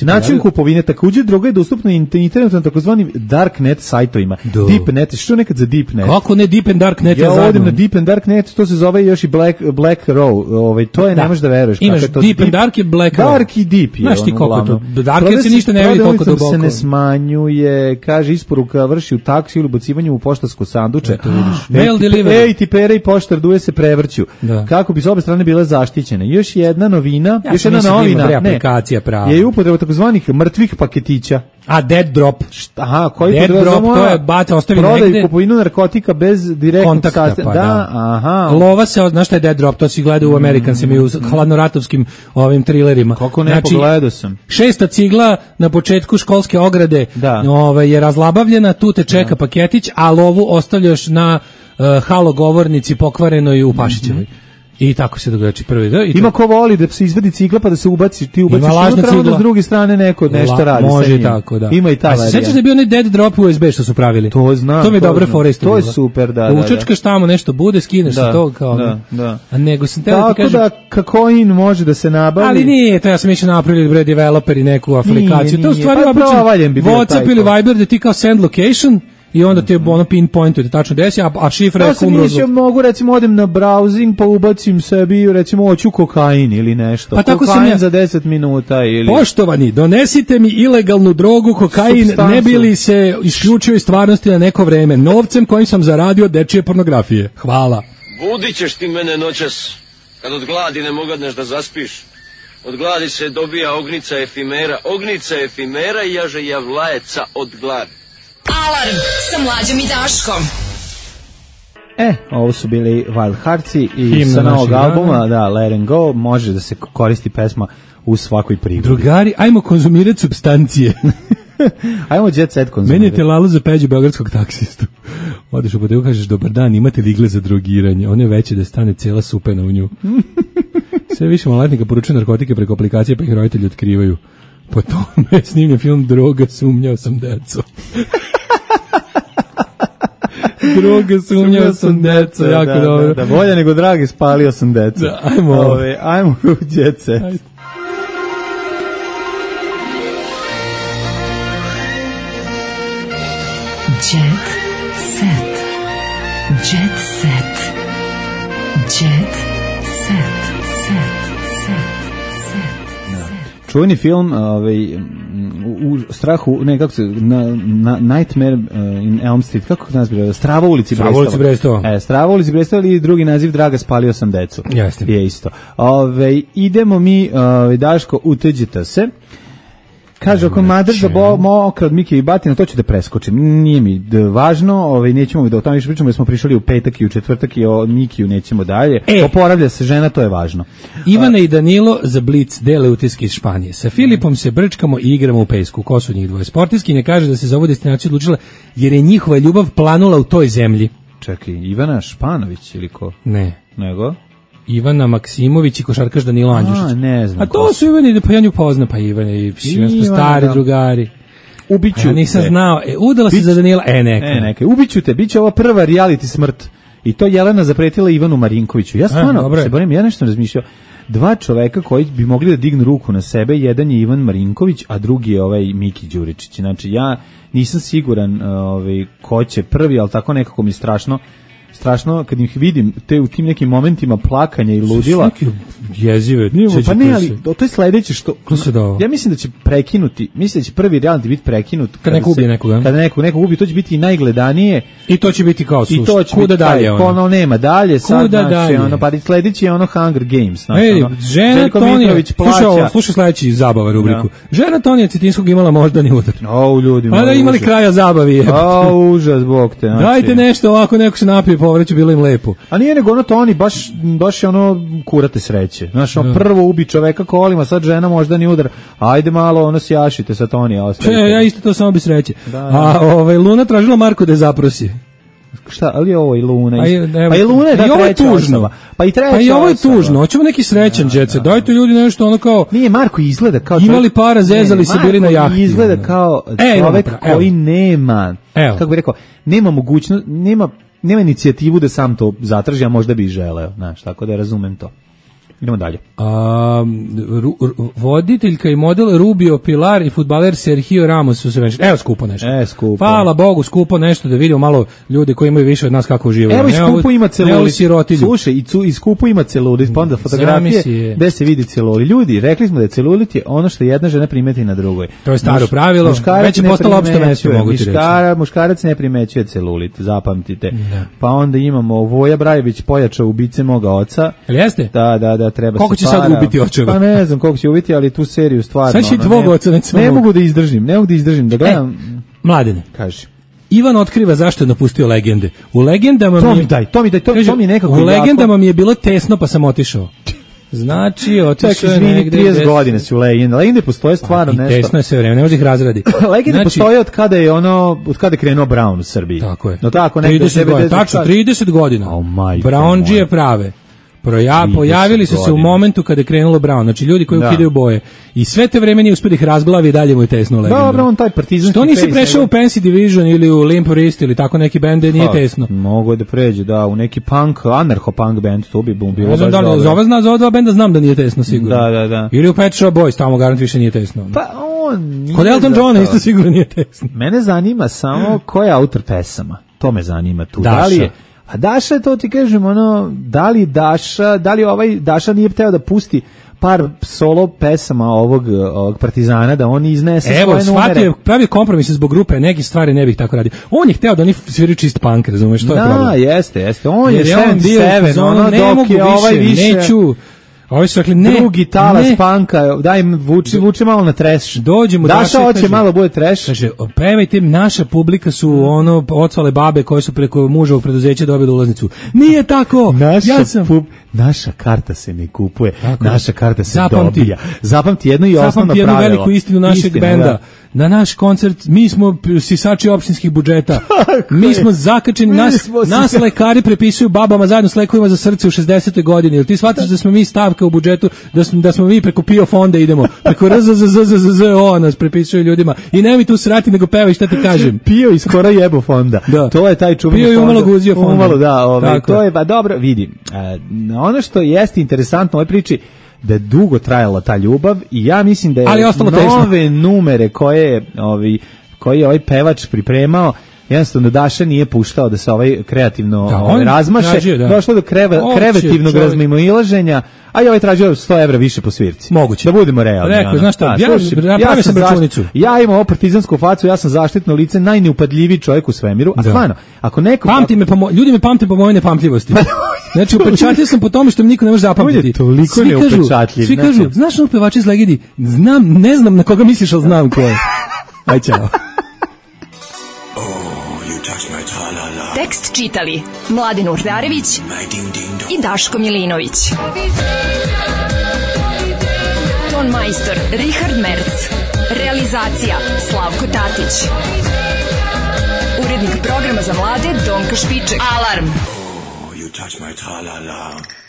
Način kupovine, također droga je dostupna internetu na takozvanim darknet sajtovima. Deepnet, što nekad za Deepnet? Kako ne Deep and Darknet? Ja odim na Deep and Darknet, to se zove još i Black Row. To je, ne možeš da veruješ. Imaš Deep and Dark i Black Row. Dark i Deep je. Znaš ti koliko to? Dark se ništa ne vidi koliko duboko. Se ne smanjuje, kaže isporuka vrši u taksi ili ubacivanje u poštansko sanduče. Mail delivery. Ej, ti pere i poštar struje se prevrću. Kako bi s obe strane bile zaštićene. Još jedna novina, još jedna novina, aplikacija prava. Je upotreba takozvanih mrtvih paketića. A dead drop. Aha, koji dead drop, to je bate ostavi negde. Prodaju kupovinu narkotika bez direktnog kontakta, pa da. Aha. Lova se, znaš šta je dead drop, to si gledao u Amerikansima i u hladnoratovskim ovim trilerima. Kako ne, pogledao sam. 6. cigla na početku školske ograde je razlabavljena, tu te čeka paketić, a lovu ostavljaš na halogovornici pokvarenoj u Pašićevoj. I tako se događa prvi. Ima ko voli da se izvadi cigla pa da se ubaci, ti ubaciš unutra, onda s druge strane neko nešto radi. Može i tako, da. Ima i ta varijanta. Sećaš da je bio onaj dead drop USB što su pravili? To znam. To mi je dobra fora isto. To je super, da. Učačkaš tamo nešto bude, skineš se to kao. Da. A nego sam teo ti kažem. Tako da kakoin može da se nabavi. Ali nije, to ja sam išao napravili bre developeri neku aplikaciju. To u stvari običan WhatsApp ili Viber da ti kao send location i onda ti je pinpointuje tačno desi, a šifra je kumrozu. Ja mogu recimo odem na browsing pa ubacim sebi recimo hoću kokain ili nešto. Pa tako kokain za 10 minuta ili... Poštovani, donesite mi ilegalnu drogu, kokain, substancu. Ne bi li se isključio iz stvarnosti na neko vreme, novcem kojim sam zaradio dečije pornografije. Hvala. Budit ćeš ti mene noćas, kad od gladi ne mogadneš da zaspiš. Od gladi se dobija ognica efimera i jaže javlajeca od gladi. Alarm sa Mlađom i Daškom. Ovo su bili Wild Heartsi i sa novog albuma, Let 'em Go, može da se koristi pesma u svakoj prigodi. Drugari, ajmo konzumirati supstancije. Ajmo jet set konzumirati. Menjate lalu za Peđu beogradskog taksistu. Odeš u bodegu, kažeš, dobar dan, imate li igle za drogiranje? Ono je veće da stane cijela supena u nju. Sve više maloletnika poručuju narkotike preko aplikacije, pa ih roditelji otkrivaju. Po tome je snimljen film Droga, sumnjao sam deco. Droga, sumnjao sam deco, jako dobro. Da, bolje nego dragi, spalio sam deco. Da, ajmo u jet set. Jet set. Jet set. Jet set. Čuveni film, u strahu, ne, kako se, Nightmare in Elm Street, kako nas bilo? Strava ulici Brestova. Strava ulici Brestova ili drugi naziv Draga, spalio sam decu. Jeste. Je isto. Idemo mi, Daško, uteđite se. Kaže, ako madr za mokra od Mikije i Batina, to ću da preskočim. Nije mi važno, nećemo da o tome više pričamo, jer smo prišli u petak i u četvrtak i o Mikiju nećemo dalje. Oporavlja se žena, to je važno. Ivana i Danilo za Blic dele utiske iz Španije. Sa Filipom se brčkamo i igramo u pejsku. Ko su njih dvoje? Sportiskinja kaže da se za ovu destinaciju odlučila jer je njihova ljubav planula u toj zemlji. Čekaj, Ivana Španović ili ko? Ne. Nego? Ivana Maksimović i košarkaš Danilo Andjušić. Ne znam. A to su Ivani, pa ja nju poznam, pa Ivane i svi smo stari drugari. Ubiću ja nisam znao, udala se za Danila, neka. Ubiću te, bit će ova prva reality smrt. I to Jelena zapretila Ivanu Marinkoviću. Ja stvarno se borim, ja nešto razmišljao. Dva čoveka koji bi mogli da dignu ruku na sebe, jedan je Ivan Marinković, a drugi je ovaj Miki Đuričić. Znači ja nisam siguran ko će prvi, ali tako nekako mi strašno kad ih vidim u tim nekim momentima plakanja i ludila. Jezive. Pa ne, ali to je sledeće što... Ja mislim da će prekinuti, mislim da će prvi reality biti prekinut. Kad neko ubije nekoga. Kada neko ubije, to će biti i najgledanije. I to će biti kao slušaj. I to će kuda biti dalje. Ono nema dalje. Kuda dalje. Pa sledeće je Hunger Games. Žena Tonija, slušaj sledeći zabava rubriku. Žena Tonija Cetinskog imala moždani udar. Ljudima. A da imali kraja zabavi. Užas, bog te. Dajte nešto ovako, neko se napije povreću, bilo im lepo. A nije nego ono Toni, baš je ono kurate sreće. Znaš, prvo ubi čoveka kolima, sad žena moždani udar. Ajde malo, ono sjašite sa Tonija. Ja isto to samo bi sreće. A Luna tražila Marko da je zaprosi. Šta, ali je ovo i Luna? Pa i Luna je da treća osnova. Pa i treća osnova. Pa i ovo je tužno, hoćemo neki srećan džet. Dajte ljudi nešto ono kao... Nije, Marko izgleda kao... Imali para, zezali se, bili na jahti. Marko izgleda kao čovek koji nema, kako bih rekao, nema mogućnost, nema inicijativu da sam to zatraži, a možda bi i želeo, znaš, tako da razumem to. Idemo dalje. Voditeljka i model Rubio Pilar i fudbaler Sergio Ramos su se venčali. Evo skupo nešto. Skupo. Hvala Bogu, skupo nešto da vidimo malo ljudi koji imaju više od nas kako uživaju. Evo i skupo ima celulit. Slušaj, i skupo ima celulit, pa onda fotografije gde se vidi celulit. Ljudi, rekli smo da je celulit je ono što jedna žena primeti na drugoj. To je staro pravilo, već je postalo opšte mesto, mogu ti reći. Muškarac ne primećuje celulit, zapamtite. Pa onda imamo Voja Brajević pojačao ubice moga oca. Ali jeste? Da, treba koliko će sad ubiti očeva? Pa ne znam koliko će ubiti, ali tu seriju stvarno. Sad će tvog oca ne mogu da izdržim, da gledam. Mladene, kaži. Ivan otkriva zašto je napustio legende. U legendama to mi nekako. U legendama mi je bilo tesno pa sam otišao. Znači, otišao je negde 30 godina si u legende. Legende postoje stvarno nešto. Tesno je sve vreme, ne može ih razradi. Legende postoje od kada je krenuo Brown u Srbiji. Tako je. No tako, 30 godina. Tačno, 30 godina. Brownđije prave. Pojavili su se u momentu kada je krenulo Brown, znači ljudi koji ukidaju boje. I sve te vreme nije uspio da ih razglavi i dalje mu je tesno legenda. Dobro, on taj partizanski. Što nisi prešao u Fancy Division ili u Limp Wrist ili tako neki bend nije tesno? Mogu da pređe, u neki punk, anarcho-punk band, to bi bilo baš dobro. Za ova dva benda znam da nije tesno sigurno. Da. Ili u Pet Shop Boys, tamo garant više nije tesno. Pa on... Kod Elton Johna isto sigurno nije tesno. Mene zanima samo ko je autor pesama. To me zanima tu. Daša. A Daša, to ti kažem, da li Daša nije hteo da pusti par solo pesama ovog partizana, da on iznese svoje numere. Evo, shvatio, pravi kompromis zbog grupe, neke stvari ne bih tako radio. On je hteo da oni sviraju čist punk, razumeš, to je problem. Da, jeste. On je 7-7, dok je ovaj više... Neću... Ovi su rekli, drugi talas panka, daj im vuče malo na trash. Dođemo Daša hoće malo bude trash. Kaže, pevajte, naša publika su ocvale babe koje su preko muževog preduzeća dobili ulaznicu. Nije tako. Naša karta se ne kupuje, naša karta se dobija. Zapamti jedno i osnovno pravilo. Zapamti jednu veliku istinu našeg benda. Na naš koncert, mi smo sisači opštinskih budžeta. Mi smo zakačeni, nas lekari prepisuju babama zajedno s lekovima za srce u 60. godini. Jel ti shvataš da smo mi stavka u budžetu, da smo mi preko PIO fonda idemo, preko RZZZZO nas prepisuju ljudima. I ne mi tu srati, nego pevaj šta ti kažem. PIO iz skoro jebo fonda. To je taj čuveni PIO i umalo guzio fonda. To je, dobro, vidi, ono što jeste interesantno u ovoj priči, da je dugo trajala ta ljubav i ja mislim da je nove numere koje je ovaj pevač pripremao, jednostavno Daša nije puštao da se ovaj kreativno razmaše, došlo do kreativnog razmimoilaženja, a i ovaj tražio 100 evra više po svirci. Moguće. Da budemo realni. Rekao, znaš šta, ja sam računicu. Ja imam ovo partizansku facu, ja sam zaštitno lice, najneupatljiviji čovjek u svemiru, a stvarno, ako neko... Ljudi me pamte po mojoj nepamtljivosti. Znači, upečatljiv sam po tome što mi niko ne može zapamtiti. Toliko neupečatljiv. Svi kažu, znaš ono pevač iz Legedi? Ne znam na koga misliš, ali znam ko je. Aj, čao. Tekst čitali Mladen Urdarević i Daško Milinović. Ton majstor Richard Merc. Realizacija Slavko Tatić. Urednik programa za mlade Donka Špiček. Alarm! You touch my tra-la-la.